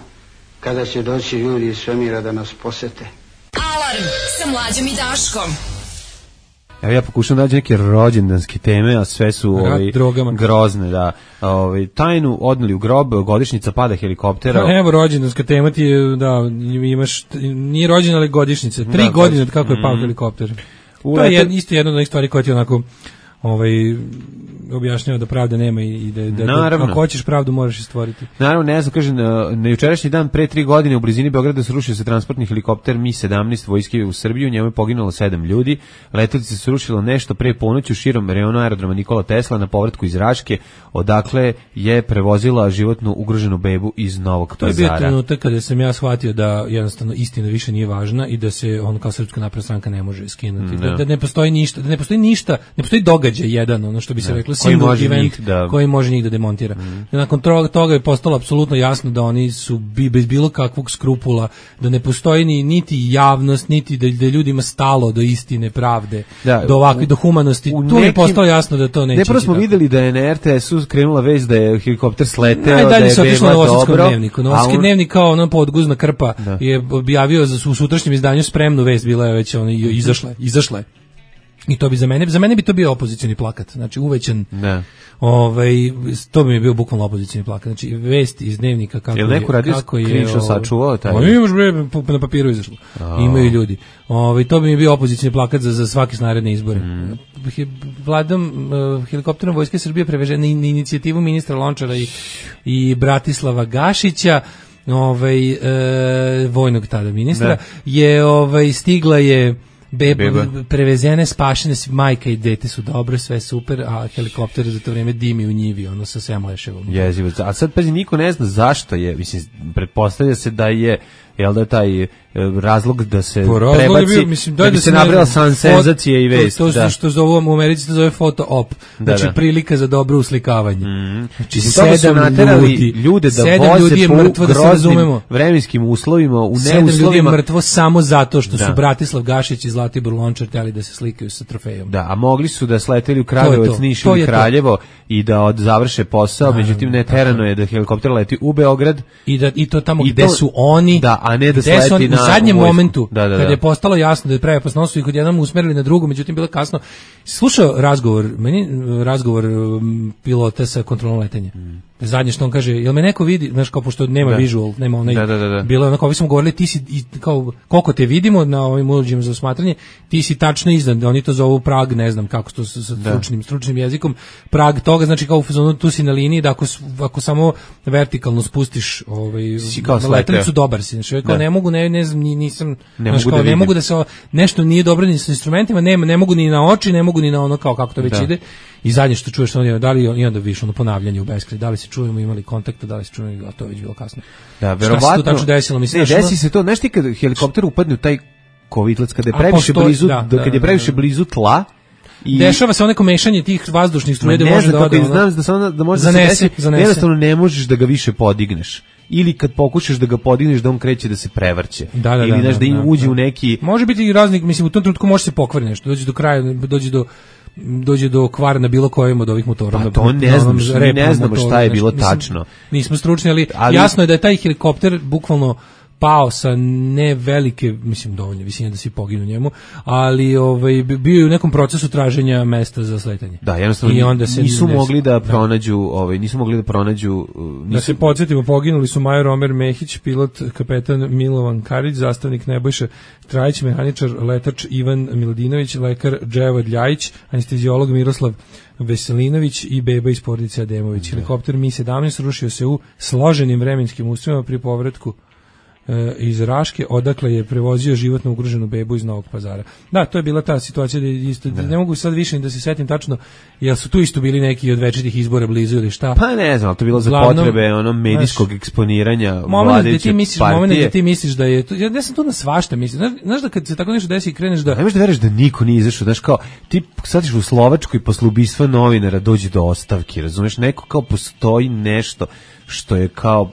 kada će doći ljudi iz svemira da nas posete. Alarm sa Mlađom i Daškom. Evo ja pokušam daći neke rođendanske teme, a sve su ovaj, grozne. Da. Ovaj, tajnu odneli u grob, godišnjica pada helikoptera. Pa evo rođendanska tema ti je, da, imaš, nije rođendan, ali godišnjica. Tri da, godine od kako je pao mm. helikopter. To je jed, isto jedna od onih stvari koja ti onako ovaj, objašnjava da pravde nema i da, da, Naravno. da ako hoćeš pravdu moraš je stvoriti. Naravno, ne znam, kaže, na, na jučerašnji dan pre tri godine u blizini Beograda srušio se transportni helikopter Mi sedamnaest vojske u Srbiju, njemu je poginulo sedam ljudi. Letelica se srušila nešto pre ponoći širom reona aerodroma Nikola Tesla na povratku iz Raške, odakle je prevozila životnu ugroženu bebu iz Novog To je Pazara. bio trenutak kada sam ja shvatio da jednostavno istina više nije važna i da se on kao Srpska napredna stranka ne može skinuti. Da, da ne postoji ništa, da ne postoji ništa, ne postoji događaj jedan, ono što bi se Da. reklo, Koji single može event njih da- koji može njih da demontira. Mm. Nakon toga, toga je postalo apsolutno jasno da oni su bi, bez bilo kakvog skrupula, da ne postoji ni niti javnost, niti da, da ljudima stalo do istine, pravde, Da, do ovakve, do humanosti. u Tu je nekim- postalo jasno da to neće. Ne, prvo ići smo tako. videli da je na er te esu krenula vest da je helikopter sleteo, da Najdalje je se otišlo beba na Novosadskom dobro. dnevniku. a Novosadski on- dnevnik kao ono podguzna krpa Da. je objavio za u sutrašnjem izdanju spremnu vest, bila je već ono, izašla, je, izašla je. I to bi za mene, za mene bi to bio opozicioni plakat, znači uvećan. Da. Ovaj, to bi mi bio bukvalno opozicioni plakat, znači vest iz dnevnika kako Jel neko radio kako je screenshot ovaj- sačuvao taj? Pa imaš bre, po- na papiru izašlo. A. Imaju ljudi. Ovaj, to bi mi bio opozicioni plakat za za svake naredne izbore. Mm. He- Vladom uh, helikopterom Vojske Srbije prevežen na in- inicijativu ministra Lončara i, i Bratislava Gašića, ovaj e, vojnog tada ministra, Da. je ovaj stigla je beba, Beba. prevezene, spašene, s- majka i dete su dobro, sve super, a helikopter za to vrijeme dimi u njivi, ono sa sedam leševa. Jezivo. A sad pazi, niko ne zna zašto je, mislim, pretpostavlja se da je, jel da je taj e, razlog da se Po razlogu je prebaci, bio, mislim, da daj bi da se ne- nabrala san fot- senzacije i vest. To, to da. su što zovu u Americi, to zove foto op. Da, Znači da. prilika za dobro uslikavanje. Mm. Znači Iz toga su sedam naterali ljudi, ljude da sedam voze ljudi je po mrtvo, da se groznim razumemo. vremenskim uslovima, u Sedam ljudi je neuslovima. mrtvo samo zato što Da. su Bratislav Gašić i Zlatibor Lončar htjeli da se slikaju sa trofejom. Da, a mogli su da sleteli u To Kragujevac, je to. Niš To ili je to. Kraljevo i da od završe posao, Naravno, međutim ne tako terano je. je da helikopter leti u Beograd. I da i to tamo I gde to- su oni, da, a ne da gde sleti su oni, na u zadnjem vojsku. momentu Da, da, kad da. je postalo jasno da je prave opasnost i kod jednom usmerili na drugu, međutim bilo je kasno. Slušao razgovor, meni eh, razgovor um, pilota sa kontrolom letenja. Zadnje što on kaže, jel me neko vidi, znaš, kao pošto nema Da. visual, nema onaj, Da, da, da, da. bilo je onako, ovi smo govorili, ti si, i, kao, koliko te vidimo na ovim uređajima za osmatranje, ti si tačno iznad, oni to zovu prag, ne znam kako to sa, sa Da. stručnim, stručnim jezikom, prag toga, znači kao u fazonu, tu si na liniji, da ako, s- ako samo vertikalno spustiš ovaj, Si kao sleteo. letelicu, dobar si, znači, kao Da. ne mogu, ne, ne znam, ni- nisam, Ne znaš, mogu kao, da ne vidim. mogu da se, o- nešto nije dobro ni sa instrumentima, nema, ne mogu ni na oči, ne mogu ni na ono kao kako to već Da. ide. I zadnje što čuješ, on je, da li i onda više ono ponavljanje u beskraj, da li se čujemo, imali kontakta, da li se čujemo, a to je već bilo kasno. Da, Šta se verovatno. tu tačno desilo? Mislim, ne, znaš, ono- desi se to, znaš ti kad helikopter upadne u taj kovitlac, kada je A previše postoji- blizu, da, da, da, kad je da, previše da. blizu tla, i Dešava se onako mešanje tih vazdušnih Ma struja da ne može znam da kako ode. je, ono- znam da samo da može da Zanese, se desi, zanese. jednostavno ne možeš da ga više podigneš. Ili kad pokušaš da ga podigneš da on kreće da se prevrće. Da, da, Ili da, znaš da, da, im da, uđe da. u neki. Može biti i raznih, mislim u tom trenutku može se pokvari nešto, dođe do kraja, dođe do dođe do kvara na bilo kojem od ovih motora. Pa na- to ne na znam, onom mi ne repnom znamo motoru, šta je nešto. bilo Mislim, tačno. Nismo stručni, ali, Ali- jasno je da je taj helikopter bukvalno pao sa ne velike, mislim dovoljne visine da se poginu njemu, ali ovaj bi- bio je u nekom procesu traženja mesta za sletanje. Da, jednostavno I onda se nisu ne- mogli da pronađu, ovaj nisu mogli da pronađu uh, Da nisu, se podsjetimo, poginuli su major Omer Mehić, pilot, kapetan Milovan Karić, zastavnik Nebojša Trajić, mehaničar, letač Ivan Miladinović, lekar Dževad Ljajić, anesteziolog Miroslav Veselinović i beba iz porodice Ademović. Helikopter Mi sedamnaest rušio se u složenim vremenskim uslovima pri povratku e, iz Raške, odakle je prevozio životno ugroženu bebu iz Novog Pazara. Da, to je bila ta situacija da je isto, ne mogu sad više ni da se setim tačno, jel su tu isto bili neki od večitih izbora blizu ili šta? pa ne znam, ali to je bilo za Uglavnom, potrebe ono medijskog eksponiranja Moment da vladajuće ti misliš, partije. moment da ti misliš da je to, ja ne sam tu na svašta mislim. Znaš, znaš da kad se tako nešto desi i kreneš da Ne možeš da veruješ da niko nije izašao, znaš kao, ti sad ćeš u Slovačkoj posle ubistva novinara dođe do ostavki, razumeš, neko kao postoji nešto što je kao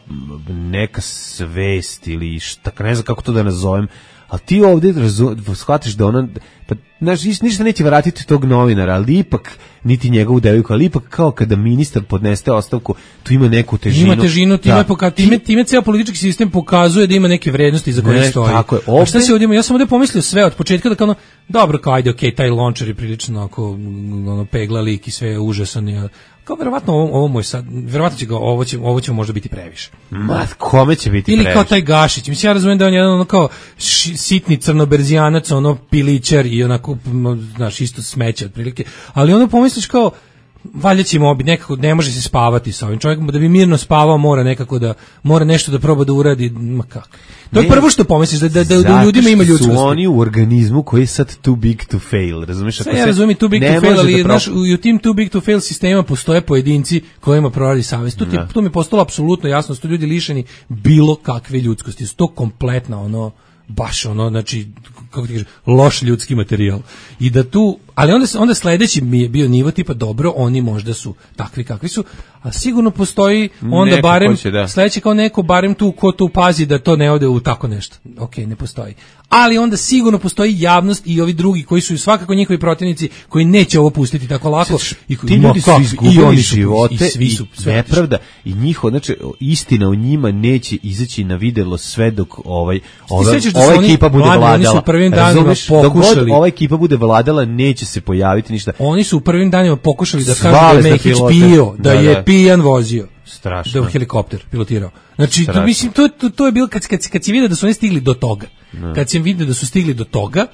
neka svest ili šta, ne znam kako to da nazovem, ali ti ovdje razu, shvatiš da ona, pa, znaš, ništa neće vratiti tog novinara, ali ipak, niti njegovu devojku, ali ipak kao kada ministar podneste ostavku, tu ima neku težinu. ima težinu, time, Da. poka, time, time ceo politički sistem pokazuje da ima neke vrednosti za koje Ne, stoji. tako je. A šta Ovde- se ovdje ima? Ja sam ovdje pomislio sve od početka da kao ono, dobro, kao ajde, okej, taj Lončar je prilično ako, ono, pegla lik i sve je užasan. Je, kao verovatno ovo, ovo moj sad, verovatno će ga, ovo će, ovo će možda biti previše. Ma, kome će biti Ili previše? kao taj Gašić. Mislim, ja razumijem da je on jedan ono kao ši- sitni crnoberzijanac, ono pilićar i onako, m, znaš, isto smeće otprilike. Ali ono pomisliš kao, valjda će mobi, nekako ne može se spavati sa ovim čovjekom, da bi mirno spavao mora nekako da, mora nešto da proba da uradi, ma kako. To je prvo što pomisliš, da, da, da, da u ljudima ima ljudskosti. Su oni u organizmu koji je sad too big to fail, razumiješ? Sve ja razumim too big to fail, ali da naš, u tim too big to fail sistema postoje pojedinci kojima proradi savjest. To, to mi je postalo apsolutno jasno, su ljudi lišeni bilo kakve ljudskosti, su to kompletno ono, baš ono, znači, kako ti kažeš, loš ljudski materijal. I da tu, ali onda, onda sledeći mi je bio nivo tipa, dobro, oni možda su takvi kakvi su, a sigurno postoji onda neko barem, će, da. sledeći kao neko, barem tu ko tu pazi da to ne ode u tako nešto. Ok, ne postoji. Ali onda sigurno postoji javnost i ovi drugi koji su svakako njihovi protivnici koji neće ovo pustiti tako lako. I koji, ti ljudi su izgubili živote i, svi su, i nepravda i njiho, znači istina o njima neće izaći na videlo sve dok ovaj, ova, ova ekipa bude mladi, vladala. Oni su u prvim danima pokušali. Dok ova ekipa bude vladala neće se pojaviti ništa. Oni su u prvim danima pokušali da kažu da je Mehić pio, da, da je da. pijan vozio. Strašno. Da je helikopter pilotirao. Znači, to, mislim, to, to, to je bilo kad, kad, kad si vidio da su oni stigli do toga. No. Kad si vidio da su stigli do toga,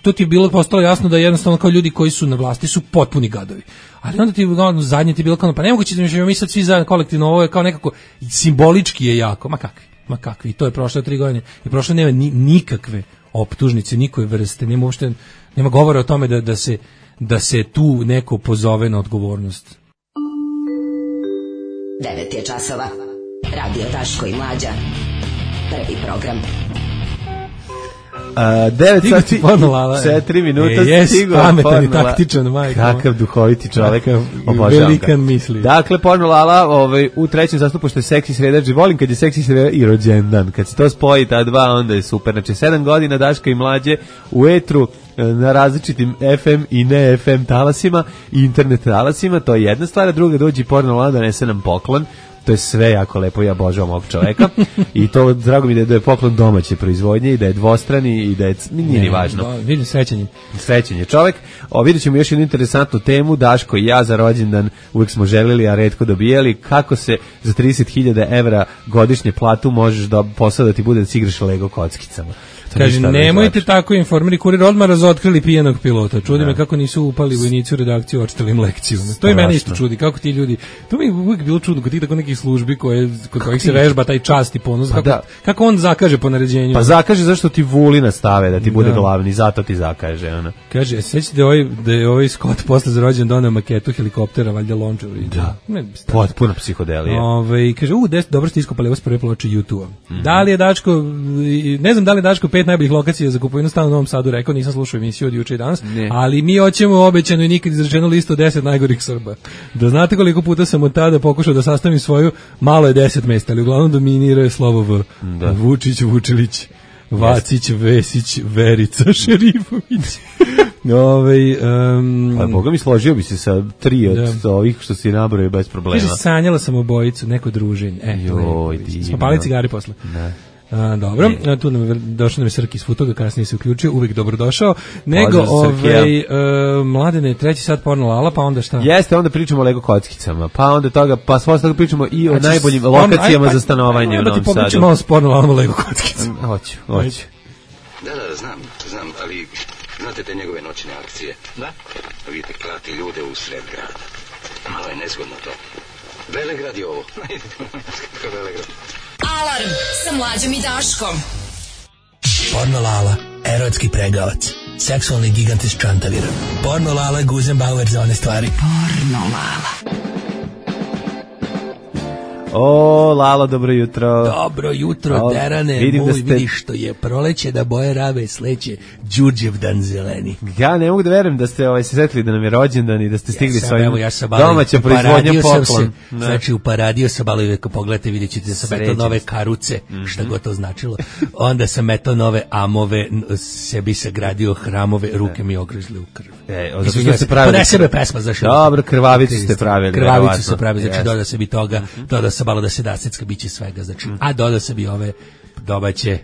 to ti je bilo postalo jasno da jednostavno kao ljudi koji su na vlasti su potpuni gadovi. Ali onda ti ono, zadnje ti je bilo kao, pa nemoguće da mi, mi sad svi zajedno kolektivno, ovo je kao nekako simbolički je jako, ma kakvi, ma kakvi. I to je prošlo tri godine. I prošlo nema ni, nikakve optužnice, nikoj vrste, nema uopšte, nema govora o tome da, da, se, da se tu neko pozove na odgovornost. devet je časova. Radio Daško i Mlađa. Prvi program. Uh, devet sati četiri minuta e, jes, pametan i taktičan, majko. Kakav duhoviti čovjek, velikan misli. Dakle, porno Lala ovaj, u trećem zastupu što je seksi sredač, volim kad je seksi sredač i rođendan, kad se to spoji ta dva, onda je super. Znači, sedam godina Daška i Mlađe u etru na različitim F M i ne F M talasima i internet talasima, to je jedna stvar, a druga dođi porno Lala da nese nam poklon. To je sve jako lepo, ja obožavam ovog čoveka i to drago mi da je, da je poklon domaće proizvodnje i da je dvostrani i da je, nije ni važno. Da, vidim srećenje. Srećenje čovek. O, vidjet ćemo još jednu interesantnu temu, Daško i ja za rođendan uvek smo želeli, a retko dobijali, kako se za trideset hiljada evra godišnje platu možeš da posao da ti bude da si igraš Lego kockicama. Kaže, nemojte tako, informeri kurir odmah razotkrili pijanog pilota. Čudi me kako nisu upali vojnici u redakciju, očitali im lekciju. To i mene isto čudi, kako ti ljudi, to mi je uvijek bilo čudno kod tih tako nekih službi koje, kod kojih se vežba taj čast i ponos, pa kako, da. kako on zakaže po naređenju. Pa zakaže zašto ti Vulina stave da ti bude da. glavni, zato ti zakaže. Ona. Kaže, sećate da, ovaj, da je ovaj Scott posle za rođendan doneo maketu helikoptera, valjda lončar. Da, ne, potpuna psihodelija. Ove, kaže, u, des, dobro ste iskopali ovo s prve ploče YouTube-a. Mm-hmm. Da li je Daško, ne znam da li je Daško pet najboljih lokacija za kupovinu stana u Novom Sadu rekao, nisam slušao emisiju od juče i danas, ne. ali mi hoćemo obećano i nikad izrečenu listu deset najgorih Srba. Da znate koliko puta sam od tada pokušao da sastavim svoju, malo je deset mesta, ali uglavnom dominira je slovo V. Da. Vučić, Vučilić, Vacić, Vesić, Verica, Šerifović. Ove, um, pa Boga mi složio bi se sa tri od da. ovih što si nabrojio bez problema. Kaže, sanjala sam obojicu, neko druženje. E, Joj, smo pali cigari posle. Ne. A, dobro, a, tu nam je došao nam je Srki iz Futoga, kasnije se uključio, uvijek dobro došao. Nego, ovaj, uh, Mladene, treći sat porno Lala, pa onda šta? Jeste, onda pričamo o Lego kockicama, pa onda toga, pa sve toga pričamo i o znači, najboljim sporno, lokacijama aj, aj, za stanovanje aj, aj, u Novom Sadu. Da ti malo s porno Lalama Lego kockicama. Hoću, hoću. Da, da, znam, znam, ali znate te njegove noćne akcije? Da. Vidite, klati ljude u sred grada. Malo je nezgodno to. Velegrad je ovo. Velegrad. Alarm sa Mlađom i Daškom. Porno Lala, erotski pregavac, seksualni gigant iz Čantavira. Porno Lala, Guzenbauer za one stvari. Porno Lala. O, Lalo, dobro jutro. Dobro jutro, o, Derane, vidim moj, da ste... vidi što je proleće, da boje rave sleće, Đurđevdan zeleni. Ja ne mogu da verujem da ste ovaj, se setili da nam je rođendan i da ste stigli ja sam, svojim evo, ja domaća proizvodnja poklon. Se, znači, u Paradio sam balo uvijek, pogledajte, vidjet ćete da sam eto nove karuce, mm-hmm. šta god to značilo. Onda sam eto nove amove, sebi sagradio hramove, ruke mi ogrizli u krv. E, zato što se pravili... Pone sebe pesma, zašto? Dobro, krvavicu ste pravili. Krvavicu se pravili, znači, doda se bi toga, doda se malo da se dasecka biće svega, znači, a doda se bi ove domaće,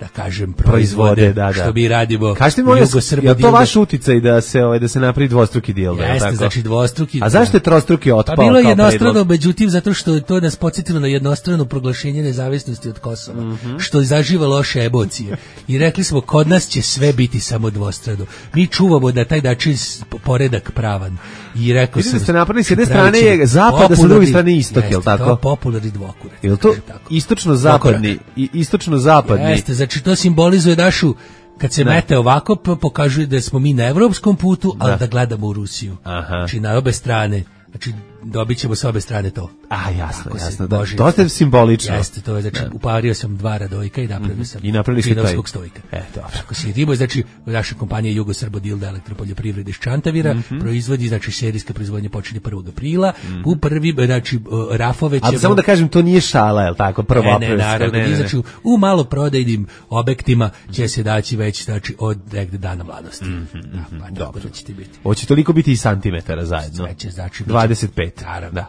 da kažem, proizvode, proizvode, da, da. što mi radimo. Kažete mi, molim vas, Jugosrbo je to dildo. vaš uticaj da se ovaj da se napravi dvostruki dildo? Jeste, tako? znači dvostruki. A zašto je trostruki otpao? Pa bilo je kao jednostrano, predlog? međutim, zato što je to nas podsjetilo na jednostrano proglašenje nezavisnosti od Kosova, Mhm. što izaživa loše emocije. I rekli smo, kod nas će sve biti samo dvostrano. Mi čuvamo da taj način s- poredak pravan. I rekao Vidim sam... da ste napravili, s jedne pravit strane je ćemo zapad, a sa druge popularni- strane istok, Jeste, jel tako? to je popularni dvokurat. Jel to istočno-zapadni i istočno-zapadni? Jeste, znači to simbolizuje našu, kad se Da. mete ovako, p- pokazuje da smo mi na evropskom putu, ali Da. da gledamo u Rusiju. Aha. Znači na obe strane, znači dobit ćemo s obe strane to. A, jasno, Tako se jasno. Da, Bože- dosta je simbolično. Jeste, to je, znači, upario sam dva radojka i napravio sam I napravili ste taj. činovskog stojka. E, dobro. Tako se jedimo, znači, naša kompanija Jugosrbo dildo elektropoljoprivrede iz Čantavira Mhm. proizvodi, znači, serijska proizvodnja počinje prvog aprila, u prvi, znači, o, rafove ćemo... A samo da kažem, to nije šala, je li tako? Prvo Ne, ne, aprilska, naravno, ne, ne, ne. znači, u- u maloprodajnim objektima će se daći već, znači, od negde dana mladosti. Da, pa dobro da će ti biti. Hoće toliko biti i santimetara zajedno. Sve će, znači, dvadeset pet. Naravno. Da.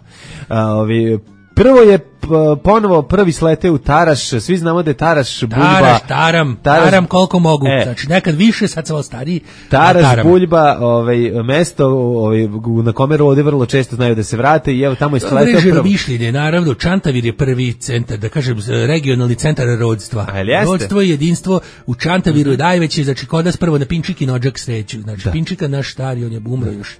A, ovi, prvo je p- ponovo prvi slete u Taraš, svi znamo da je Taraš Buljba. Taraš, taram, Taraš- taram koliko mogu. E. Znači, nekad više, sad sam malo stariji. a Taraš, taram. Buljba, ovaj, mesto ovaj, na kome rode vrlo često znaju da se vrate i evo tamo je sleteo Mreženo prvo. mišljenje, naravno, Čantavir je prvi centar, da kažem, regionalni centar rodstva. A, jel jeste? Rodstvo i jedinstvo u Čantaviru je najveće, znači kod nas prvo na Pinčiki nođak sreću. Znači, Da. Pinčika naš stari, on je umro još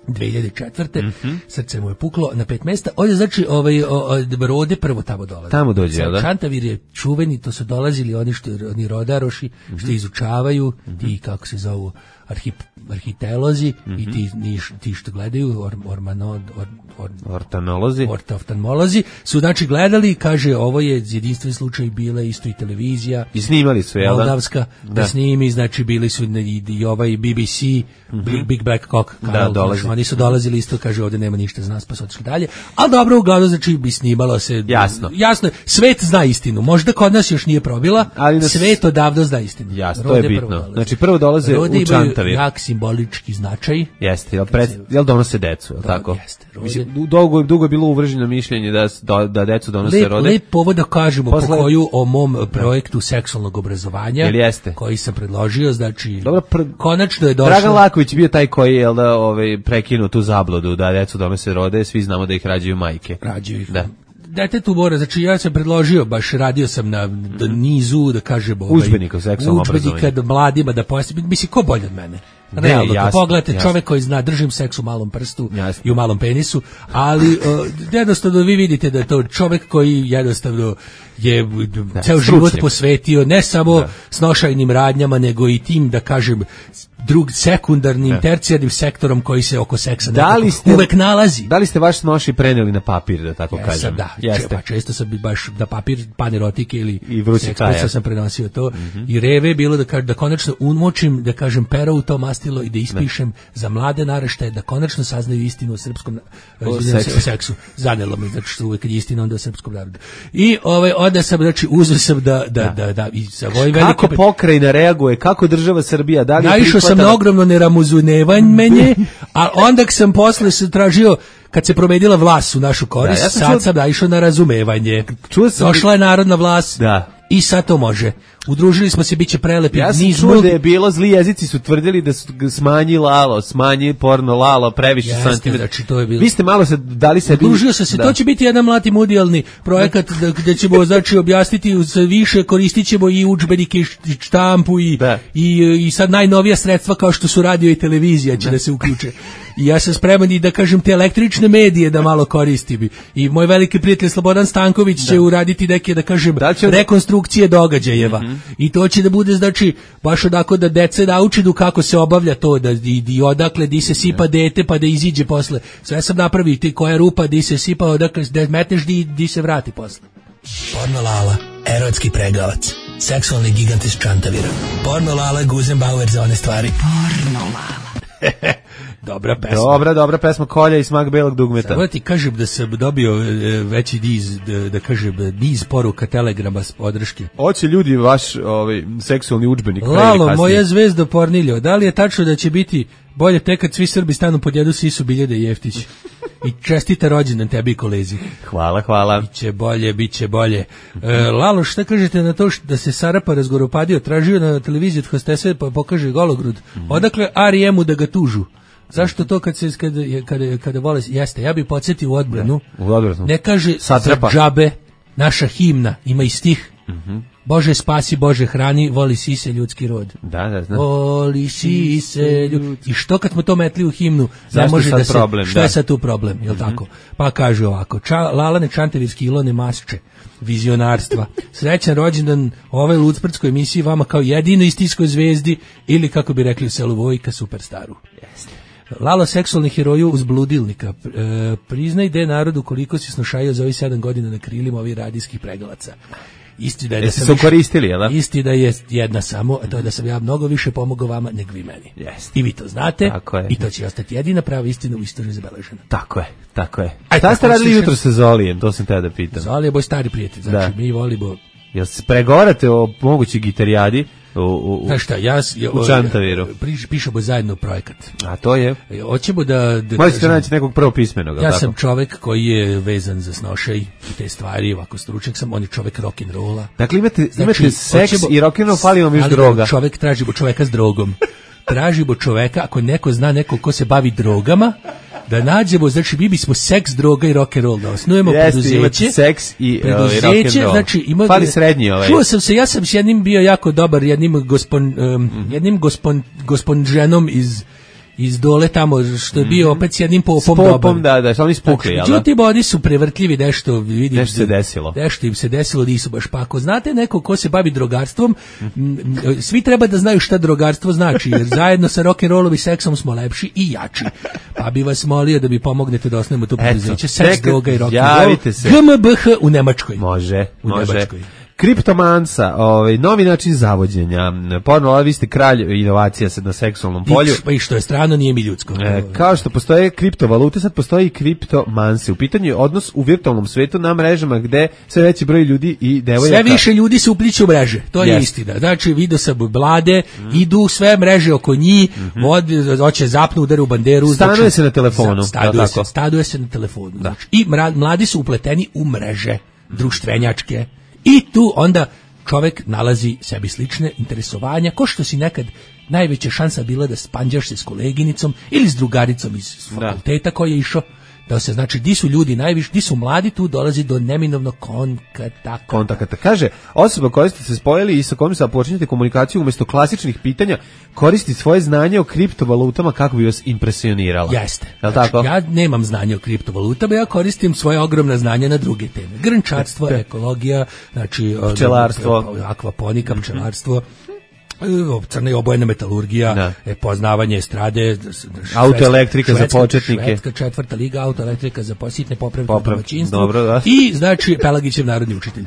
dve hiljade četvrte. Mhm. Srce mu je puklo na pet mesta. Ovdje znači ovaj o, o, rode prvo tamo dolaze. Tamo dođe, jel da? Čantavir je čuveni, to su dolazili oni što oni rodaroši Mhm. što izučavaju, ti kako se zovu arhip, arhitelozi i ti niš- ti što gledaju or, ormanod or, or, Ortanolozi. ortoftalmolozi su znači gledali, kaže ovo je jedinstven slučaj, bila je isto i televizija I snimali su, jel da? Moldavska da, Da. snimi, znači bili su i, i ovaj B B C, Big, Big Black Cock Da, kanal, dolazi. znači, oni su dolazili isto, kaže ovdje nema ništa za nas, pa su otišli dalje, ali dobro, uglavnom znači bi snimalo se, Jasno. jasno je, svet zna istinu, možda kod nas još nije probila, Ali nas- svet odavno zna istinu. Jasno, to Rode je prvo bitno. dolaze. Znači, prvo dolaze Rode u imaju Čantavir. jak simbolički značaj. Jeste, jel, pred, jel donose decu, jel tako? jeste, rode. Mislim, du- dugo, dugo je bilo uvrženo mišljenje da, s- da, da decu donose Lep, rode. lep povod da kažemo Posle- po koju o mom projektu seksualnog obrazovanja, Jel jeste? koji sam predložio, znači, Dobro, pr- konačno je došlo... Dragan Laković bio taj koji je jel da, ovaj, prekinuo tu zabludu da decu donose rode, svi znamo da ih rađaju majke. Rađaju ih. Da. Detetu mora, znači ja sam predložio, baš radio sam na d- nizu, da kažem, ovaj, Udžbenika o seksualnom udžbenika obrazovanju. da mladima da pojasni, mislim, ko bolje od mene? Ne, Realno, jasno, kad pogledate jasno. čovek koji zna, držim seks u malom prstu Jasno. i u malom penisu, ali uh, jednostavno vi vidite da je to čovek koji jednostavno je Da, ceo stručnjak. život posvetio ne samo Da. snošajnim radnjama, nego i tim, da kažem, drug sekundarnim, Da. tercijarnim sektorom koji se oko seksa Da nekako li ste, uvek nalazi. Da li ste vaš noši preneli na papir, da tako Jesam, kažem? da, Jeste. Če- pa često sam bi baš da papir panerotike ili I vrući seks kaja. pisa sam prenosio to i reve je bilo da kažem da konačno umočim, da kažem pero u to mastilo i da ispišem za mlade naraštaje da konačno saznaju istinu o srpskom na- O izvinjam se, seksu. o seksu. Zanelo me, znači što uvek kad je istina onda o srpskom narodu. I ovaj onda sam znači uzeo sam da da da da, i sa ovoj Kako veliki pokrajina reaguje, kako država Srbija, da li je naišao sam prihvatala- na ogromno neramuzunevanje, a onda sam posle se tražio kad se promenila vlast u našu korist, Da, ja sam sad čuo- sam naišao na razumevanje. Čuo sam- Došla je narodna vlast Da. i sad to može. Udružili smo se, bit će prelepi. Ja sam niz čuo multi- da je bilo, zli jezici su tvrdili da su g- smanji lalo, smanji porno lalo, previše Jeste, santimetra. znači, to je bilo- Vi ste malo se dali sebi... Udružio sam se, Da. to će biti jedan multimedijalni projekat da, gde ćemo znači objasniti uz više, koristit ćemo i udžbenike i š- i štampu i, Da. i, i sad najnovija sredstva kao što su radio i televizija će da, se uključe. I ja sam spreman i da kažem te električne medije da malo koristim. I moj veliki prijatelj Slobodan Stanković će uraditi neke, da kažem, Da li će- rekonstrukcije događajeva. I to će da bude, znači, baš odako da dece naučinu kako se obavlja to, da i, i odakle di se sipa dete pa da iziđe posle. Sve sam napravio, ti koja rupa di se sipa, odakle da metneš di, di se vrati posle. Porno Lala, erotski pregavac, seksualni gigant iz Čantavira. Porno Lala, Guzenbauer za one stvari. Porno Lala. Dobra pesma. Dobra, dobra pesma Kolja i smak belog dugmeta. Samo da ti kažem da sam dobio e, veći niz, da, da kažem, niz poruka, telegrama s podrške. Hoće ljudi vaš ovaj, seksualni udžbenik. pre ili Lalo, kasnije. moja zvezda Porniljo, da li je tačno da će biti bolje tek kad svi Srbi stanu pod jedu Sisu Biljede i Jeftić? i čestita rođendan tebi i kolezi. Hvala, hvala. Biće bolje, biće bolje. E, Lalo, šta kažete na to što da se Sarapa razgoropadio, tražio na televiziji od hostese pa pokaže gologrud? Odakle R E M-u da ga tužu? Zašto to kad se kada kada kada vole jeste, ja bih podsjetio u odbranu. U odbranu. Ne kaže Satrapa. džabe, naša himna ima i stih. Mhm. Bože spasi, Bože hrani, voli sise ljudski rod. Da, da, znam. Voli sise ljudski. I što kad smo to metli u himnu, zašto ne može sad da se, problem, što da. je sad tu problem, jel tako? Pa kaže ovako, ča, Lalane Čantevivski Ilone Masče, vizionarstva. Srećan rođendan ove Lucprtskoj emisiji vama kao jedinoj istinskoj zvezdi ili kako bi rekli u selu Vojka superstaru. Jeste. Lalo seksualni heroju uz bludilnika. E, priznaj de narodu koliko si snušajio za ovih sedam godina na krilima ovih radijskih pregalaca. Isti da je da Jeste sam su više- koristili, jel da? Isti da je jedna samo, a to je da sam ja mnogo više pomogao vama nego vi meni. Jeste. I vi to znate. Tako je. I to će ostati jedina prava istina u istoriji zabeležena. Tako je, tako je. Aj, Šta ste tako radili slušaj- jutro sa Zolijem, to sam te da pitam. Zoli je boj stari prijatelj, znači Da. mi volimo. Jel se pregovarate o mogućoj gitarijadi u, u, u, Znaš šta, ja, s- ja u Čantaviru? Priš, pišemo zajedno projekat. A to je? E, Hoćemo da... da Možete kažem- naći nekog prvo pismenog, Ja tako? sam čovek koji je vezan za snošaj i te stvari, ovako stručnjak sam, on je čovek rock'n'rolla. Dakle, imate, Znači, imate seks hoćemo- i rock'n'roll, fali vam još ali droga. Čovek tražimo čoveka s drogom. Tražimo čoveka, ako neko zna neko ko se bavi drogama, da nađemo, znači mi bismo seks, droga i rock'n'roll, da osnujemo Jeste, preduzeće. imate seks i, ovaj, preduzeće, rock'n'roll. znači ima, Fali srednji ovaj. Čuo sam se, ja sam s jednim bio jako dobar, jednim gospon, um, jednim gospon, gospon ženom iz iz dole tamo, što je bio opet s jednim popom, S popom, dobar. da, da, što oni spukli, jel da? Međutim, oni su prevrtljivi, nešto vidim. Nešto se desilo. Nešto im se desilo, nisu baš pa. Ako znate neko ko se bavi drogarstvom, m, svi treba da znaju šta drogarstvo znači, jer zajedno sa rock'n'rollom i seksom smo lepši i jači. Pa bi vas molio da mi pomognete da osnovimo to preduzeće. Seks, čekaj, droga i rock'n'roll. javite se. G M B H u Nemačkoj. Može, U može. Nemačkoj. Kriptomansa, ovaj, novi način zavođenja. Ponovno, vi ste kralj inovacija sad na seksualnom polju. Pa i što je strano, nije mi ljudsko. E, kao što postoje kriptovalute, sad postoji i kriptomanse. U pitanju je odnos u virtualnom svetu na mrežama gde sve veći broj ljudi i devojaka. Sve više ljudi se upliću u mreže, to je Jeste. istina. Znači, vidio sam mlade, idu sve mreže oko njih, vod- hoće zapnu, udare u banderu. Stanuje znači, se na telefonu, za- Stanuje jel se, tako? stanuje se na telefonu. Znači, i mra- mladi su upleteni u mreže, društvenjačke. I tu onda čovek nalazi sebi slične interesovanja, ko što si nekad najveća šansa bila da spanđaš se s koleginicom ili s drugaricom iz fakulteta koji je išao, da se znači di su ljudi najviše, di su mladi, tu dolazi do neminovnog kontakta. kontakata. Kaže, osoba koja ste se spojili i sa kojom se počinjete komunikaciju umjesto klasičnih pitanja, koristi svoje znanje o kriptovalutama kako bi vas impresionirala. Jeste. Jel Znači, tako? ja nemam znanje o kriptovalutama, ja koristim svoje ogromna znanja na druge teme. Grnčarstvo, ekologija, znači Pčelarstvo. akvaponika, pčelarstvo, crna i obojena metalurgija, e, poznavanje estrade, Autoelektrika za švedska- početnike. Švedska četvrta liga, autoelektrika za positne popravke u Poprav- domaćinstvu. dobro, da. I znači Pelagićev narodni učitelj.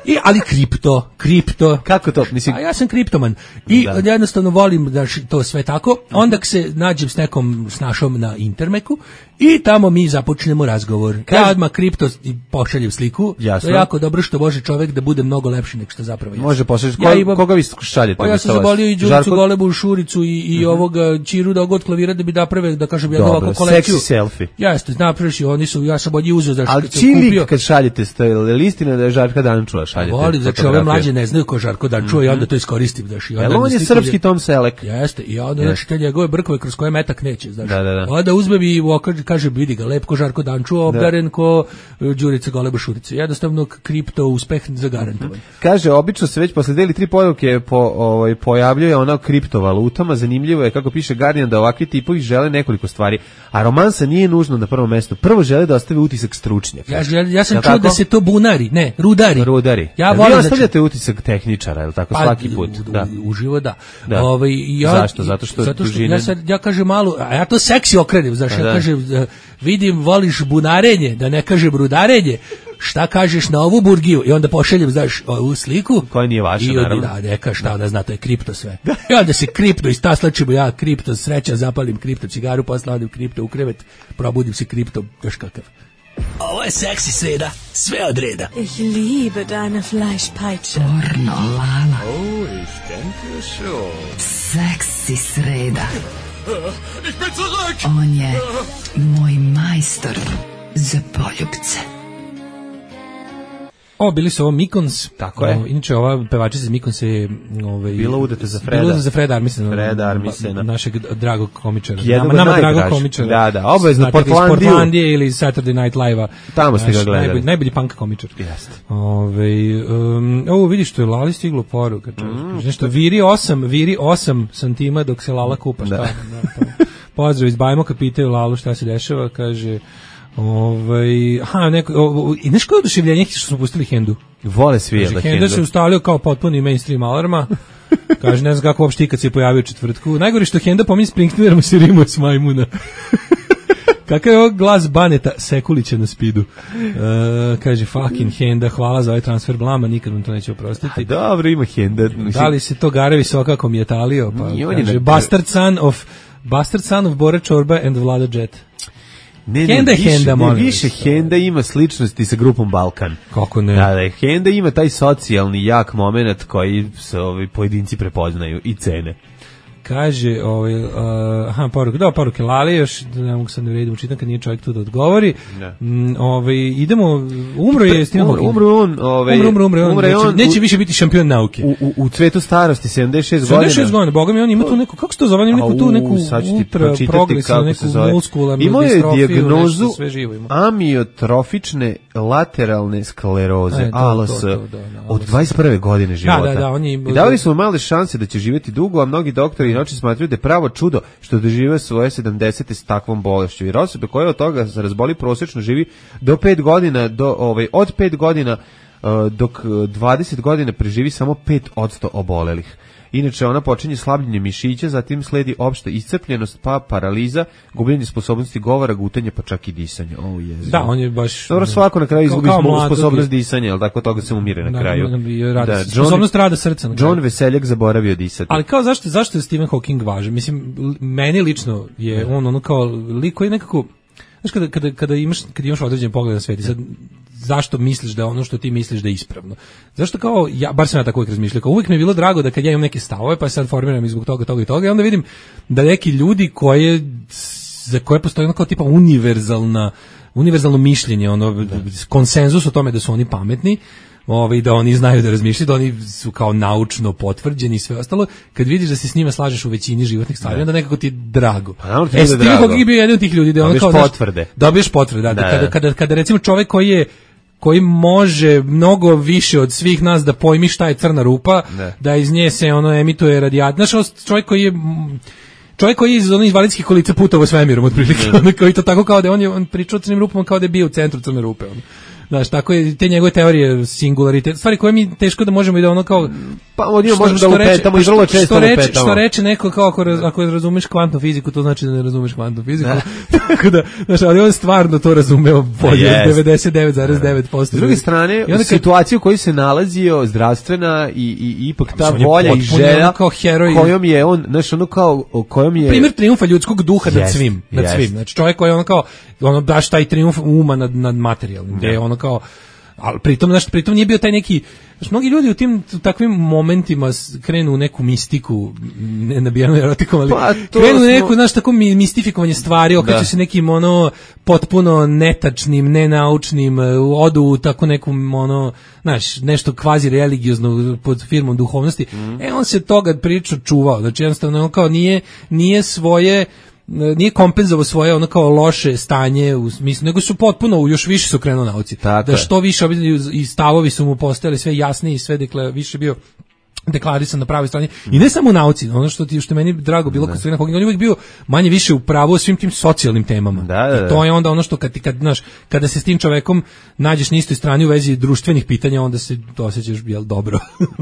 I ali kripto, kripto. Kako to? Mislim, A ja sam kriptoman. I Da. jednostavno volim da ši- to sve tako. Onda k se nađem s nekom snašom na Intermeku i tamo mi započnemo razgovor. Ja odmah kripto i pošaljem sliku. Jasno. To je jako dobro što može čovjek da bude mnogo lepši nego što zapravo je. Može pošalješ. Ko- koga vi šaljete Pa ja umjesto sam vas? zabolio i Đuricu Žarko? Golebu Šuricu i, i ovoga Čiru da god klavira da bi naprave, da kažem, jednu Dobro, ovakvu kolekciju. seksi selfie. Jeste, napraviš i oni su, ja sam od njih uzeo zašto Ali kad sam čiji lik kupio. kad šaljete, ste li istina da je Žarka Dančula šaljete? Voli, znači ove fotografije? mlađe ne znaju ko Žarko Dančuva i onda to iskoristim, znaš. i onda Jel on mi je stigne- srpski Tom Selek? Jeste, i onda Jeste. znači te njegove brkove kroz koje metak neće, znaš. Da, da, da. Onda uzmem i okaže- kaže, vidi ga, lep ko Žarko Dančuva, obdaren ko e, Đurica Goleba Šurica. Jednostavno kripto uspeh zagarantovan. Kaže, obično se već posle dve ili tri poruke po, ovaj, pojavljuje ona o kriptovalutama. Zanimljivo je, kako piše Guardian, da ovakvi tipovi žele nekoliko stvari. A romansa nije nužno na prvom mestu. Prvo žele da ostave utisak stručnjaka. Ja, žel- ja sam Jel čuo tako? da se to bunari, ne, rudari. Rudari. Ja Jel volim, vi znači- ostavljate utisak tehničara, je li tako, Pa, svaki put? u- Da. u- Uživo da. Da. Ovaj, i ja, Zašto? Zato što zato što dužine- ja, sad, ja kažem malo, a ja to seksi okrenem, znaš, Pa ja da. kažem, e, vidim, voliš bunarenje, da ne kažem rudarenje, šta kažeš na ovu burgiju? I onda pošaljem, znaš, ovu sliku. Koja nije vaša, I onda, naravno. da, neka, šta ona zna, to je kripto sve. I onda se kripto istaslačimo, ja kripto, sreća, zapalim kripto cigaru, posle odim kripto u krevet, probudim se kripto, još kakav. Ovo je seksi sreda, sve od reda. Ich liebe deine Fleischpeitsche. Porno, Lala. Oh, ich denke schon. Seksi sreda. On je moj majstor za poljupce. O, bili su ovo Mikons. Tako je. O, inače, ova pevačica iz Mikonsa je... Ovaj, bila udeta za Freda. Bila za Freda Armisena. Freda Armisena. Našeg dragog komičara. Jednog nama nama dragog najdraž. komičara. Da, da, obavezno Portlandiju. Portlandiju. Portlandije ili Saturday Night Live-a. Tamo ste ga gledali. Najbolji, najbolji punk komičar. Jeste. Ove, um, ovo vidiš što je Lali stiglo poruka. Mm, nešto, viri osam, viri osam santima dok se Lala kupa. Šta? Da. Da, pa. Pozdrav iz Bajmoka, pitaju Lalu šta se dešava, kaže... Ovaj, aha, neko, o, i znaš koje oduševljenje što smo pustili Hendu? Vole svi da Hendu. Henda se ustavljao kao potpuni mainstream alarma. Kaže, ne znam kako uopšte ikad se je pojavio u četvrtku. Najgore što Henda pominje Springsteenerom se rimuje s majmuna. Kakav je ovo glas Baneta Sekulića na spidu? Uh, kaže, fucking Henda, hvala za ovaj transfer blama, nikad vam to neće oprostiti. A dobro, ima Henda. Da li se to Garevi Sokako mi je talio? Pa, kaže, bastard son of, bastard son of Bora Čorba and Vlada Jet. Ne, Henda ne, više, Henda, ne, više Henda ima sličnosti sa grupom Balkan. Kako ne? Da, da, Henda ima taj socijalni jak moment koji se ovi pojedinci prepoznaju i cene. Kaže, ovaj, uh, aha, poruke, da, poruke Lali, još ne mogu sad ne vredim učitam kad nije čovjek tu da odgovori. Mm, ovaj, idemo, umro je Stephen Hawking. Umro on, ovaj, umro, umro, umro, on, umro neće, on, neće više biti šampion nauke. U, u, u cvetu starosti, sedamdeset šest godina. sedamdeset šest godina, boga mi, on ima tu neku, kako se to zove, on ima neku tu neku ultra progresivnu, neku muskularnu imao je dijagnozu ima. amiotrofične lateralne skleroze, A L S, od dvadeset prve godine života. Da, da, da, on je... I davali su mu male šanse da će živjeti dugo, a mnogi doktori inače smatraju da je pravo čudo što dožive svoje sedamdesete s takvom bolešću. Jer osobe koje od toga se razboli prosječno živi do pet godina, do, ovaj, od pet godina uh, dok dvadeset godina preživi samo pet posto obolelih. Inače, ona počinje slabljenje mišića, zatim sledi opšta iscrpljenost, pa paraliza, gubljenje sposobnosti govora, gutanje, pa čak i disanja. Oh, da, on je baš... Dobro, svako na kraju izgubi sposobnost disanja, ali tako toga se umire na da, kraju. Da, da, sposobnost rada srca. Na John Veseljak zaboravio disati. Ali kao zašto, zašto je Stephen Hawking važan? Mislim, meni lično je on ono kao lik koji nekako... Znaš, kada, kada, kada, imaš, kada imaš određen pogled na svijet i sad zašto misliš da ono što ti misliš da je ispravno? Zašto kao, ja, bar sam ja tako uvijek razmišljao, kao uvijek mi je bilo drago da kad ja imam neke stavove, pa sad formiram zbog toga, toga i toga, i onda vidim da neki ljudi koje, za koje postoji ono kao tipa univerzalna, univerzalno mišljenje, ono, konsenzus o tome da su oni pametni, ovaj, da oni znaju da razmišljaju, da oni su kao naučno potvrđeni i sve ostalo, kad vidiš da se s njima slažeš u većini životnih stvari, onda nekako ti je drago. Pa, e, Stephen Hawking je bio jedan od tih ljudi, da on kao potvrde. Dobiješ potvrde, da, da, da, kada, kada, kada recimo čovjek koji je koji može mnogo više od svih nas da pojmi šta je crna rupa, da, da iz nje se ono emituje radijat. Znaš, čovjek koji je čovjek koji je iz onih invalidskih kolica putovao svemirom otprilike, on koji to tako kao da on je on pričao o crnim rupama kao da je bio u centru crne rupe, on. Znaš, tako je, te njegove teorije singularitet, stvari koje mi teško da možemo i da ono kao... Pa od njima možemo da lupetamo i vrlo često lupetamo. Što reče neko kao ako, raz, ako razumeš kvantnu fiziku, to znači da ne razumeš kvantnu fiziku. Tako da, znaš, ali on stvarno to razumeo bolje, yes. devedeset devet zarez devet posto. S druge strane, kad... situaciju u kojoj se nalazio, zdravstvena i, i ipak ta volja i želja kojom je on, znaš, ono kao, kojom je... Primjer trijumfa ljudskog duha yes. nad svim, nad yes. svim. Znači, čovjek koji je ono kao, ono daš taj trijumf uma nad, nad materijalnim, gde je ono kao, ali pritom, znaš, pritom nije bio taj neki, znaš, mnogi ljudi u tim u takvim momentima krenu u neku mistiku, ne nabijanu erotikom, ali pa, krenu u neku, smo... znaš, tako mistifikovanje stvari, okreću se nekim, ono, potpuno netačnim, nenaučnim, odu u tako nekom, ono, znaš, nešto kvazi religiozno pod firmom duhovnosti, mm. e, on se toga priču čuvao, znači, jednostavno, on kao nije, nije svoje, nije kompenzovao svoje ono kao loše stanje u smislu, nego su potpuno još više su krenuo nauci. Tako da što više i stavovi su mu postajali sve jasniji i sve dekle, više bio deklarisan na pravoj strani. I ne samo u nauci, ono što ti što meni drago bilo kod Stephen Hawking, on je uvijek bio manje više u pravu o svim tim socijalnim temama. Da, da, da. I to je onda ono što kad ti kad znaš, kada se s tim čovekom nađeš na istoj strani u vezi društvenih pitanja, onda se osjećaš jel dobro.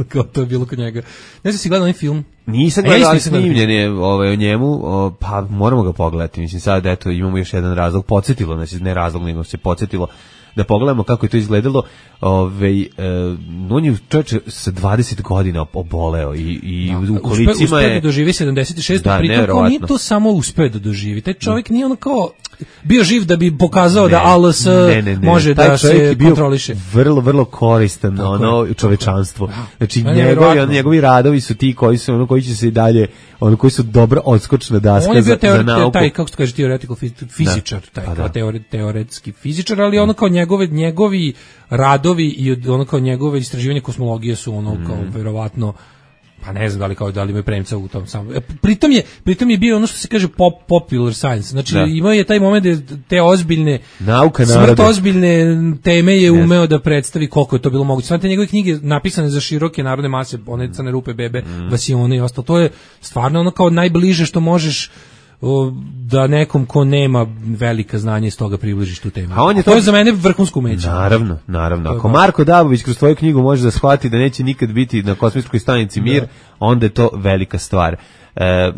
Kao to je bilo kod njega. Ne znam si gledao onaj film? Nisam gledao, ali snimljen je ovaj, o njemu, o, pa moramo ga pogledati. Mislim, sad eto imamo još jedan razlog, podsjetilo nas, ne razlog, nego se podsjetilo da pogledamo kako je to izgledalo. Ovaj, e, on je čovječe sa dvadeset godina oboleo i, i da, u kolicima uspe, je... Uspeo da doživi sedamdeset šest, da, pritom kao nije to samo uspeo da doživi. Taj čovjek nije ono kao... bio živ da bi pokazao Ne, da A L S ne, ne, ne. može Taj da čovjek se je bio kontroliše. vrlo, vrlo koristan Tako ono je. čovečanstvu. Znači Pa je njegovi, nevjerovatno. on, njegovi radovi su ti koji su ono koji će se i dalje, ono koji su dobra odskočna daska On je za, bio za teori, nauku. taj, kako se kaže, theoretical fiz- fizičar, taj, Pa kao da. teore, teoretski fizičar, ali ono kao njegove, njegovi radovi i od- ono kao njegove istraživanje kosmologije su ono kao Mhm. verovatno pa ne znam da li kao da li imaju premca u tom samom. E, Pritom je pritom je bio ono što se kaže pop popular science. Znači Da. imao je taj moment da te ozbiljne Nauka smrt naroda. ozbiljne teme je umeo da predstavi koliko je to bilo moguće. Sve te njegove knjige napisane za široke narodne mase, one Crne rupe, bebe, Mhm. Vasione i ostalo. To je stvarno ono kao najbliže što možeš o, da nekom ko nema velika znanja iz toga približiš tu temu. A on je to to- je za mene vrhunsko umeće. Naravno, naravno. To je Ako baš- Marko Dabović kroz tvoju knjigu može da shvati da neće nikad biti na kosmičkoj stanici Mir, onda je to velika stvar. E, e,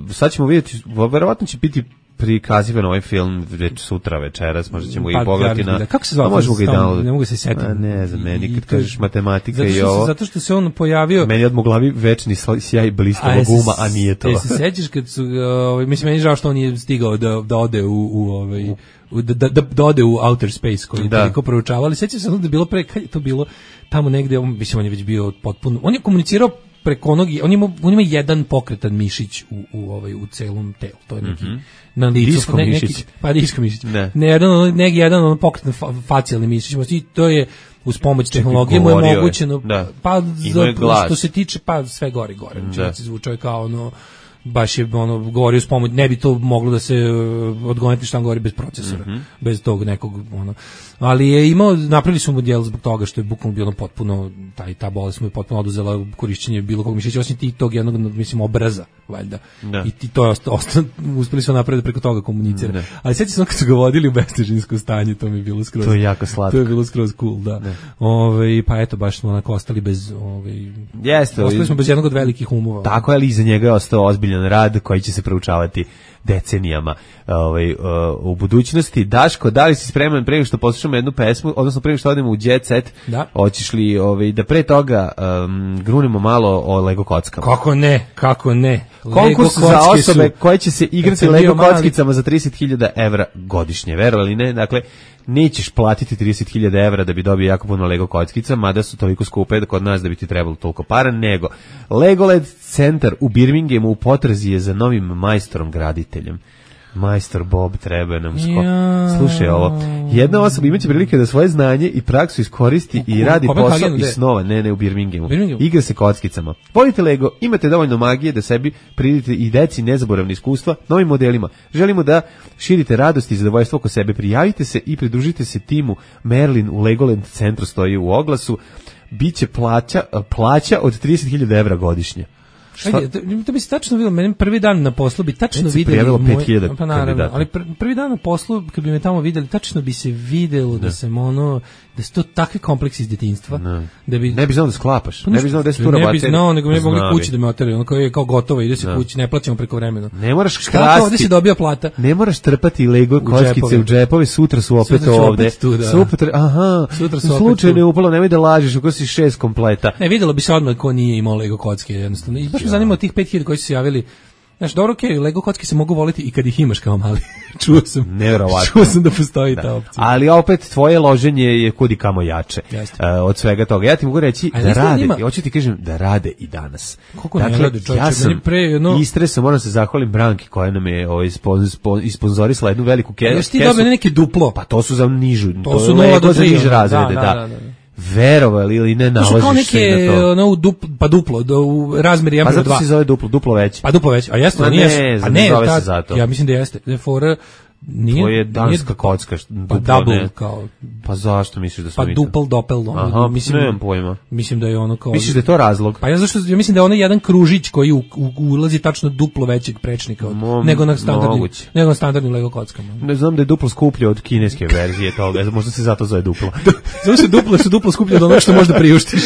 sad ćemo vidjeti, verovatno će biti prikazivan ovaj film već sutra večeras, možda ćemo Pa, i pogledati na... da. Kako se zove? A možemo ga i Stalno, download. ne mogu se setiti. A ne znam, meni I kad to je- kažeš matematika zato i što se- ovo... Zato što se on pojavio... Meni odmah u glavi večni sla- sjaj blistavog jesi- uma, a nije to. jesi se sećaš kad su, ovaj, mislim, meni je žao što on nije stigao da, da ode u, u ovaj, u- da, da, da ode u outer space koji Da. je toliko proučavali. Sećam se ono da je bilo pre, kad je to bilo tamo negde, on, mislim, on je već bio potpuno, on je komunicirao preko onog, on ima, on ima jedan pokretan mišić u, u, ovaj, u celom telu, to je neki, Mhm. na licu, Disko ne, mišić. neki, pa disko mišić, Ne. ne, jedan, ono- neki jedan ono pokretan fa, facijalni mišić, i to je uz pomoć tehnologije mu je govorio je. mogućeno, Da. pa Imao je za, glas. što se tiče, pa sve gore i gore, Da. znači zvučao je kao ono, baš je ono govorio s pomoć, ne bi to moglo da se uh, odgoneti šta on govori bez procesora, Mhm. bez tog nekog ono. Ali je imao, napravili su mu djel zbog toga što je bukvalno bilo potpuno, taj, ta bolest mu je potpuno oduzela korišćenje bilo kog mišića, osim ti tog jednog, mislim, obraza, valjda. Da. I ti to je ostalo, ostalo uspeli su napraviti preko toga komunicira. Da. Ali sjeti se ono kad su ga vodili u bestežinsko stanje, to mi je bilo skroz. To je jako slatko. To je bilo skroz cool, da. Da. Ove, pa eto, baš smo onako ostali bez, ove, Jeste, ostali smo bez jednog od velikih umova. Tako je, ali iza njega je ostao ozbiljan rad koji će se proučavati decenijama ovaj, uh, u budućnosti. Daško, da li si spreman pre nego što poslušamo jednu pesmu, odnosno pre nego što odemo u Jet Set, Da. hoćeš li ovaj, da pre toga um, grunemo malo o Lego kockama? Kako ne, kako ne. Konkurs Lego za kocke osobe su- koje će se Kad igrati sam Lego bio mali- kockicama za trideset hiljada evra godišnje, verovali ne? Dakle, nećeš platiti trideset hiljada evra da bi dobio jako puno Lego kockica, mada su toliko skupe da kod nas da bi ti trebalo toliko para, nego Legoland centar u Birminghamu u potrazi je za novim majstorom graditeljem. Majstor Bob treba nam sko... Ja. Slušaj ovo, jedna osoba imaće prilike da svoje znanje i praksu iskoristi i U radi posao Kopenhagenu, iz gde? snova, ne, ne u Birminghamu. Birminghamu? Igra se kockicama. Volite Lego, imate dovoljno magije da sebi pridite i deci nezaboravne iskustva novim modelima. Želimo da širite radost i zadovoljstvo oko sebe. Prijavite se i pridružite se timu Merlin u Legoland centru, stoji u oglasu. Biće plaća, plaća od trideset hiljada evra godišnje. Šta? Ajde, to, to bi se tačno vidjelo, meni prvi dan na poslu bi tačno Već se videli prijavilo moj- pet hiljada pa naravno, kandidata. ali pr, prvi dan na poslu kad bi me tamo videli, tačno bi se videlo da, Da. sam ono, da su to takvi kompleksi iz djetinjstva, Ne. da bi Ne bi znao da sklapaš, Pa ne bi znao da se tu ne bi rabaterija. znao, nego mi ne mogli Znao bi. kući da me oteraju, ono kao je kao gotovo, ide se Da. kući, ne plaćamo preko vremena. Ne moraš Šta krasti. ovdje si dobio plata? Ne moraš trpati Lego kockice džepove. u džepove, sutra su opet Sutra su ovde. opet tu, da. Sutra, aha, Sutra su opet slučajno tu. je upalo, nemoj da lažeš, ako si šest kompleta. Ne, videlo bi se odmah ko nije imao Lego kocke, jednostavno. I baš me zanima od tih pet hiljada koji su se javili. Znaš, dobro, okej, Lego kocke se mogu voliti i kad ih imaš kao mali. Čuo sam. Neverovatno. Čuo sam da postoji Da. ta opcija. Ali opet tvoje loženje je kudi kamo jače Jeste. uh, od svega toga. Ja ti mogu reći A da znaš da rade, njima- i hoću ti kažem da rade i danas. Kako ne rade, čovječe, ja sam meni pre jedno- istresao, moram se zahvalim Branki koja nam je ovaj, spon, spon, isponzorisala jednu veliku ke, A još ti kesu. dobio neke duplo. Pa to su za nižu, To su je nula Lego do za tri, niže ono, razrede, da, da. da, da, da. Verovali ili ne, To su kao nalaziš se neke, na to. ono, u duplo, pa duplo, do, u razmeri jedan Pa prema zato dva. se zove duplo, duplo veće. Pa duplo već, a jeste, Ma nije, ne, a znam, ne, ne zove ta- se zato. ja mislim da jeste, da je fora, nije, To je danska nije- kocka. pa duplo, double, ne. kao, Pa zašto misliš da su pa mi to? dupel, dopel, ono, Aha, mislim, nemam pojma. mislim da je ono kao... Misliš da je to razlog? Pa ja zašto ja mislim da je ono jedan kružić koji u, u, ulazi tačno duplo većeg prečnika od, Mo- nego na standardnim moguće. nego na standardnim Lego kockama. Ne znam da je duplo skuplje od kineske verzije toga, možda se zato zove duplo. Zato se duplo što duplo skuplje od onoga što možda priuštiš.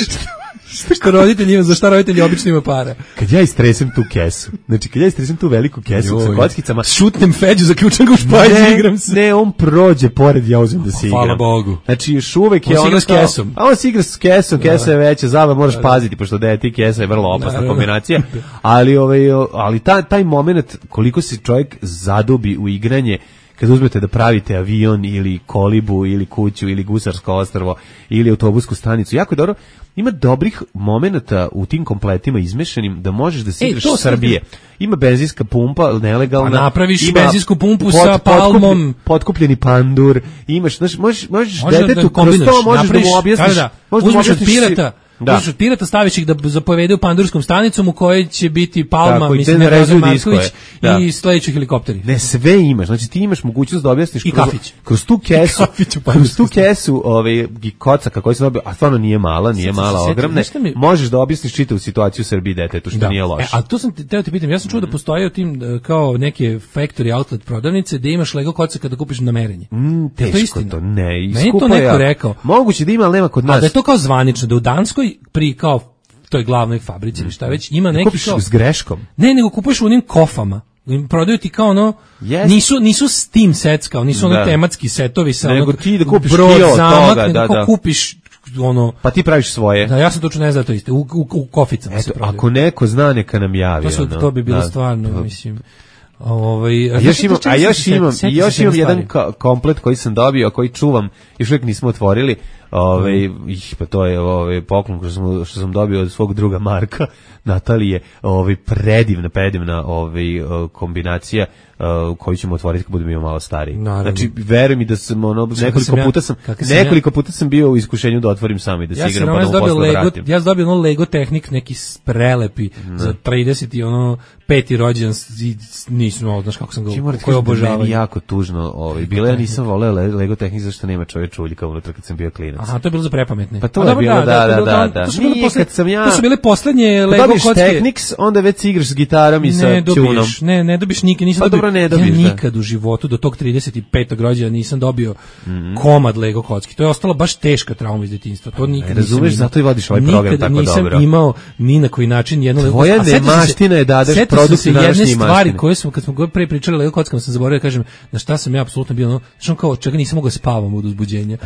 Što roditelji ima, za šta roditelji obično ima para. Kad ja istresem tu kesu, znači kad ja istresem tu veliku kesu sa Joj. kockicama, Šutnem Feđu, zaključam ga u špajz i ne, igram se. ne, on prođe pored, ja uzmem da se igram. Hvala Bogu. Znači još uvek On je se ono igra s kao- kesom. A on se igra s kesom, kesa je veća, zava moraš paziti, pošto da je ti kesa je vrlo opasna Naravno. kombinacija, ali, ovaj, ali taj, taj moment koliko se čovjek zadubi u igranje, kad uzmete da pravite avion ili kolibu ili kuću ili gusarsko ostrvo ili autobusku stanicu, jako je dobro. Ima dobrih momenata u tim kompletima izmešanim da možeš da se igraš e, Srbije. Ima benzinska pumpa, nelegalna. Pa napraviš ima benzinsku pumpu pot, sa palmom. Potkupljeni pandur. Imaš, znaš, možeš, možeš Može detetu da kroz to možeš da mu objasniš. Da, da. Možeš Uzmeš da od pirata, Da. uzmeš od pirata, staviš ih da zapovedu pandurskom stanicom u kojoj će biti Palma, Tako, mislim, ne Razor rezuju Marković da. i sledeći helikopteri. Ne, sve imaš. Znači ti imaš mogućnost da objasniš I kroz, kafić. kroz tu kesu. Kafić u kroz tu kesu, ovaj kocaka koji se dobio, a stvarno nije mala, nije Sad, mala, sad, ogromne. mi... Možeš da objasniš čitavu situaciju u Srbiji detetu, što da. nije loše. E, a to sam te, teo te pitam, ja sam čuo da postoje u tim kao neke factory outlet prodavnice da imaš Lego kocaka kada kupiš na merenje. Mm, teško to, to, ne. Meni to neko ja. rekao. Moguće da ima, ali nema kod nas. A da je to kao zvanično, da u Danskoj pri kao toj glavnoj fabrici ili šta već ima neki kupiš kao... s greškom. Ne, nego kupuješ u onim kofama. Prodaju ti kao ono, yes. nisu, nisu Steam sets, kao nisu ono tematski setovi sa nego onog ti da kupiš brod, kilo zamak, toga, nego da, da. kupiš ono... Pa ti praviš svoje. Da, ja sam točno ne znam to isto, u, u, u koficama Eto, se prodaju. ako neko zna, neka nam javi. To, su, ono. to bi bilo da, stvarno, to... mislim... Ovaj, a još imam, a još imam, i još imam jedan komplet koji sam dobio, a koji čuvam, još uvijek nismo otvorili. Ovaj mm. ih pa to je ovaj poklon što sam što sam dobio od svog druga Marka Natalije, ovaj predivna predivna ovaj kombinacija uh, koju ćemo otvoriti kad budemo malo stariji. Naravno. Znači veruj mi da sam ono nekoliko sam puta sam, sam nekoliko ja, puta sam bio u iskušenju da otvorim sam i da ja se igram pa da posle Lego, vratim. Ja sam dobio ono Lego Tehnik neki prelepi no. za trideset i ono peti rođendan i nisam znaš kako sam ga koji obožavao. Meni jako tužno, ovaj bilo ja nisam voleo Lego Tehnik zašto nema čovečuljka unutra kad sam bio klinac. Aha, to je bilo za prepametne. Pa to je bilo, da, da, da, da. To su bile posle, sam ja. To su bile poslednje Lego kocke. Technics, onda već si igraš s gitarom i sa čunom. Ne, ne dobiš nikad, nisam pa dobio. Dobro, ne dobiš, ja nikad da. u životu do tog trideset petog rođendana nisam dobio mm -hmm. komad Lego kocki. To je ostalo baš teška trauma iz detinjstva. To nikad ne, razumeš, nisam. Zato i vodiš ovaj program tako dobro. Nikad nisam imao ni na koji način jedno Lego. Tvoja nemaština je da dadeš produkt današnje jedne stvari koje smo kad smo gore pre pričali Lego kockama sam zaboravio da kažem na šta sam ja apsolutno bio, no, što kao čega nisam mogao spavam od uzbuđenja.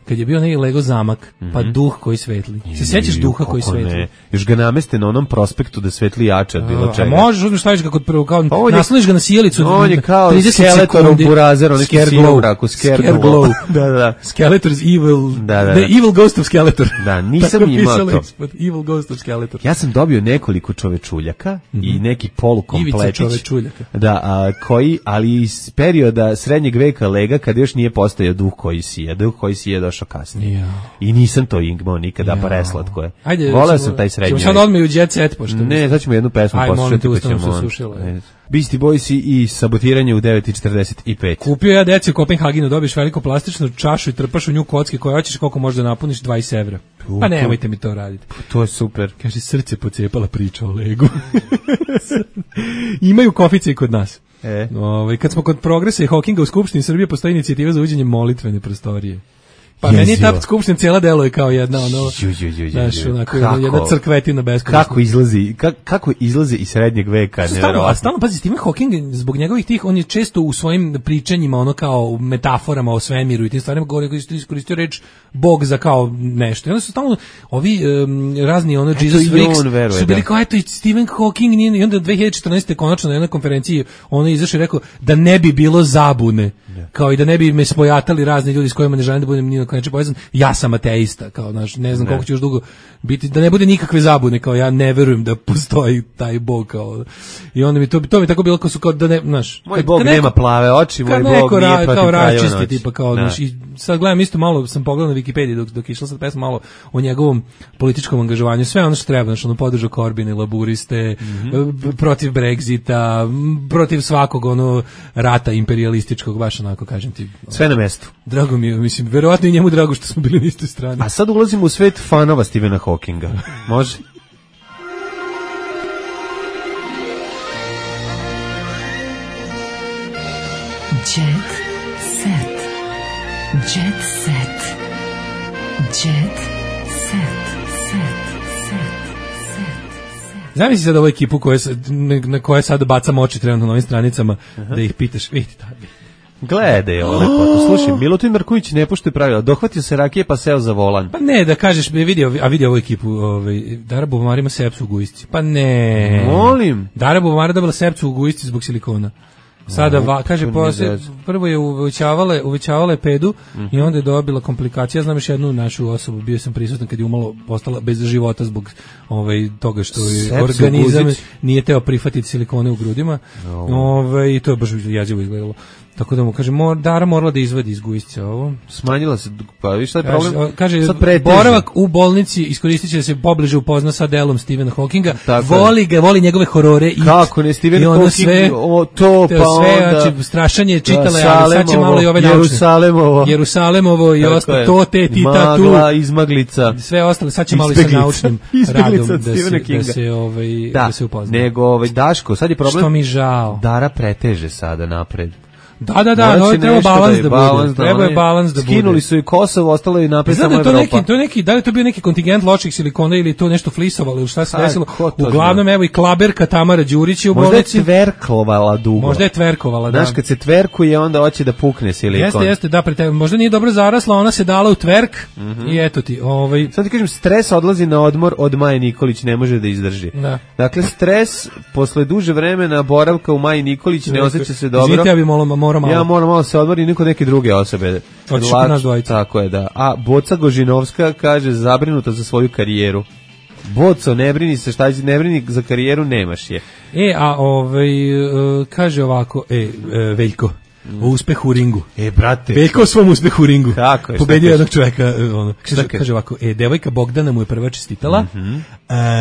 Kad je bio neki Lego zamak, mm -hmm. pa duh koji svetli. Se sećaš duha koji svetli? Ne. Još ga nameste na onom prospektu da svetli jače od bilo čega. A možeš uzmeš staviš ga kod prvo kao pa nasloniš ga na sjelicu. On je kao Skeletor u Burazeru, neki silu u raku, Scareglow. Da, da. Skeletor's evil. Da, da. The evil ghost of Skeletor. Da, nisam imao to. Evil ghost of Skeletor. Ja sam dobio nekoliko čovečuljaka mm -hmm. i neki polukompletić. Ivica čovečuljaka. Da, a, koji, ali iz perioda srednjeg veka Lega, kad još nije postojao duh koji sije, duh koji sije došao kasnije. Ja. I nisam to imao nikada, ja. Pa preslatko je. Ajde, voleo sam taj srednji vek. Ćemo sad odmah u Jet Set, pošto... Ne, sad ćemo jednu pesmu poslušati. Ajde, molim te, ustano se sušilo. Beastie Boysi i Sabotiranje u devet i četrdeset pet. Kupio ja deci u Kopenhagenu, dobiješ veliko plastičnu čašu i trpaš u nju kocke koje hoćeš, koliko možeš da napuniš, dvadeset evra. Pa nemojte mi to raditi. To je super. Kaže, srce pocepala priča o Legu. Imaju kofice i kod nas. E. Ove, kad smo kod progresa i Hawkinga u Skupštini Srbije postoji inicijativa za uđenje molitvene prostorije. Pa Jezio. Meni ta skupština cijela deluje kao jedna ono, znaš, onako, jedna crkvetina beskorisna. Kako izlazi, ka, kako izlazi iz srednjeg veka, nevjerovatno. A stalno, pazi, Stephen Hawking, zbog njegovih tih, on je često u svojim pričanjima, ono kao metaforama o svemiru i tim stvarima govori koji su iskoristio reč Bog za kao nešto. I onda su stalno ovi um, razni ono Jesus Freaks su bili kao, eto, i Stephen Hawking nije, i onda dve hiljade četrnaeste konačno na jednoj konferenciji ono izašao i rekao da ne bi bilo zabune, yeah. kao i da ne bi me spojatali razni ljudi s kojima ne želim da budem ni na koji povezan, ja sam ateista, kao, znaš, ne znam ne. koliko će još dugo biti, da ne bude nikakve zabune, kao ja ne verujem da postoji taj Bog, kao, i onda mi to, to mi tako bilo kao su, kao da ne, znaš, moj kad, Bog kad neko, nema plave oči, moj Bog nije ra, protiv kraljeva noći. Tipa, kao, znaš, i sad gledam isto malo, sam pogledao na Wikipediji dok, dok išla sad pesma malo o njegovom političkom angažovanju, sve ono što treba, znaš, ono podržao Corbyn, laburiste, mm -hmm. protiv Brexita, protiv svakog ono rata imperialističkog, baš onako, kažem ti. Sve na mestu. Drago mi je, mislim, verovatno i njemu drago što smo bili na istoj strani. A sad ulazimo u svet fanova Stephena Hawkinga. Može? Jet set. Jet set. Jet set. Set. Set. Zamisli sad ovu ekipu koja, na koje sad bacam oči trenutno na ovim stranicama, uh-huh. da ih pitaš, vidite da bi. Gledaj, ovo lepo. Slušaj, Milutin Marković ne poštuje pravila. Dohvatio se rakije pa seo za volan. Pa ne, da kažeš, vidio, a vidio ovu ekipu, ovaj, Dara Bubamara ima sepsu u gujsci. Pa ne. Molim. Dara Bubamara dobila sepsu u gujsci zbog silikona. Sada No, va, kaže to nije posle, zez. prvo je uvećavale, uvećavale pedu Mhm. i onda je dobila komplikacije. Ja znam još jednu našu osobu, bio sam prisutan kad je umalo postala bez života zbog ovaj toga što je Sepsu organizam guzić. nije teo prihvatiti silikone u grudima. No. Ovaj i to je baš jezivo izgledalo. Tako da mu kaže mor, Dara morala da izvadi iz gujsca ovo. Smanjila se, pa viš šta je Kaže, problem? kaže Sad preteže. boravak u bolnici iskoristit će da se pobliže upozna sa delom Stephena Hawkinga. Tako je. Voli ga, voli njegove horore i Kako ne, Stephen i ono Hawking, sve, o, to, pa sve, onda- znači, strašanje čitale, Da, ali sad će malo i ove naučne. Jerusalemovo. Jerusalemovo i Tako ostalo, je. to, te, tita, tu. Magla, izmaglica. Sve ostalo, sad će malo i sa Izbeglica. naučnim Izbeglica radom od da se, Stephena da Kinga. se, ovaj, Da, da se upozna. nego ovaj, Daško, sad je problem. Što mi žao. Dara preteže sada napred. Da, da, da, Morat no, će treba nešto balans je da balans bude. Treba je oni- balans da bude. Skinuli su i Kosovo, ostalo je napred Znam samo da je to Evropa. neki, to je neki, da li je to bio neki kontingent loših silikona ili to nešto flisovalo ili šta se Ha, desilo. ko to Uglavnom, evo i klaberka Tamara Đurić je u Možda je bolnici. tverkovala dugo. Možda je tverkovala, da. Znaš, kad se tverkuje, onda hoće da pukne silikon. Jeste, jeste, da, pre tebe. Možda nije dobro zarasla, ona se dala u tverk Mhm. i eto ti, ovaj... Sad ti kažem, stres odlazi na odmor od Maje Nikolić, ne može da izdrži. Da. Dakle, stres posle duže vremena boravka u Maji Nikolić ne osjeća se dobro. Izvinite, ja bi malo, morao malo. Ja moram malo se odmorim, niko neke druge osobe. Hoćeš Lak- kod nas dvojica. Tako je, da. A Boca Gožinovska kaže zabrinuta za svoju karijeru. Boco, ne brini se, šta ne brini za karijeru, nemaš je. E, a ovaj, e, kaže ovako, e, e, Veljko, o uspehu u ringu. E, brate. Veljko o svom uspehu u ringu. Kako je, šta Pobedio kaže? jednog čoveka. e, Ono. Šta Kaže, kaže? kaže ovako, e, devojka Bogdana mu je prva čestitala. Mhm. E,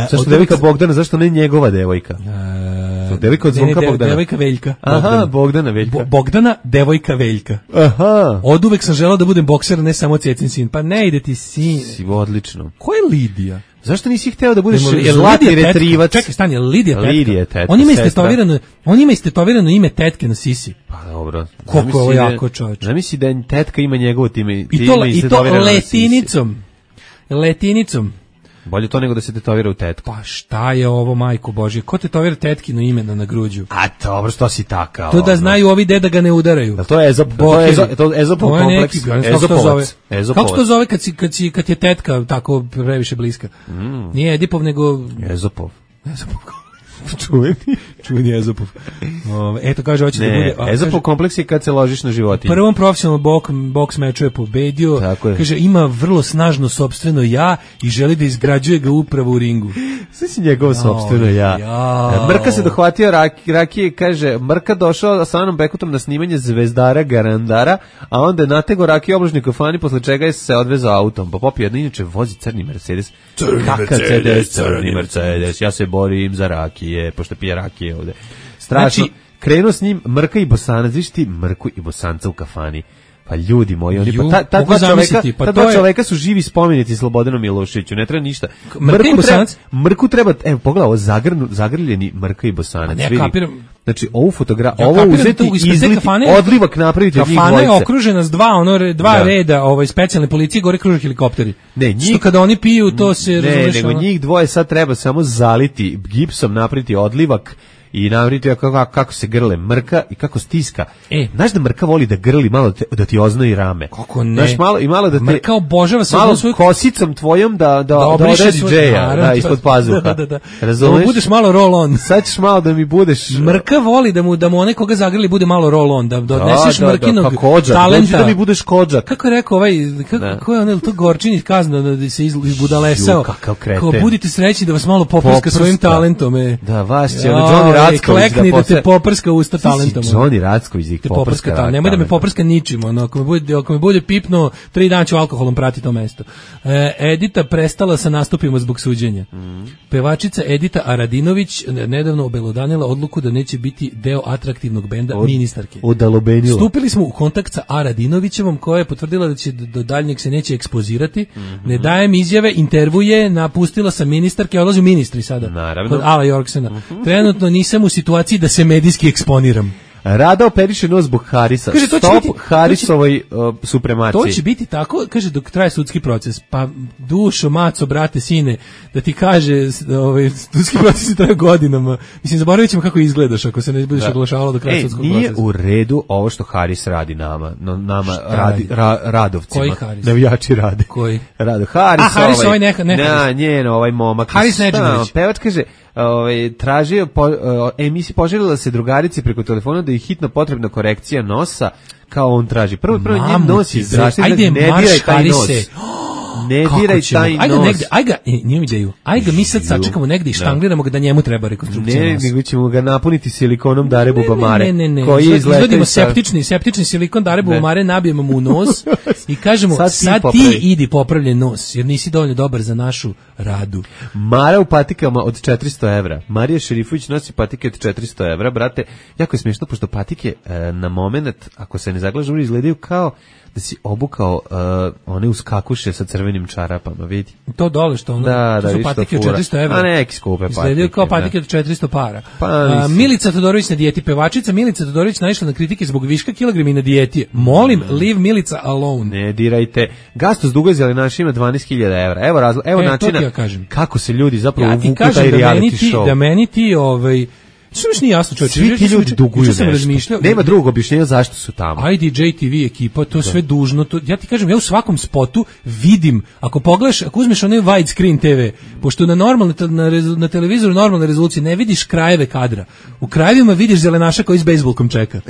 Zašto od devojka uvek- Bogdana, zašto ne njegova devojka? E, devojka od ne, ne, Zvonka de- Bogdana. Devojka Veljka. Aha, Bogdana. Bogdana Veljka. Bo- Bogdana, devojka Veljka. Aha. Od uvek sam želao da budem bokser, ne samo cecin sin. Pa ne ide ti sin. Si odlično. Ko je Lidija? Zašto nisi hteo da budeš Jel- jel zlati Lidija tetka? retrivac? Čekaj, stani, je li Lidija tetka? Lidija je tetka, On ima sestra. istetovirano, on ima istetovirano ime tetke na sisi. Pa dobro. Koliko je ovo Zamisli da- jako, čoveče. Zamisli da je tetka ima njegovo time. I to, time i to istetovirano na sisi. letinicom. Letinicom. Bolje to nego da se tetovira u tetku. Pa šta je ovo, majko Božje? Ko tetovira tetkino ime na, na gruđu? A dobro, što si takav? To da ono? znaju ovi de da ga ne udaraju. Jel to je Ezop, to je Ezop, to je Ezopov To je kompleks. neki, ja ne znam kako se to zove. Ezopovac. Kako se Ezopovac. to zove kad, si, kad, si, kad je tetka tako previše bliska? Mm. Nije Edipov, nego... Ezopov. Ezopov. Čuveni. Čuveni Ezopov. Ove, eto, kaže, hoće da bude... Ne, a, Ezopov kaže, kompleks je kad se ložiš na životinju. prvom profesionalnom bok, boks meču je pobedio. Tako je. Kaže, ima vrlo snažno sopstveno ja i želi da izgrađuje ga upravo u ringu. Sve si njegovo sopstveno ja. jao. Mrka se dohvatio rak, rakije, kaže, Mrka došao sa Anom Bekutom na snimanje Zvezdara Garandara, a onda je natego rakije obložni kafani, posle čega je se odvezao autom. Pa popio jedno, inače vozi crni Mercedes. Crni Kakav Mercedes, crni Mercedes, ja se borim za rakije, pošto pije rakije ovde. Strašno. Znači- Krenuo s njim Mrka i Bosanac, viš ti Mrku i Bosanca u kafani. Pa ljudi moji, oni Ju, pa ta, ta mogu dva čoveka, zamisliti, pa ta to dva je- čoveka su živi spomenici Slobodanu Miloševiću, ne treba ništa. Mrka i treba, Bosanac? Mrku treba, evo pogledaj, ovo zagrnu, zagrljeni Mrka i Bosanac. Ne, ja vidi. kapiram. Znači, ovu fotogra, Ja ovo kapiram uzeti, tu ispred te izliti, kafane- odlivak napraviti od njih Kafana je dvojice. okružena s dva, ono, re- dva Da. reda ovaj, specijalne policije, gore kruže helikopteri. Ne, njih- Što kada oni piju, to se Ne, razumeš, nego ono- njih dvoje sad treba samo zaliti gipsom, napraviti odlivak i napraviti kako, kako se grle Mrka i kako stiska. E. Znaš da Mrka voli da grli malo da, te, da ti oznoji rame. Kako ne? Znaš, malo, i malo da te... Mrka obožava se malo jednu svoju- kosicom tvojom da, da, da, obriše odredi svoj- džeja, naravno, da, ispod pazuha. Da, da, da. Razumeš? Da mu budeš malo roll on. Sad ćeš malo da mi budeš... Mrka voli da mu da mu onaj koga zagrli bude malo roll on, da, da odneseš da, da, Mrkinog pa kođak, talenta. dođi da mi budeš kođak. Kako je rekao ovaj, kako, Da. ko je onaj, to Gorčin iz Kazna da se iz- izbudalesao. Ju, kakav kreten. Kao budite srećni da vas malo poprska Poprska. svojim talentom. E. Da, vas će, ono, Joj, Johnny Racković da klekni da, te posle- poprska usta Ti si talentom. Johnny Racković da ih Te poprska poprska ra- talentom. Nemoj da me talentom. poprska ničim. Ono, ako, me bude, ako me bude pipno, tri dana ću alkoholom prati to mesto. E, Edita prestala sa nastupima zbog suđenja. Mhm. Pevačica Edita Aradinović nedavno obelodanila odluku da neće biti deo atraktivnog benda Od- ministarke. Odalobenila. Stupili smo u kontakt sa Aradinovićevom koja je potvrdila da će do do daljnjeg se neće ekspozirati. Mhm. Ne dajem izjave, intervjuje, napustila sam ministarke, odlazi u ministri sada. Naravno. Kod Ala Jorksena. Trenutno nisam u situaciji da se medijski eksponiram. Rada operiše nos zbog Harisa. Kaže, to će Stop biti- Harisovoj uh, supremaciji. To će biti tako, kaže, dok traje sudski proces. Pa dušo, maco, brate, sine, da ti kaže, s- ovaj, sudski proces traje godinama. Mislim, zaboravit ćemo kako izgledaš ako se ne budeš Da. oglašavalo do kraja Ej, sudskog nije procesa. u redu ovo što Haris radi nama, no, nama Šta radi, radi? ra, radovcima. Koji Haris? Navijači rade. Koji? Rado. Haris, A, Haris ovaj neka- ne na, Haris. njen ovaj momak. Haris Šta, Nedžimović. Pevač kaže, ovaj, tražio, po, emisija poželjela se drugarici preko telefona da je hitno potrebna korekcija nosa, kao on traži. Prvo, prvo njen nos je zdravstveno, ne diraj taj nos. Ne diraj taj aj ga nos. Negde, aj ga, e, njemu ideju, aj ga mi sad sačekamo negde i štangliramo ga da njemu treba rekonstrukcija ne, nosa. Ne, nego ćemo ga napuniti silikonom Dare Bubamare. Ne, ne, ne, ne. Koji je izvodimo septični, septični silikon Dare Bubamare, nabijemo mu u nos i kažemo, sad, sad ti, ti idi popravljen nos, jer nisi dovoljno dobar za našu radu. Mara u patikama od četiristo evra. Marija Šerifović nosi patike od četiristo evra, brate. Jako je smiješno, pošto patike e, na moment, ako se ne zaglažu, izgledaju kao da si obukao uh, one uskakuše sa crvenim čarapama, vidi. To dole što ono, da, to da, su patike od četiristo evra. A neki skupe patike. Izgledaju kao patike od četiristo para. Pa, A, Milica Todorović na dijeti. Pevačica Milica Todorović naišla na kritike zbog viška kilograma i na dijeti. Molim, mm. leave Milica alone. Ne dirajte. Gastos Dugozeli naš ima dvanaest hiljada evra. Evo, razlo, evo e, načina ja kako se ljudi zapravo ja uvuku taj da reality ti, show. Da meni ti, ovaj, što mi nije jasno, čovječe. Svi ti ljudi duguju nešto. Nema drugog objašnjenja zašto su tamo. I D J T V ekipa, to da. Sve dužno. To, ja ti kažem, ja u svakom spotu vidim, ako pogledaš, ako uzmeš onaj widescreen T V, pošto na, normalne, na, na televizoru normalne rezolucije ne vidiš krajeve kadra. U krajevima vidiš zelenaša koji s bejsbolkom čeka.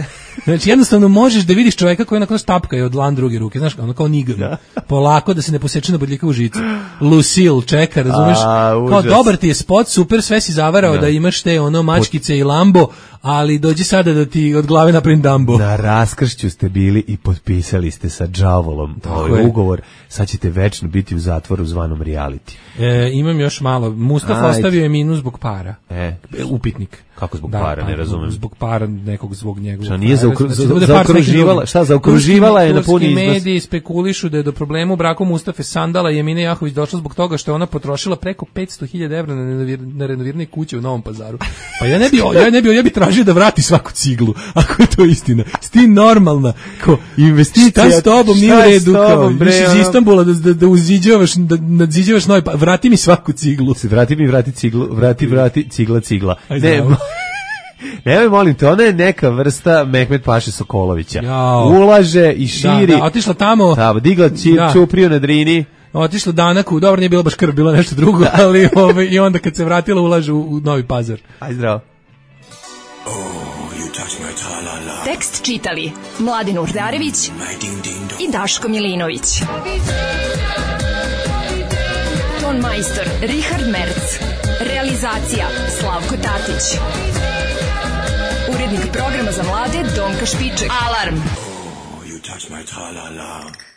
Znači, jednostavno možeš da vidiš čoveka koji onako stapka je od dlan druge ruke. Znaš, ono kao nigan. Da. Polako da se ne poseče na bodljikavu žicu. Lucille čeka, razumeš? A, kao dobar ti je spot, super, sve si zavarao da, da imaš te ono mačkice i Lambo, ali dođi sada da ti od glave napravim Dumbo. Na raskršću ste bili i potpisali ste sa đavolom ovaj ugovor. Sad ćete večno biti u zatvoru zvanom reality. E, imam još malo. Mustafa Ajde. Ostavio je minus zbog para. E. Upitnik. Kako zbog da, para, ne razumem. Zbog para nekog zbog njegovog. Šta nije zaokru, za, za, zaokruživala, šta zaokruživala je na puni iznos. Mediji spekulišu da je do problema u braku Mustafe Sandala i Emine Jahović došlo zbog toga što je ona potrošila preko petsto hiljada evra na, na renoviranje kuće u Novom Pazaru. Pa ja ne bi, ja ne bi, ja bi tražio da vrati svaku ciglu, ako je to istina. Sti normalna, ko investicija. Šta s tobom nije u redu, kao, iz Istanbula da, da, da uziđavaš, da nadziđavaš novi, pa vrati mi svaku ciglu. Vrati mi, vrati ciglu, vrati, vrati, cigla, cigla. Ne, nemoj, molim te, ona je neka vrsta Mehmet Paše Sokolovića. Jao. Ulaže i širi. Da, da, otišla tamo. Da, digla či, da. Čupriju na Drini. Otišla Danaku, dobro nije bilo baš krv, bilo nešto drugo, ali ove, i onda kad se vratila ulaže u, u Novi Pazar. Aj zdravo. Oh, you touch my tra-la-la. Tekst čitali Mladin Urdarević i Daško Milinović. Ton majstor Richard Merc. Realizacija Slavko Tatić. Urednik programa za mlade Donka Špiček. Alarm! Oh, you touch my tra-la-la.